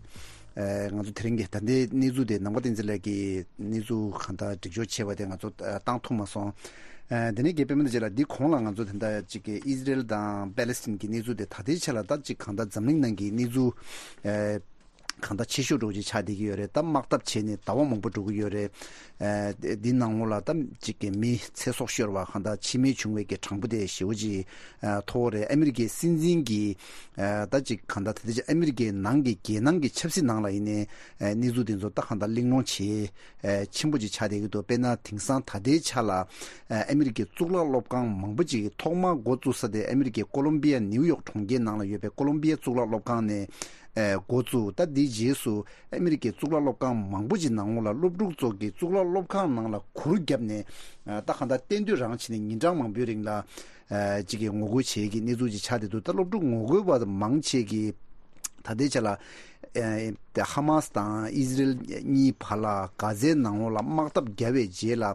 ཨ་ང་ཚོ་དེ་རིང་གི་ད་ལྟའི་གནས་ཚུལ་དེ་ནམ་མཁའ་བསྟན་འཛིན་ལགས་ཀྱིས་གནས་ཚུལ་གང་ལྟར་སྒྲིག་སྦྱོར་བྱས་པ་དེ་ང་ཚོ་ཨ་བཏང་ཐུབ་མ་སོང་། ཨ་དེ་ནས་རྒན་པད་མ་ལགས་ལ་འདི་གོང་ལ་ང་ཚོ་ད་ལྟ་ཅིག་གི་ཨི་ཟི་རེལ་དང་པེ་ལེ་སི་ཐན་གྱི་གནས་ཚུལ་དེ་ད་ལྟའི་ཆ་ལ་ད་ཅིག་གང་ལྟར་འཛམ་གླིང་ནང་གི་གནས་ཚུལ་ཨ་གང་ལྟར་ཆེ་ཤོས་འགྲོ་གི་ཆགས་བསྡད་ཀྱི་ཡོད་རེད། ད་དམག་འཐབ་བྱས་ནས་ཟླ་བ་མང་པོ་འགྲོ་གི་ཡོད་རེད། ཨ་འདི་ནང་ལོགས་ལ་ད་ཅིག་གི་མི་ཚེ་སྲོག་ཤོར་བ་གང་ལྟར་འཆི་རྨས་བྱུང་བའི་གི་གྲངས་འབོར་དེ་ཞེ་པོ་ཅིག་ཨ་མཐོ་བོ་རེད། ཨ་མི་རི་ཀའི་སྲིད་འཛིན་གྱི་ཨ་ད་ཅིག་གང་ལྟར་ད་ལྟ་ཅིག་ཨ་མི་རི་ཀའི་ནང་གི་རྒྱལ་ནང་གི་ཆབ་སྲིད་ནང་ལ་ཡིན་ནའི་ཨ་གནས་ཚུལ་དེ་ཚོ་ད་གང་ལྟར་གླེང་སློང་བྱེད་ཨ་ཆེན་པོ་ཅིག་ཆགས་བསྡད་ཀྱི་འདུག་དཔེར་ན་དེང་སང་ད་ལྟའི་ཆ་ལ་ཨ་ཨ་མི་རི་ཀའི་གཙུག་ལག་སློབ་ཁང་མང་པོ་ཅིག་ཐོག་མར་འགོ་བཙུགས་ས་དེ་ཨ་མི་རི་ཀའི་ཀོ་ལོམ་བི་ཡ་ནིའུ་ཡོག་གྲོང་ཁྱེར་ནང་ལ་ཡོད་པའི་ཀོ་ལོམ་བི་ཡ་གཙུག་ལག་སློབ་ཁང་ནས་ཨ་འགོ་བཙུགས། ད་འདིའི་རྗེས་སུ་ཨ་མི་རི་ཀའི་གཙུག་ལག་སློབ་ཁང་མང་པོ་ཅིག་ནང་ལོགས་ལ་སློབ་ཕྲུག་ཚོ་གིས་གཙུག་ལག་སློབ་ཁང་ནང་ལ་གུར་བརྒྱབ་ནས་ཨ་ད་གང་ལྟར་གཏན་སྡོད་རང་བྱས་ནས་ཉིན་གྲངས་མང་པོའི་རིང་ལ་ཨ་ཅིག་གི་ངོ་རྒོལ་བྱེད་ཀྱི་གནས་ཚུལ་ཅིག་ཆགས་བསྡད་འདུག་ད་སློབ་ཕྲུག་ངོ་རྒོལ་བ་མང་ཆེ་གིས་ད་ལྟའི་ཆ་ལ་ཨ་ཧ་མ་སི་དང་ཨི་ཟི་རེལ་གཉིས་བར་ལ་གྷ་ཛའི་ནང་ལོགས་ལ་དམག་འཐབ་བརྒྱབ་པའི་རྗེས་ལ་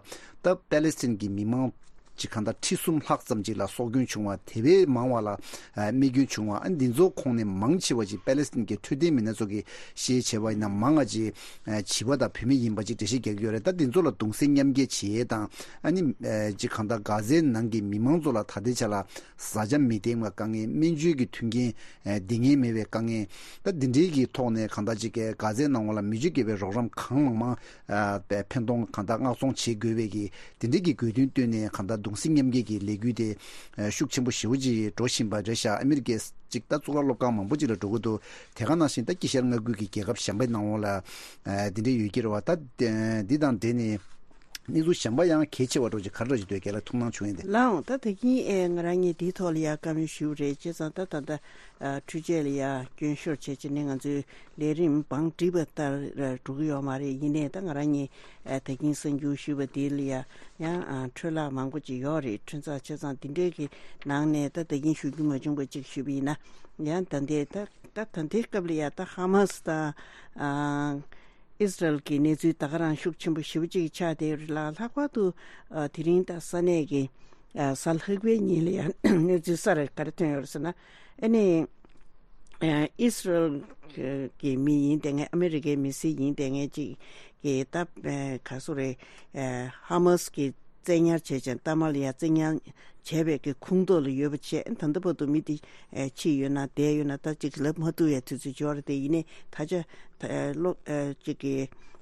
ད་པེ་ལེ་སི་ཐན་གྱི་མི་མང་ཅིག་གང་ལྟར་ཁྲི་གསུམ་ལྷག་ཙམ་ཅིག་ལ་སྲོག་སྐྱོན་བྱུང་བ། དེ་བས་མང་བ་ལ་ཨ་རྨས་སྐྱོན་བྱུང་བ། ཨ་འདི་ཚོ་ཁོངས་ནས་མང་ཆེ་བ་ཅིག་པེ་ལེ་སི་ཐན་གྱི་འཕྲོད་བསྟེན་མི་སྣ་ཚོ་གིས་བཤད་བྱས་པ་ཡིན་ན་མང་བ་ཅིག་ཨ་བྱིས་པ་དང་བུད་མེད་ཡིན་པ་ཅིག་འགྲེལ་བཤད་རྒྱག་གི་ཡོད་རེད། ད་འདི་ཚོ་ལ་གདུང་སེམས་མཉམ་སྐྱེད་བྱེད་ཡས་དང་ཨ་ནི་ཨ་ཅིག་གང་ལྟར་གྷ་ཛའི་ནང་གི་མི་མང་ཚོ་ལ་ད་ལྟའི་ཆ་ལ་བཟའ་བཅའ་མི་འདེམས་པའི་དཀའ་ངལ། སྨན་བཅོས་ཀྱི་མཐུན་རྐྱེན་ཨ་འདི་ངེས་མེད་པའི་དཀའ་ངལ། ད་འདི་འདྲའི་གི་ཐོག་ནས་གང་ལྟར་ཅིག་གི་གྷ་ཛའི་ནང་ལ་མི་ཆོས་དགེ་བའི་རོགས་རམ་གང་མང་མང་ཨ་ཕན་ཐོགས་གང་ལྟར་མངགས་ཚོང་བྱེད་དགོས་པའི་གི་དེ་འདྲའི་གི་དགོས་འདུན་བཏོན་ནས་གང་ལྟར་གདུང་སེམས་མཉམ་སྐྱེད་ཀྱི་ལས་འགུལ་དེ་ཨ་ཤུགས་ཆེན་པོ་ཞེ་པོ་ཅིག་འགྲོ་བཞིན་པ་རེད་ཤག་ཨ་མི་རི་ཀའི་ཅིག་ད་གཙུག་ལག་སློབ་ཁང་མང་པོ་ཅིག་ལ་འགྲོ་གི་འདུག་དེ་ག་ནང་བཞིན་ད་དཀྱིལ་ཤར་མངའ་ཁུལ་གྱི་རྒྱལ་ཁབ་གཞན་པའི་ནང་ལོགས་ལ་ཨ་དེ་འདྲའི་ཡོད་ཀྱི་རེད་བ། ད་དེ་འདི་དང་འབྲེལ་ནས་གནས་ཚུལ་གཞན་པ་ཡང་གལ་ཆེ་བ་འདྲ་ཅིག་ག་རེ་འདྲ་ཅིག་འདུག་རྒན་ལགས་ཐུགས་སྣང་བྱུང་ཡོད་དེ། ལགས་འོང་། ད་ད་གིན་ཨེ་ང་རང་གཉིས་འདིའི་ཐོག་ལ་ཡ་བཀའ་མོལ་ཞུས་རེད། བྱས་ཙང་ད་ད་ད་ཨ་འཕྲུལ་ཆས་ལ་ཡ་སྐྱོན་ཤོར་བྱས་བྱས་ནས་ང་ཚོའི་ལས་རིམ་བང་སྒྲིག་པ་ལྟར་འགྲོ་གི་ཡོད་མ་རེད། ཡིན་ནའི་ད་ང་རང་གཉིས་ཨ་ད་གིན་གསར་འགྱུར་ཞུས་པ་དེ་ལ་ཡ་ཡང་ཨ་འཕྲོས་བརླག་མང་པོ་ཅིག་ཡོད་རེད། འཕྲོས་བརླག་བྱས་ཙང་འདི་འདྲའི་གི་ནང་ནས་ད་ད་གིན་ཞུ་རྒྱུ་མ་བྱུང་བ་ཅིག་ཞུས་པ་ཡིན་ན། ཡང་ད་ལྟའི་ད་ད་ད་ལྟའི་སྐབས་ལ་ཡ་ད་ཧ་མ་སི་དང་ཨ་ཨིས་རལ་གྱི་གནས་ཚུལ་ད་ག་རང་ཤུགས་ཆེན་པོ་ཞེ་པོ་ཅིག་ཆགས་བསྡད་ཡོད་རེད་ལ། ལྷག་པར་དུ་ཨ་དེ་རིང་ད་ས་གནས་ཀྱི་ཨ་གཟའ་ལྷག་པའི་ཉིན་ལ་ཡང་གནས་ཚུལ་གསར་རེ་ག་རེ་ཐོན་ཡོད་རེད་ཟེར་ན། ཨ་ནི་ཨ་ཨིས་རལ་གྱི་མི་ཡིན་བསྡད་མཁན་ཨ་མི་རི་ཀའི་མི་སེར་ཡིན་བསྡད་མཁན་ཅིག་གིས་ད་ཨ་ག་སོ་རེད། ཨ་ཧ་མ་སི་གི་བཙན་ཉར་བྱས་ཅིང་མཐའ་མ་ལ་ཡང་བཙན་ཉར་བྱས་པའི་གི་ཁོངས་གཏོགས་ལ་ཡོད་པ་བྱས། ད་ལྟ་བར་དུ་མི་དེ་ཨེ་འཆི་ཡོད་ན་བསྡད་ཡོད་ན་ད་ཅིག་ལབ་མ་ཐུབ་ཡ་དུས་ཚོད་འབྱོར་བསྡད་ཡིན་ནའི་ད་ཆ་ད་ཨེ་ལོ་ཨེ་ཅིག་གི་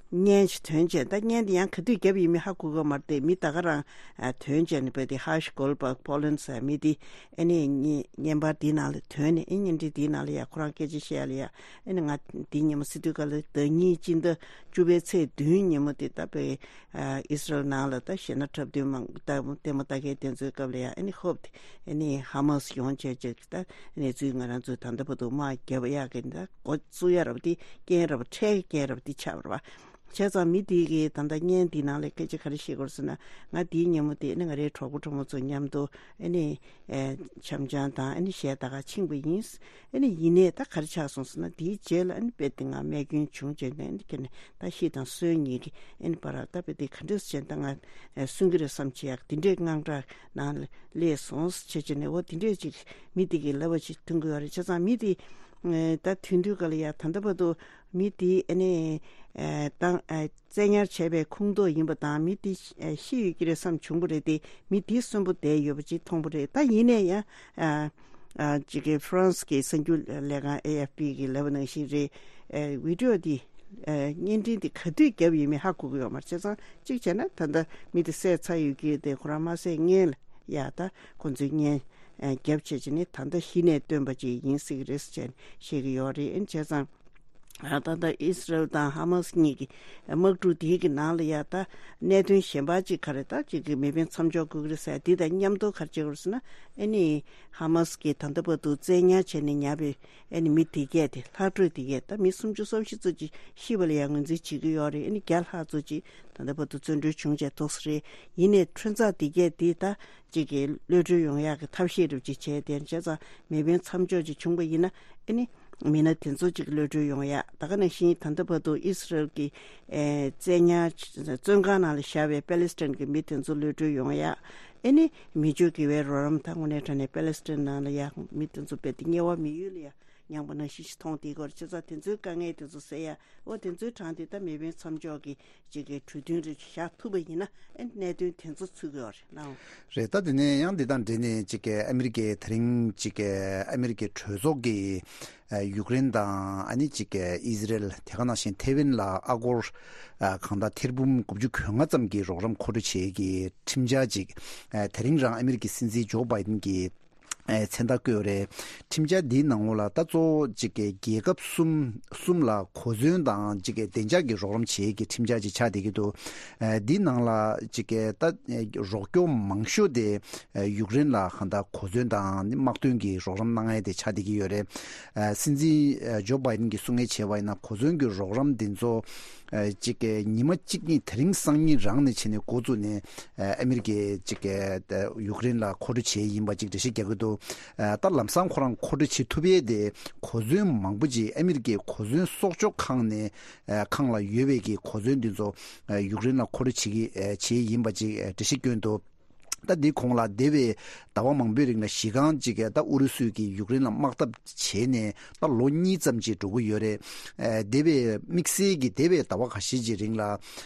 བརྙན་ཞིག་ཐོན་བྱས། ད་བརྙན་དེ་ཡང་ག་དུས་བརྒྱབ་ཡིན་མིན་ཧ་གོ་གི་མ་རེད་དེ། མི་ད་ག་རང་ཨེ་ཐོན་བྱས་ནས་བས་དེ་ཧ་ཤི་གོལ་བག་པོ་ལན་ཟེར་མི་དེ་ཨེ་ནས་བརྙན་པར་དེའི་ནང་ལ་ཐོན་ནས་ཨེ་བརྙན་འཕྲིན་དེའི་ནང་ལ་ཡ་ཁོ་རང་སྐད་ཆ་བཤད་ཡ་ལ་ཡ་ཨེ་ནས་ང་དེ་ཉིན་མོ་སི་ཏུ་ཀ་ལ་ཟླ་གཉིས་སྤྱི་ཟླ་བཅུ་པའི་ཚེས་བདུན་ཉིན་མོ་དེ་ད་བས། ཨ་ཨིས་རལ་ནང་ལ་ད་གཞས་སྣ་འཁྲབ་སྟོན་མང་ད་ལྟད་མོ་ལྟ་མཁན་དེ་ཚོའི་སྐབས་ལ་ཡང་ཨ་ནི་ཧོབ་དེ་ཨ་ནི་ཧ་མ་སི་ཡོང་བྱས་བྱས་ད་གནས་ཚུལ་ང་རང་ཚོས་ད་ལྟ་བར་དུ་དམག་བརྒྱབ་ཡག་གི་ད་འགོ་བཙུགས་ཡ་རབ་དེ་རྐྱེན་རབ་འཕྲད་རྐྱེན་རབ་དེ་ཆགས་པ་རེད་བ། བྱས་ཙང་མི་དེ་གིས་ད་ལྟ་བརྙན་འདི་ནང་ལ་སྐད་ཆ་ག་རེ་བཤད་དགོས་ཟེར་ན། ང་དེའི་ཉིན་མོ་དེ་ཨ་ནི་ང་རའི་གྲོགས་པོ་གྲོགས་མོ་ཚོ་མཉམ་དུ་ཨ་ནི་འཆམ་འཆམ་དང་ཨ་ནི་གཞས་ད་ག་ཕྱིན་པ་ཡིན། ཨ་ནི་ཡིན་ནའི་ད་ག་རེ་ཆགས་སོང་ཟེར་ན། དེའི་རྗེས་ལ་ཨ་ནི་དཔེ་དེ་ང་རྨས་སྐྱོན་བྱུང་བྱས་ནས་ཨ་ནི་ཁྱེད་ནས་ད་ཤི་དང་གསོན་གཉིས་ཀྱི་ཨ་ནི་བར་ད་དཔེ་དེ་ག་འདྲས་བྱས་ད་ང་གསོན་གྱི་རེད་བསམ་བྱས་ཡག་དེ་འདྲས་དངངས་སྐྲག་ནང་ལ་སླེབས་སོང་བྱས་བྱས་ནས། འོ་དེ་འདྲས་ཅིག་མི་དེ་གིས་ལབ་པ་ཅིག་ཐོན་གྱི་ཡོད་རེད། བྱས་ཙང་མི་དེ་ད་ཐོན་དུས་ག་ལ་ཡ་ད་ལྟ་བར་དུ་མི་དེ་ཨ་ནི་ད། བཙན་ཉར་བྱས་པའི་ཁོངས་གཏོགས་ཡིན་པ་དང་མི་དེ་ཤི་ཡོད་ཀྱི་རེད་བསམ་བྱུང་བ་རེད་དེ། མི་དེ་གསོན་པོ་བསྡད་ཡོད་པ་ཅིག་མཐོང་བ་རེད། ད་ཡིན་ནའི་ཡང་ཨ་ཨ་ཅིག་གི་ཧྥ་རན་སི་གི་གསར་འགྱུར་ལས་ཁང་ཨེ་ཨེཕ་པི་གི་ལབ་པ་ནང་བཞིན་རེད། ཨ་བི་ཌི་ཡོ་དེ་ཨ་བརྙན་འཕྲིན་དེ་ག་དུས་བརྒྱབ་ཡོད་མེད་ཧ་གོ་གི་ཡོད་མ་རེད། བྱས་ཙང་གཅིག་བྱས་ན་ད་ལྟ་མི་དེ་བསད་ཚར་ཡོད་ཀྱི་རེད་དེ། ཁོ་རང་མ་བསད་སྔོན་ལ་ཡ་ད་ཁོ་ཚོས་བརྙན་ཨ་བརྒྱབ་བྱས་བྱས་ནས་ད་ལྟ་གཞི་ནས་བཏོན་པ་ཅིག་ཡིན་སྲིད་ཀྱི་རེད་ཟེར་བྱས་ནས་བཤད་ཀྱི་ཡོད་རེད། ཨ་བྱས་ཙང་། ད་ལྟ་ཨིས་རལ་དང་ཧ་མ་སི་གཉིས་ཀྱི་དམག་འཁྲུག་དེའི་གི་ནང་ལ་ཡ་ད་གནད་དོན་གཞན་པ་ཅིག་ག་རེ་ད་ཅིག་གི་མེ་འཕེན་མཚམས་འཇོག་དགོས་ཀྱི་རེད་ཟེར། འདི་དང་མཉམ་དུ་ག་རེ་བྱེད་དགོས་རེད་ཟེར་ན། ཨ་ནི་ཧ་མ་སི་གིས་ད་ལྟ་བར་དུ་བཙན་ཉར་བྱས་ནས་ཉར་བའི་ཨ་ནི་མི་དེ་གས་དེ་ལྷག་འཕྲོས་དེ་གས་ད་མི་སུམ་ཅུ་སོ་བཞི་ཙམ་ཅིག་ཤི་བ་ལ་ཡ་ངོས་འཛིན་བྱེད་ཀྱི་ཡོད་རེད། ཨ་ནི་བརྒྱ་ལྷག་ཙམ་ཅིག་ད་ལྟ་བར་དུ་བཙོན་གྲོལ་བྱུང་བྱས་ཐོག་སོ་རེད། ཡིན་ནའི་ཁྲོན་ཚ་དེ་གས་དེ་ད་ཅིག་གི་གློད་གྲོལ་ཡོང་ཡག་གི་ཐབས་ཤེས་རུ་ཅིག་བྱས་ཏེ། བྱས་ཙང་མེ་འཕེན་མཚམས་འཇོག་ཅིག་བྱུང་བ་ཡིན་ན་ཨ་ནི། མི་སྣ་དེ་ཚོ་ཅིག་གློད་གྲོལ་ཡོང་ཡ། ད་ག་ནང་བཞིན་ད་ལྟ་བར་དུ་ཨིས་རལ་གྱི་ཨེ་བཙན་ཉར་བཙོན་ཁང་ནང་ལ་བཞག་པའི་པེ་ལེ་སི་ཐན་གྱི་མི་དེ་ཚོ་གློད་གྲོལ་ཡོང་ཡ། ཨེ་ནི་མི་ཆོས་དགེ་བའི་རོགས་རམ་དང་དངོས་གནས་དྲང་གནས་པེ་ལེ་སི་ཐན་ནང་ལ་ཡ་མི་དེ་ཚོ་རྦད་དེ་དམྱལ་བ་མི་ཡུལ་ལ་ཡ་ མྱངས་པ་ནང་བཞིན་ཞིག་མཐོང་བསྡད་ཀྱི་ཡོད་རེད། བྱས་ཙང་དེ་ཚོའི་དཀའ་ངལ་དེ་ཚོ་སེལ་ཡ། འོ་དེ་ཚོའི་གྲངས་དེ་ད་མེ་འཕེན་མཚམས་འཇོག་གི་ཅིག་གི་གྲོས་མཐུན་རེ་བཞག་ཐུབ་པ་ཡིན་ན། ཨེ་གནད་དོན་དེ་ཚོ་ཚུད་ཀྱི་ཡོད་རེད་ལགས། རེད། ད་དེ་ནས་ཡང་འདི་དང་འབྲེལ་ནས་ཅིག་གི་ཨ་མི་རི་ཀའི་དེ་རིང་ཅིག་གི་ཨ་མི་རི་ཀའི་གྲོས་ཚོགས་ཀྱི་ཨ་ཡུཀ་རེན་དང་ཨ་ནི་ཅིག་གི་ཨི་ཟི་རེལ། དེ་ག་ནང་བཞིན་ཐེ་ཝན་ལ་ཨ་སྒོར་ཨ་གང་ལྟར་ཐེར་འབུམ་དགུ་བཅུ་གོ་ལྔ་ཙམ་གྱི་རོགས་རམ་མཁོ་སྤྲོད་བྱེད་ཀྱི་ཁྲིམས་འཆར་ཅིག་ཨ་དེ་རིང་རང་ཨ་མི་རི་ཀའི་སྲིད་འཛིན་ཇོ་བྷའི་ཏིན་གྱིས་ཨེ་མཚན་རྟགས་བཀོད་ཡོད་རེད། ཁྲིམས་འཆར་འདིའི་ནང་ལོགས་ལ་ད་གཙོ་བོ་གཅིག་གི་རྒྱལ་ཁབ་གསུམ་གསུམ་ལ་གོ་མཚོན་དང་གཅིག་གི་བདེ་འཇགས་ཀྱི་རོགས་རམ་བྱེད་ཀྱི་ཁྲིམས་འཆར་ཅིག་ཆགས་བསྡད་ཀྱི་འདུག་ཨེ་འདིའི་ནང་ལ་གཅིག་གི་ད་ཨེ་རོགས་སྐྱོར་མང་ཤོས་དེ་ཨེ་ཡུཀ་རེན་ལ་གང་ལྟར་གོ་མཚོན་དང་དམག་དོན་གྱི་རོགས་རམ་གནང་ཡས་དེ་ཆགས་བསྡད་ཀྱི་ཡོད་རེད། ཨེ་སྲིད་འཛིན་ཨེ་ཇོ་བྷའི་ཏིན་གྱིས་གསུང་མཁན་བྱས་པ་ཡིན་ན། གོ་མཚོན་གྱི་རོགས་རམ་འདི་ཚོ་ཨ་གཅིག་གི་ཉི་མ་གཅིག་གཉིས་དེ་རིང་སང་ཉིན་རང་ནས་བྱས་ནས་འགོ་བཙུགས་ནས་ཨ་ཨ་མི་རི་ཀས་གཅིག་གི་ཨ་ཡུཀ་རེན་ལ་མཁོ་སྤྲོད་བྱས་ཡིན་པ་ཅིག་འགྲེལ་བཤད་རྒྱག་གི་འདུག་ཨ་ད་ལམ་སང་ཁོ་རང་མཁོ་སྤྲོད་བྱེད་ཐུབ་ཡས་དེ་གོ་མཚོན་མང་པོ་ཅིག་ཨ་མི་རི་ཀའི་གོ་མཚོན་གསོག་འཇོག་ཁང་ནས་ཨ་ཁང་ལ་ཡོད་པའི་གི་གོ་མཚོན་འདི་ཚོ་ཨ་ཡུཀ་རེན་ལ་མཁོ་སྤྲོད་བྱེད་ཀྱི་ཨ་བྱས་ཡིན་པ་ཅིག་ཨ་འགྲེལ་བཤད་བསྐྱོན་འདུག་ད་འདི་གོང་ལ་འདས་པའི་ཟླ་བ་མང་པོའི་རིང་ལ་གཞི་རྐང་གཅིག་གིས་ད་ཨུ་རུ་སུས་ཀྱིས་ཡུཀ་རེན་ལ་དམག་འཐབ་བྱས་ནས་ད་ལོ་གཉིས་ཙམ་ཅིག་འགྲོ་གི་ཡོད་རེད། ཨ་འདས་པའི་དམིགས་བསལ་གྱི་འདས་པའི་ཟླ་བ་ཁ་ཤས་ཀྱི་རིང་ལ་ཨ་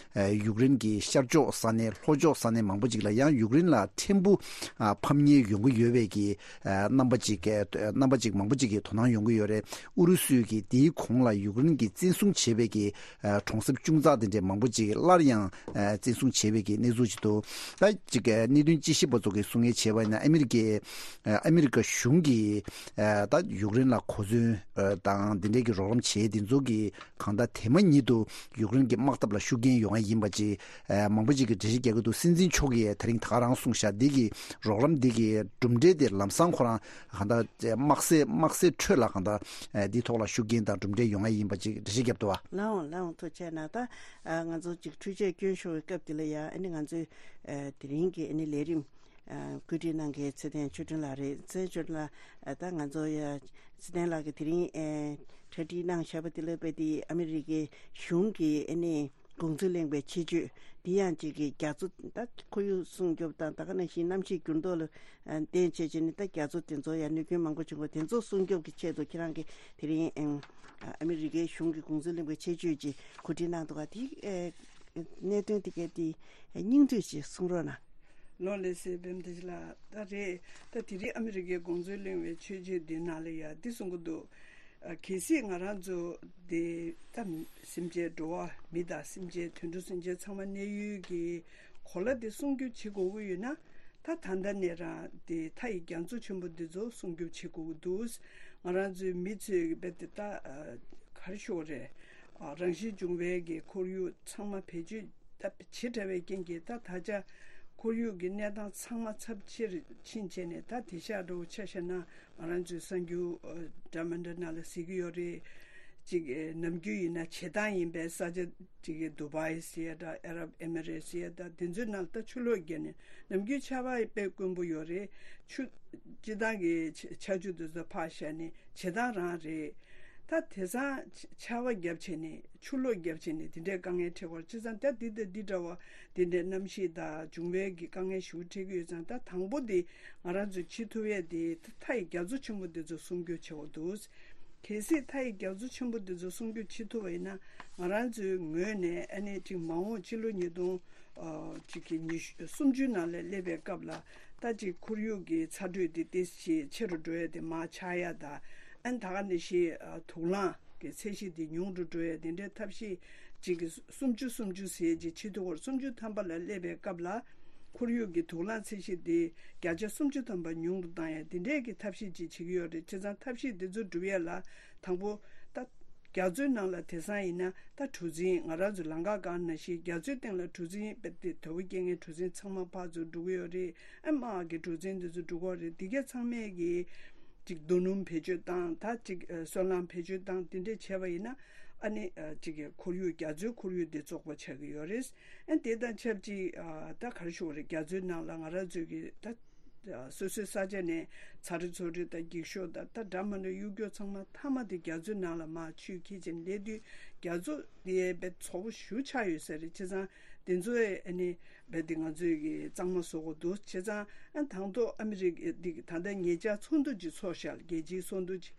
ཡུཀ་རེན་གྱི་ཤར་ཕྱོགས་ས་གནས་ལྷོ་ཕྱོགས་ས་གནས་མང་པོ་ཅིག་ལ་ཡང་ཡུཀ་རེན་ལ་ཕྲན་བུ་ཨ་ཕམ་ཉེས་ཡོང་གི་ཡོད་པའི་གི་ཨ་རྣམ་པ་ཅིག་གི་རྣམ་པ་ཅིག་མང་པོ་ཅིག་གི་དོ་སྣང་ཡོང་གི་ཡོད་རེད། ཨུ་རུ་སུས་ཀྱིས་དེའི་གོང་ལ་ཡུཀ་རེན་གྱིས་བཙན་བཟུང་བྱས་པའི་གི་ཨ་གྲོང་གསེབ་ཅུང་ཙག་དེ་འདྲའི་མང་པོ་ཅིག་སླར་ཡང་ཨ་བཙན་བཟུང་བྱས་པའི་གི་གནས་ཚུལ་ཅིག་འདུག་ད་ཅིག་གི་གནད་དོན་དཔྱད་ཞིབ་པ་ཚོ་གིས་གསུང་མཁན་བྱས་པ་ཡིན་ན། ཨ་མི་རི་ཀའི་ཨ་ཨ་མི་རི་ཀ་གཞུང་གིས་ཨ་ད་ཡུཀ་རེན་ལ་གོ་མཚོན་ཨ་དང་དེ་འདྲའི་གི་རོགས་རམ་བྱས་དེ་ཚོ་གིས་གང་ལྟར་དེ་མ་ཉིད་དུ་ཡུཀ་རེན་གྱི་དམག་འཐབ་ལ་ཤུགས་རྐྱེན་ཡོང་ཡ་ཡིན་པ་ཅིག་ཨ་མང་པོ་ཅིག་གིས་འགྲེལ་བཤད་རྒྱག་གི་འདུག་སྲིད་འཛིན་མཆོག་གིས་དེ་རིང་ད་ག་རང་གསུངས་ཤག་འདི་གི་རོགས་རམ་འདི་གི་གྲུབ་འབྲས་དེ་ལམ་སང་ཁོ་རང་གང་ལྟར་དམག་སའི་དམག་སའི་ཁྲོད་ལ་གང་ལྟར་ཨ་འདིའི་ཐོག་ལ་ཤུགས་རྐྱེན་དང་གྲུབ་འབྲས་ཡོང་ཡ་ཡིན་པ་ཅིག་འགྲེལ་བཤད་བརྒྱབ་འདུག་བ། ལགས་འོང་ལགས་འོང་། ཐུགས་རྗེ་གནང་། ད་ཨ་ང་ཚོ་ཅིག་འཕྲུལ་ཆས་སྐྱོན་ཤོར་བའི་སྐབས་འདི་ལ་ཡང་ཨ་ནི་ང་ཚོའི་ཨ་དེ་རིང་གི་ཨ་ནི་ལས་རིམ་ཨ་བཀོད་སྒྲིག་གནང་མཁན་ཚེ་བརྟན་ཆོས་སྒྲོན་ལགས་རེད། ཚེ་བརྟན་ཆོས་སྒྲོན་ལགས། ཨ་ད་ང་ཚོ་ཡ་ཚེ་བརྟན་ལགས་ཀྱིས་དེ་རིང་ཨ་གྲ་སྒྲིག་གནང་བཞག་པ་དེ་ལ་དཔེ་དེ་ཨ་མི་རི་ཀའི་གཞུང་གི་ཨ་ནི་དགོངས་ཚུལ་གླེང་བའི་ཆེད་བརྗོད་འདི་ཡང་ཅིག་གི་རྒྱ་མཚོ་ད་ཁོར་ཡུག་སྲུང་སྐྱོབ་དང་ད་ག་ནང་བཞིན་གནམ་གཤིས་འགྱུར་ལྡོག་ལ་ཨ་བརྟེན་བྱས་བྱས་ནས་ད་རྒྱ་མཚོ་དེ་ཚོ་ཡང་གནོད་སྐྱོན་མང་པོ་བྱུང་བ་དེ་ཚོ་སྲུང་སྐྱོབ་ཀྱི་ཆེད་དུ་ཁྱེད་རང་གིས་དེ་རིང་ཨ་ཨ་མི་རི་ཀའི་གཞུང་གི་དགོངས་ཚུལ་གླེང་བའི་ཆེད་བརྗོད་ཅིག་གོ་སྒྲིག་གནང་འདུག་ག་དེ་ཨ་གནད་དོན་དེ་གའི་དེ་སྙིང་བསྡུས་ཅིག་གསུང་རོགས་གནང་། ལོ་ལེགས་སེ་བེམ་དེ་ལ་ད་རེད། ད་དེ་རིང་ཨ་མི་རི་ཀའི་དགོངས་ཚུལ་གླེང་བའི་ཆེད་བརྗོད་འདི་ནང་ལ་ཡ་འདི་གསུང་གི་འདུག་ཨ་གལ་སྲིད་ང་རང་ཚོ་དེ་ད་སེམས་ཅན་འགྲོ་བ་མི་དང་སེམས་ཅན་དུད་འགྲོ་སེམས་ཅན་ཚང་མ་གནས་ཡུལ་གྱི་གོ་ལ་དེ་སྲུང་སྐྱོབ་བྱེད་དགོས་ཀྱི་ཡོད་ན། ད་ད་ལྟ་ནས་རང་དེ་མཐའ་ཡི་རྒྱ་མཚོ་ཆེན་པོ་འདི་ཚོ་སྲུང་སྐྱོབ་བྱེད་དགོས་ཀྱི་འདུག་ང་རང་ཚོའི་མི་ཚོས་རྦད་དེ་ད་ཨ་ག་རེ་ཞུ་དགོས་རེད། ཨ་རང་བཞིན་བྱུང་བའི་གི་ཁོར་ཡུག་ཚང་མ་བེད་སྤྱོད་ད་ཇེ་ཕྲ་བའི་རྐྱེན་གྱིས་ད་ད་ཆ་ཁོར་ཡུག་གི་གནས་སྟངས་ཚང་མ་ཚབས་ཆེར་ཕྱིན་བྱས་ནས། ད་དེང་སང་འདྲ་བོ་ཆ་བཞག་ན་ང་རང་ཚོའི་གསར་འགྱུར་ཨ་འདྲ་མི་འདྲ་ནང་ལ་གཟིགས་ཀྱི་ཡོད་རེད། ཅིག་ཨ་ནམ་རྒྱུན་ཡིན་ན་བྱེ་ཐང་ཡིན་པའི་ས་ཆ་ཅིག་གི་དུ་བྷའི་ཟེར་ཡ་འདྲ། ཨ་རབ་ཨེ་མི་རེ་ཊི་ཟེར་ཡ་འདྲ། དེ་ཚོའི་ནང་ལ་ད་ཆུ་ལོག་བརྒྱབ་ནས་ནམ་རྒྱུན་ཆར་པ་དཔེ་དཀོན་པོ་ཡོད་རེད། ཆུ་སྤྱིར་བཏང་གི་ཆ་ཆར་ཆུ་དེ་ཚོ་ཕར་བཞག་ནས་བྱེ་ཐང་རང་རེད། ད་དེང་སང་ཆར་པ་བརྒྱབ་བྱས་ནས་ཆུ་ལོག་བརྒྱབ་བྱས་ནས་དེ་འདྲའི་དཀའ་ངལ་འཕྲད་ཀྱི་ཡོད་རེད། བྱས་ཙང་ད་འདི་དང་འདི་འདྲ་བ་དེ་འདྲའི་གནམ་གཤིས་དང་འབྱུང་བའི་གི་དཀའ་ངལ་ཞེ་པོ་འཕྲད་ཀྱི་ཡོད་ཙང་། ད་དང་པོ་དེ་ང་རང་ཚོས་བྱེད་ཐུབ་ཡས་དེ་མཐའ་ཡི་རྒྱ་མཚོ་ཆེན་པོ་འདི་ཚོ་སྲུང་སྐྱོབ་བྱེད་དགོས་འདུག་གལ་སྲིད་མཐའ་ཡི་རྒྱ་མཚོ་ཆེན་པོ་འདི་ཚོ་སྲུང་སྐྱོབ་བྱེད་ཐུབ་པ་ཡིན་ན། ང་རང་ཚོའི་ངོས་ནས་ཨ་ནི་ཅིག་མ་འོངས་ཕྱི་ལོ་ཉིས་སྟོང་ཨ་ཅིག་གི་ཉི་ཤུ་སུམ་ཅུ་ནང་ལ་སླེབས་པའི་སྐབས་ལ་ད་ཅིག་ཁོར་ཡུག་གི་ཚ་དྲོད་དེ་ཏོག་ཙམ་ཆེ་རུ་འགྲོ་ཡ་དེ་མར་ཆག་ཡ་དང་། ཨ་ནི་ད་ག་ནང་བཞིན་ཨ་དུག་རླངས་ཀྱི་ཚད་གཞི་དེ་ཉུང་རུ་འགྲོ་ཡ་དེ་འདྲའི་ཐབས་ཤེས་ཅིག་གི་སུམ་ཅུ་སུམ་ཅུ་ཟེར་ཅིག་ཕྱི་ཟླ་བ་སུམ་ཅུ་ཐམ་པ་ལ་སླེབས་པའི་སྐབས་ལ་ཁོར་ཡུག་གི་དུག་རླངས་ཚད་གཞི་དེ་བརྒྱ་ཆ་སུམ་ཅུ་ཐམ་པ་ཉུང་རུ་བཏང་ཡ་དེ་འདྲའི་གི་ཐབས་ཤེས་ཅིག་བྱེད་ཀྱི་ཡོད་རེད། བྱས་ཙང་ཐབས་ཤེས་དེ་ཚོ་སྒྲུབ་ཡ་ལ་དང་པོ་ད་རྒྱ་མཚོའི་ནང་ལ་དེང་སང་ཡིན་ན་ད་གྲུ་གཟིངས། ང་རང་ཚོ་ལམ་ཁ་སྒང་ནང་བཞིན་རྒྱ་མཚོའི་སྟེང་ལ་གྲུ་གཟིངས་རྦད་དེ་དོ་པོ་སྐྱེལ་མཁན་གྲུ་གཟིངས་ཚང་མ་ཕར་ཚུར་འགྲོ་གི་ཡོད་རེད། ཨ་དམག་གི་གྲུ་གཟིངས་དེ་ཚོ་འགྲོ་གི་ཡོད་རེད། དེ་ག་ཚང་མས་གི་ཅིག་རྡོ་སྣུམ་བེད་སྤྱོད་བཏང་། ད་ཅིག་ཨ་སོལ་རླངས་བེད་སྤྱོད་བཏང་། དེ་འདྲས་བྱས་པ་ཡིན་ན་ཨ་ནི་ཨ་ཅིག་གི་ཁོར་ཡུག་རྒྱ་མཚོའི་ཁོར་ཡུག་དེ་བཙོག་པ་ཆགས་ཀྱི་ཡོད་རེད། ཨ་དེ་དང་ཆབས་ཅིག་ཨ་ད་ག་རེ་ཞུ་དགོས་རེད། རྒྱ་མཚོའི་ནང་ལ་ང་རང་ཚོའི་གི་ད་ཨ་སོ་སོའི་ས་ཆ་ནས་ཚ་དྲོད་ཚོ་དྲོད་དང་འགྱིག་ཤོག་དང་ད་འདྲ་མི་འདྲ་གཡུག་སྐྱོག་ཚང་མ་མཐའ་མ་དེ་རྒྱ་མཚོའི་ནང་ལ་མར་ཆུས་འཁྱེར་བྱས་ནས་སླེབས་དུས་རྒྱ་མཚོ་དེ་རྦད་བཙོག་པོ་ཞེ་པོ་ཆགས་ཡོད་ས་རེད། བྱས་ཙང་དེ་ཚོ་ཨ་ནི་རྦད་དེ་ང་ཚོས་གི་གཙང་མ་བཟོ་དགོས་འདུག་བྱས་ཙང་ཨ་དང་ཐོག་ཨ་མི་རི་ཀ་འདི་གི་ད་ལྟ་ཉེ་ཆར་ཚོགས་འདུ་ཅིག་ཚོགས་ཤག་བརྒྱད་ཅུའི་ཚོགས་འདུ་ཅིག་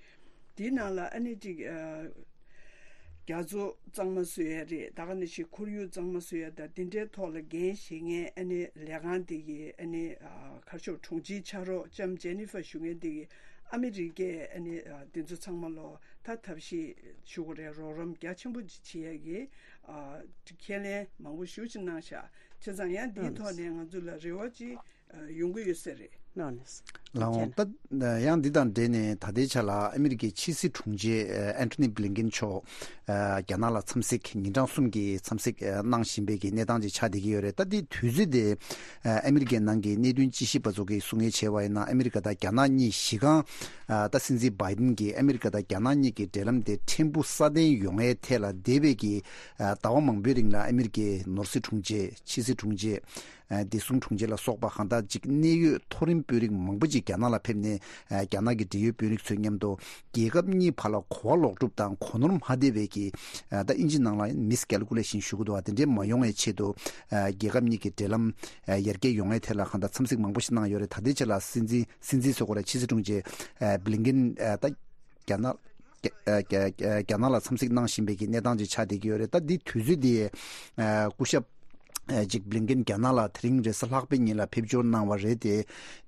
དེའི་ནང་ལ་ཨ་ནི་ཅིག་ཨ། རྒྱ་མཚོ་གཙང་མ་བཟོ་ཡ་རེད། ད་ག་ནང་བཞིན་ཁོར་ཡུག་གཙང་མ་བཟོ་ཡ་དང་དེ་འདྲའི་ཐོག་ལ་འགན་བཞེས་མཁན་ཨ་ནི་ལས་ཁང་དེ་གི་ཨ་ནི་ཨ། གར་ཤོག་དྲུང་ཆེའི་ཕྱག་རོགས་ལྕམ་ཇེ་ནི་ཧྥ་ཞུ་མཁན་དེ་གི་ཨ་མི་རི་ཀས་ཨ་ནི་ཨ། དེ་ཚོ་ཚང་མ་ལོ་ད་ཐབས་ཤེས་ཞུ་དགོས་རེད། རོགས་རམ་རྒྱ་ཆེན་པོ་ཅིག་བྱེད་ཡ་གི་ཨ། ཁས་ལེན་མང་པོ་ཞེ་ཅིག་གནང་ཤག་བྱས་ཙང་ཡང་འདིའི་ཐོག་ནས་ང་ཚོ་ལ་རེ་བ་ཅིག་ཨ། ཡོང་གི་ཡོད་ས་རེད། ལགས་འོང་། ད་ཡང་འདི་དང་འབྲེལ་ནས་ད་ལྟའི་ཆ་ལ་ཨ་མི་རི་ཀའི་ཕྱི་སྲིད་དྲུང་ཆེ་ཨ། ཨན་ཐོ་ནི་བྷི་ལིན་ཀིན་མཆོག་ཨ། རྒྱ་ནག་ལ་འཚམས་གཟིགས་ཉིན་གྲངས་གསུམ་གྱི་འཚམས་གཟིགས་ཨ། གནང་བཞིན་པའི་གི་གནས་སྟངས་ཅིག་ཆགས་བསྡད་ཀྱི་ཡོད་རེད། ད་འདི་དུས་ཚོད་དེ་ཨ། ཨ་མི་རི་ཀའི་ནང་གི་གནད་དོན་དཔྱད་ཞིབ་པ་ཚོ་གིས་གསུང་ཡས་བྱས་པ་ཡིན་ན། ཨ་མི་རི་ཀ་དང་རྒྱ་ནག་གཉིས་གཞི་རྐང་ཨ། ད་སྲིད་འཛིན་བྷའི་ཏིན་གྱིས་ཨ་མི་རི་ཀ་དང་རྒྱ་ནག་གཉིས་ཀྱི་འབྲེལ་ལམ་དེ་ཕྲན་བུ་སྲ་བརྟན་ཡོང་ཡས་ཐད་ལ་འདས་པའི་གི་ཨ། ཟླ་བ་མང་པོའི་རིང་ལ་ཨ་མི་རི་ཀའི་ནོར་སྲིད་དྲུང་ཆེ་ཕྱི་སྲིད་དྲུང་ཆེ། ཨ། བདེ་སྲུང་དྲུང་ཆེ་ལ་སོགས་པ་གང་ལྟར་ཅིག་གནད་ཡོད་མཐོ་རིམ་དཔོན་རིགས་མང་པོ་ཅིག་རྒྱ་ནག་ལ་ཕེབས་ནས་ཨ། རྒྱ་ནག་གི་འབྲེལ་ཡོད་དཔོན་རིགས་ཚོའི་མཉམ་དུ་རྒྱལ་ཁབ་གཉིས་བར་ལ་གོ་བ་ལོག་སྒྲུབ་དང་གོ་ནོར་མ་བསྡད་པའི་གི་ཨ། ད་ཨིན་ཇི་ནང་ལ་མིས་ཀལ་ཀུ་ལེ་ཤན་ཞུ་གི་འདུག་བ། དེ་འདྲའི་མ་ཡོང་བའི་ཆེད་དུ་ཨ། རྒྱལ་ཁབ་གཉིས་ཀྱི་འབྲེལ་ལམ་ཨ། ཡར་རྒྱས་ཡོང་བའི་ཐད་ལ་གང་ལྟར་འཚམས་གཟིགས་མང་པོ་ཞིག་གནང་ཡོད་རེད། ད་ལྟའི་ཆ་ལ་སྲིད་འཛིན་སྲིད་འཛིན་ཟེར་དགོས་རེད། ཕྱི་སྲིད་དྲུང་ཆེ་ཨ། བྷི་ལིན་ཀིན་ཨ། ད་རྒྱ་ནག་རྒྱ་རྒྱ་རྒྱ་རྒྱ་ནག་ལ་འཚམས་གཟིགས་གནང་བཞིན་པའི་གི་གནས་སྟངས་ཅིག་ཆགས་བསྡད་ཀྱི་ཡོད་རེད། ད་འདི་དུས་ཚོད་འདི་ཨ། སྐུ་ཞབས་ཨ། ཅིག་བྷི་ལིན་ཀིན་རྒྱ་ནག་ལ་དེ་རིང་རེས་གཟའ་ལྷག་པའི་ཉིན་ལ་ཕེབས་འབྱོར་གནང་བ་རེད་དེ།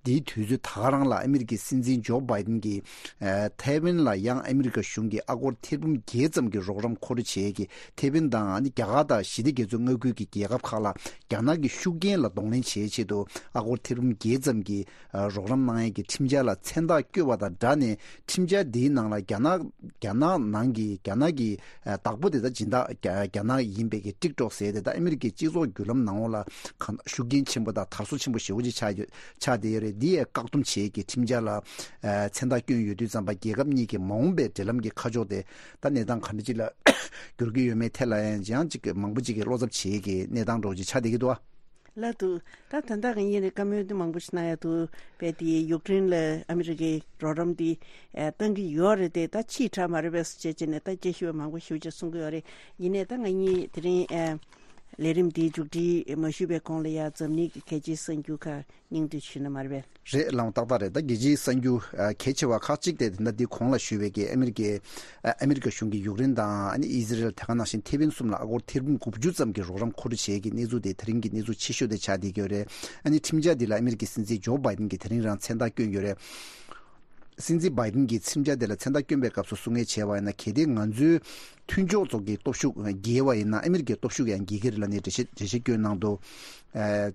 འདིའི་དུས་ཚོད་ད་ག་རང་ལ་ཨ་མི་རི་ཀའི་སྲིད་འཛིན་ཇོ་བྷའི་ཏིན་གྱིས་ཨ། ཐའེ་ཝན་ལ་ཡང་ཨ་མི་རི་ཀ་གཞུང་གིས་ཨ་སྒོར་ཐེར་འབུམ་བརྒྱད་ཙམ་གྱི་རོགས་རམ་མཁོ་སྤྲོད་བྱེད་ཀྱི། ཐའེ་ཝན་དང་ཨ་ནི་རྒྱ་གར་དང་ཞི་བདེ་རྒྱ་མཚོའི་མངའ་ཁུལ་གྱི་རྒྱལ་ཁབ་ཁག་ལ་རྒྱ་ནག་གི་ཤུགས་རྐྱེན་ལ་གདོང་ལེན་བྱེད་ཆེད་དུ་ཨ་སྒོར་ཐེར་འབུམ་བརྒྱད་ཙམ་གྱི་ཨ། རོགས་རམ་གནང་ཡས་ཀྱི་ཁྲིམས་འཆར་ལ་མཚན་རྟགས་བཀོད་པ་དང་སྦྲགས་ནས། ཁྲིམས་འཆར་འདིའི་ནང་ལ་རྒྱ་ནག་རྒྱ་ནག་ནང་གི་རྒྱ་ནག་གི་ཨ། བདག་པོ་དེ་དག་སྦྱིན་བདག་རྒྱ་རྒྱ་ནག་ཡིན་པའི་གི་ཀྲིག་ཀྲོག་ཟེར་དེ་དག་ཨ་མི་རི་ཀའི་སྤྱི་ཚོགས་བརྒྱུད་ལམ་ནང་ལོགས་ལ་གང་ཤུགས་རྐྱེན་ཆེན་པོ་དང་དར་སོ་ཆེན་པོ་ཞེ་པོ་ཅིག་ཆགས་ཡོད་ཆགས་བསྡད་ཡོད་རེད། འདི་ཡས་བཀག་སྡོམ་བྱེད་ཀྱི་ཁྲིམས་འཆར་ལ་ཨ། མཚན་རྟགས་བསྐྱོན་ཡོད་དུས་ཙམ་པ་རྒྱལ་ཁབ་གཉིས་ཀྱི་མ་འོངས་པའི་འབྲེལ་ལམ་གྱི་ཁ་ཕྱོགས་དེ་ད་གནས་སྟངས་ག་འདྲ་ཅིག་ལ་འགྱུར་གྱི་ཡོད་མེད་ཐད་ལ་ཡང་ཅིག་མང་པོ་ཅིག་གིས་བློ་འཚབ་བྱེད་ཀྱི་གནས་སྟངས་འདྲ་བོ་ཅིག་ཆགས་བསྡད་ཀྱི་འདུག་ཨ། ལགས་འདུག་ད་ད་ལྟ་གང་ཡིན་ནའི་བཀའ་མོལ་འདི་མང་པོ་ཞིག་གནང་ཡ་འདུག་དཔེ་དེ་ཡུཀ་རེན་ལ་ཨ་མི་རི་ཀའི་རོགས་རམ་འདི་ཨ་བཏང་གི་ཡོད་རེད་དེ། ད་ཕྱིའི་དྲག་མ་རེད་པས་ཟེར་བྱས་བྱས་ནས་ད་དཔྱད་ཞིབ་པ་མང་པོ་ཞེ་པོ་ཅིག་གསུང་གི་ཡོད་རེད། ཡིན་ནའི་ད་ང་གཉིས་དེ་རིང་ཨ་ལས་རིམ་འདིའི་མཇུག་སྒྲིལ་མ་ཞུས་པའི་གོང་ལ་ཡ་འཛམ་གླིང་གི་གལ་ཆེའི་གསར་འགྱུར་ཁག་སྙིང་བསྡུས་ཞུས་ན་མ་རེད་པས། རེད་ལགས། ཏག་ཏག་རེད། ད་རྒྱལ་སྤྱིའི་གསར་འགྱུར་ཨ་གལ་ཆེ་བ་ཁག་ཅིག་དེ་དེ་འདྲ་འདི་གོང་ལ་ཞུས་པའི་གི་ཨ་མི་རི་ཀའི་ཨ་ཨ་མི་རི་ཀ་གཞུང་གིས་ཡུཀ་རེན་དང་ཨ་ནི་ཨི་ཟི་རེལ་དེ་ག་ནང་བཞིན་ཐེ་ཝན་གསུམ་ལ་ཨ་སྒོར་ཐེར་འབུམ་དགུ་བཅུ་ཙམ་གྱི་རོགས་རམ་མཁོ་སྤྲོད་བྱེད་ཀྱི་གནས་ཚུལ་དེ་དེ་རིང་གི་གནས་ཚུལ་ཆེ་ཤོས་དེ་ཆགས་བསྡད་ཀྱི་ཡོད་རེད། ཨ་ནི་ཁྲིམས་འཆར་འདི་ལ་ཨ་མི་རི་ཀའི་སྲིད་འཛིན་ཇོ་བྷའི་ཏིན་གྱིས་དེ་རིང་རང་མཚན་རྟགས་བསྐྱོན་ཡོད་རེད། སྲིད་འཛིན་བྷའི་ཏིན་གྱིས་ཁྲིམས་འཆར་དེ་ལ་མཚན་རྟགས་བསྐྱོན་པའི་སྐབས་སུ་གསུང་ངེས་བྱས་པ་ཡིན་ན། གལ་ཏེ་ང་ཚོའི་མཐུན་ཕྱོགས་ཚོ་གི་སྟོབས་ཤུགས་རྒྱས་པ་ཡིན་ན་ཨ་མི་རི་ཀའི་སྟོབས་ཤུགས་ཡང་རྒྱས་ཀྱི་རེད་ལབ་ནས་འགྲེལ་བཤད་འགྲེལ་བཤད་བསྐྱོན་གནང་འདུག་ཨ།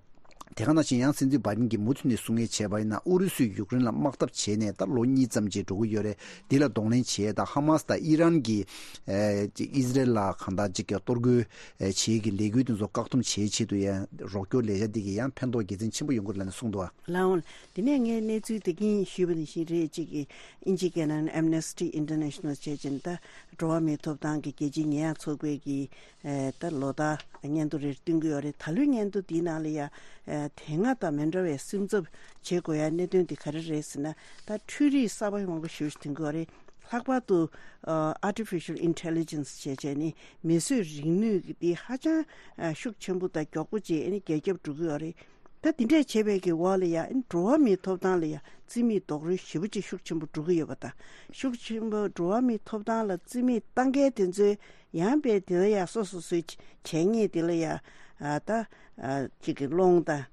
དེ་ག་ནང་བཞིན་ཡང་སྲིད་འཛིན་བྷའི་ཏིན་གྱིས་མུ་མཐུད་ནས་གསུང་ངེས་བྱས་པ་ཡིན་ན། ཨུ་རུ་སུས་ཡུཀ་རེན་ལ་དམག་འཐབ་བྱས་ནས་ད་ལོ་གཉིས་ཙམ་ཅིག་འགྲོ་གི་ཡོད་རེད། འདི་ལ་གདོང་ལེན་བྱས། ད་ཧ་མ་སི་དང་ཨི་རན་གྱིས་ཨ་ཅིག་ཨི་ཟི་རེལ་ལ་གང་ལྟར་ཅིག་གཏོར་རྒོལ་ཨ་བྱེད་ཀྱི་ལས་འགུལ་དེ་ཚོ་བཀག་སྡོམ་བྱེད་ཆེད་དུ་ཡང་རོགས་སྐྱོར་ལས་འཆར་འདི་གིས་ཡང་ཕན་ཐོགས་དགེ་མཚན་ཆེན་པོ་ཡོང་གི་རེད་ལབ་ནས་གསུངས་འདུག་བ། ལགས་འོང་། དེ་ནས་ངས་གནས་ཚུལ་དེ་གིན་ཞུས་པ་ནང་བཞིན་རེད། གཅིག་གིས་ཨིན་ཇི་སྐད་ནང་Amnesty International བྱས་ཙང་ད་འགྲོ་བ་མིའི་ཐོབ་ཐང་གི་རྒྱལ་སྤྱིའི་ཉེས་ཡངས་ཚོགས་པའི་གི་ཨེ་ད་ལོ་ལྟར་སྙན་ཐོ་རེ་བཏོན་གྱི་ཡོད་རེད། ད་ལོའི་སྙན་ཐོ་འདིའི་ནང་ལ་ཡ་ཨེ་དེ་སྔ་དང་མི་འདྲ་བའི་སེམས་འཚབ་བྱེད་དགོས་ཡ་གནད་དོན་དེ་ག་རེ་རེད་ཟེར་ན། ད་འཕྲུལ་རིག་གསར་པ་མང་པོ་ཞེ་པོ་ཞིག་ཐོན་གྱི་ཡོད་རེད། ལྷག་པར་དུ་ཨ་Artificial Intelligence བྱས་བྱས་ནི་མིས་བཟོས་རིག་ནུས་ཀྱི་འདི་ཧ་ཅང་ཨ་ཤུགས་ཆེན་པོ་དང་མགྱོགས་པོ་བྱས་ཨ་ནི་རྒྱ་ཁྱབ་འགྲོ་གི་ཡོད་རེད། ད་དེ་འདྲས་བྱས་པའི་གི་འོག་ལ་ཡ་ཨ་ནི་འགྲོ་བ་མིའི་ཐོབ་ཐང་ལ་ཡ་རྩིས་མེད་རྡོག་རོལ་ཞེ་པོ་ཅིག་ཤུགས་ཆེན་པོ་འགྲོ་གི་ཡོད་པ་དང་། ཤུགས་ཆེན་པོ་འགྲོ་བ་མིའི་ཐོབ་ཐང་ལ་རྩིས་མེད་བཏང་མཁན་དེ་ཚོའི་ཡང་པའི་དེ་ལ་ཡ་སོ་སོ་སོའི་བྱས་ཉེས་དེ་ལ་ཡ་ཨ་ད་ཨ་ཅིག་གི་སློང་དང་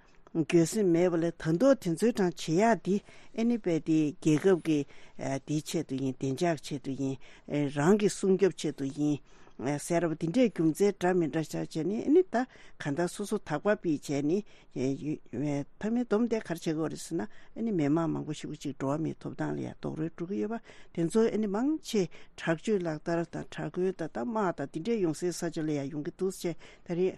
འགྱོད་སེམས་མེད་པ་ལས་ད་མདོ་དེ་ཚོའི་གྲངས་བྱེད་ཡག་འདི་ཨ་ནི་པའི་དེ་རྒྱལ་ཁབ་ཀྱི་ཨ་དེའི་ཆེད་དུ་ཡིན། བདེ་འཇགས་ཆེད་དུ་ཡིན། ཨ་རང་གི་སྲུང་སྐྱོབ་ཆེད་དུ་ཡིན། ཨ་ཟེར་བ་འདི་འདྲའི་རྒྱུ་མཚན་འདྲ་མི་འདྲ་ཆགས་བྱས་ནས་ཨ་ནི་ད་ག་འདྲ་སོ་སོ་དག་པ་པའི་བྱས་ནས་ཨ་ཡུ་ཨ་མཐའ་མའི་སྡོམ་དེ་ག་རེ་བྱེད་དགོས་རེད་ཟེར་ན། ཨ་ནི་མི་མང་མང་པོ་ཞིག་ཅིག་འགྲོ་བ་མིའི་ཐོབ་ཐང་ལ་ཡང་རྡོག་རོལ་འགྲོ་གི་ཡོད་པ་དེ་ཚོ་ཨ་ནི་མང་ཆེ་དྲག་སྤྱོད་ལག་བསྟར་དང་དྲག་རྒོལ་དང་ད་དམག་དང་འདི་འདྲའི་ཡོང་སའི་ས་ཆ་ལ་ཡང་ཡོང་གི་འདུག་ཟེར་ད་རེས།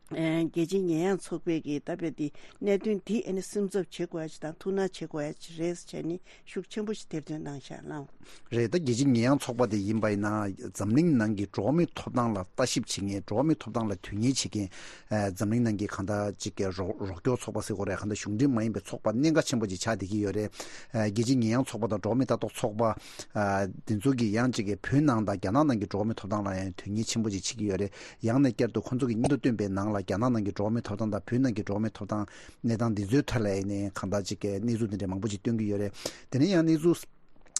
ཨ་རྒྱལ་སྤྱིའི་ཉེས་ཡངས་ཚོགས་པའི་གི་ད་དཔེ་འདི་གནད་དོན་འདི་ཨ་ནི་སེམས་འཚབ་བྱེད་དགོས་ཡ་ཅིག་དང་ཐུགས་སྣང་བྱེད་དགོས་ཡ་ཅིག་རེད་ཟེར་བྱས་ནས་ཤུགས་ཆེན་པོ་ཞིག་ཐེར་འདོན་གནང་བཞག་ལགས། རེད། ད་རྒྱལ་སྤྱིའི་ཉེས་ཡངས་ཚོགས་པ་དེ་ཡིན་པ་ཡིན་ན་འཛམ་གླིང་ནང་གི་འགྲོ་བ་མིའི་ཐོབ་ཐང་ལ་ལྟ་ཞིབ་བྱེད་མཁན། འགྲོ་བ་མིའི་ཐོབ་ཐང་ལ་དོན་གཉེར་བྱེད་མཁན་ཨ་འཛམ་གླིང་ནང་གི་གང་ལྟར་ཅིག་གི་རོགས་རོགས་སྐྱོར་ཚོགས་པ་ཟེར་དགོས་རེད། གང་ལྟར་གཞུང་འབྲེལ་མ་ཡིན་པའི་ཚོགས་པ་གནད་འགག་ཆེན་པོ་ཅིག་ཆགས་བསྡད་ཀྱི་ཡོད་རེད། ཨ་རྒྱལ་སྤྱིའི་ཉེས་ཡངས་ཚོགས་པ་དང་འགྲོ་བ་མིའི་ལྟ་རྟོག་ཚོགས་པ་ཨ་དེ་ཚོ་གིས་ཡང་ཅིག་གི་བོད་ནང་དང་རྒྱ་ནག་ནང་གི་འགྲོ་བ་མིའི་ཐོབ་ཐང་ལ་ཡང་དོན་གཉེར་ཆེན་པོ་ཅིག་བྱེད་ཀྱི་ཡོད་རེད། ཡང་ན་བསྐྱར་དུ་ཁོང་ཚོ་གི་སྙན་ཐོ་བཏོན་པའི་ནང་ལ་རྒྱ་ནག་ནང་གི་འགྲོ་བ་མིའི་ཐོབ་ཐང་དང་བོད་ནང་གི་འགྲོ་བ་མིའི་ཐོབ་ཐང་གནས་སྟངས་འདི་ཚོའི་ཐད་ལ་ཡིན་ནའི་གང་ལྟར་ཅིག་གི་གནས་ཚུལ་འདི་འདྲ་མང་པོ་ཅིག་སྟོན་གྱི་ཡོད་རེད། དེ་ནས་ཡང་གནས་ཚུལ་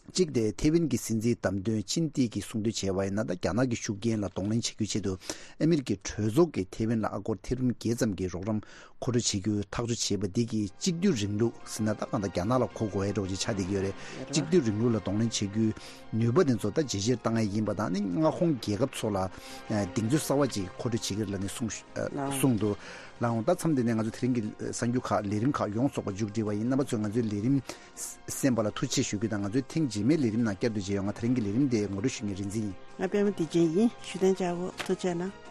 གཅིག་དེ་ཐེ་ཝན་གྱི་སྲིད་འཛིན་བདམས་ཐོན་ཆིན་ཏི་གིས་གསུང་དོན་བྱས་པ་ཡིན་ན། ད་རྒྱ་ནག་གི་ཤུགས་རྐྱེན་ལ་གདོང་ལེན་བྱེད་རྒྱུའི་ཆེད་དུ་ཨ་མི་རི་ཀའི་གྲོས་ཚོགས་ཀྱིས་ཐེ་ཝན་ལ་ཨ་སྒོར་ཐེར་འབུམ་བརྒྱད་ཙམ་གྱི་རོགས་རམ་མཁོ་སྤྲོད་བྱེད་རྒྱུའི་ཐག་གཅོད་བྱས་པ་འདི་གིས་གཅིག་སྡུད་རིང་ལུགས་ཟེར་ན་ད་གང་ལྟར་རྒྱ་ནག་ལ་གོ་དགོས་ཡ་འདྲ་བོ་ཅིག་ཆགས་བསྡད་ཀྱི་ཡོད་རེད། གཅིག་སྡུད་རིང་ལུགས་ལ་གདོང་ལེན་བྱེད་རྒྱུའི་ནུས་པ་དེ་ཚོ་ད་ཇེ་ཆེར་བཏང་ཡ་ཡིན་པ་དང་། ཨ་ནི་མངའ་ཁོངས་རྒྱལ་ཁབ་ཚོ་ལ་གདེང་ཚོད་གསར་བ་ཅིག་མཁོ་སྤྲོད་བྱེད་ཀྱི་རེད་ལབ་ནས་གསུངས་གསུངས་འདུག་ལགས་འོང་། ད་མཚམས་འདི་ནས་ང་ཚོ་དེ་རིང་གི་གསར་འགྱུར་ཁག་ལས་རིམ་ཁག་ཡོངས་རྫོགས་པ་མཇུག་སྒྲིལ་བ་ཡིན། རྣམ་པ་ཚོས་ང་ཚོའི་ལས་རིམ་གསན་པ་ལ་ཐུགས་རྗེ་ཆེ་ཞུ་རྒྱུ་དང་། ང་ཚོའི་ཐེངས་རྗེས་མའི་ལས་རིམ་ནང་བསྐྱར་དུ་མཇལ་ཡོང་། ང་དེ་རིང་གི་ལས་རིམ་དེ་ངོ་སྤྲོད་ཞུ་མཁན་རིག་འཛིན་ཡིན། ང་པད་མ་བདེ་ཆེན་ཡིན། ཞུ་དན་ཅག་བོ་ཐུགས་རྗེ་གནང་།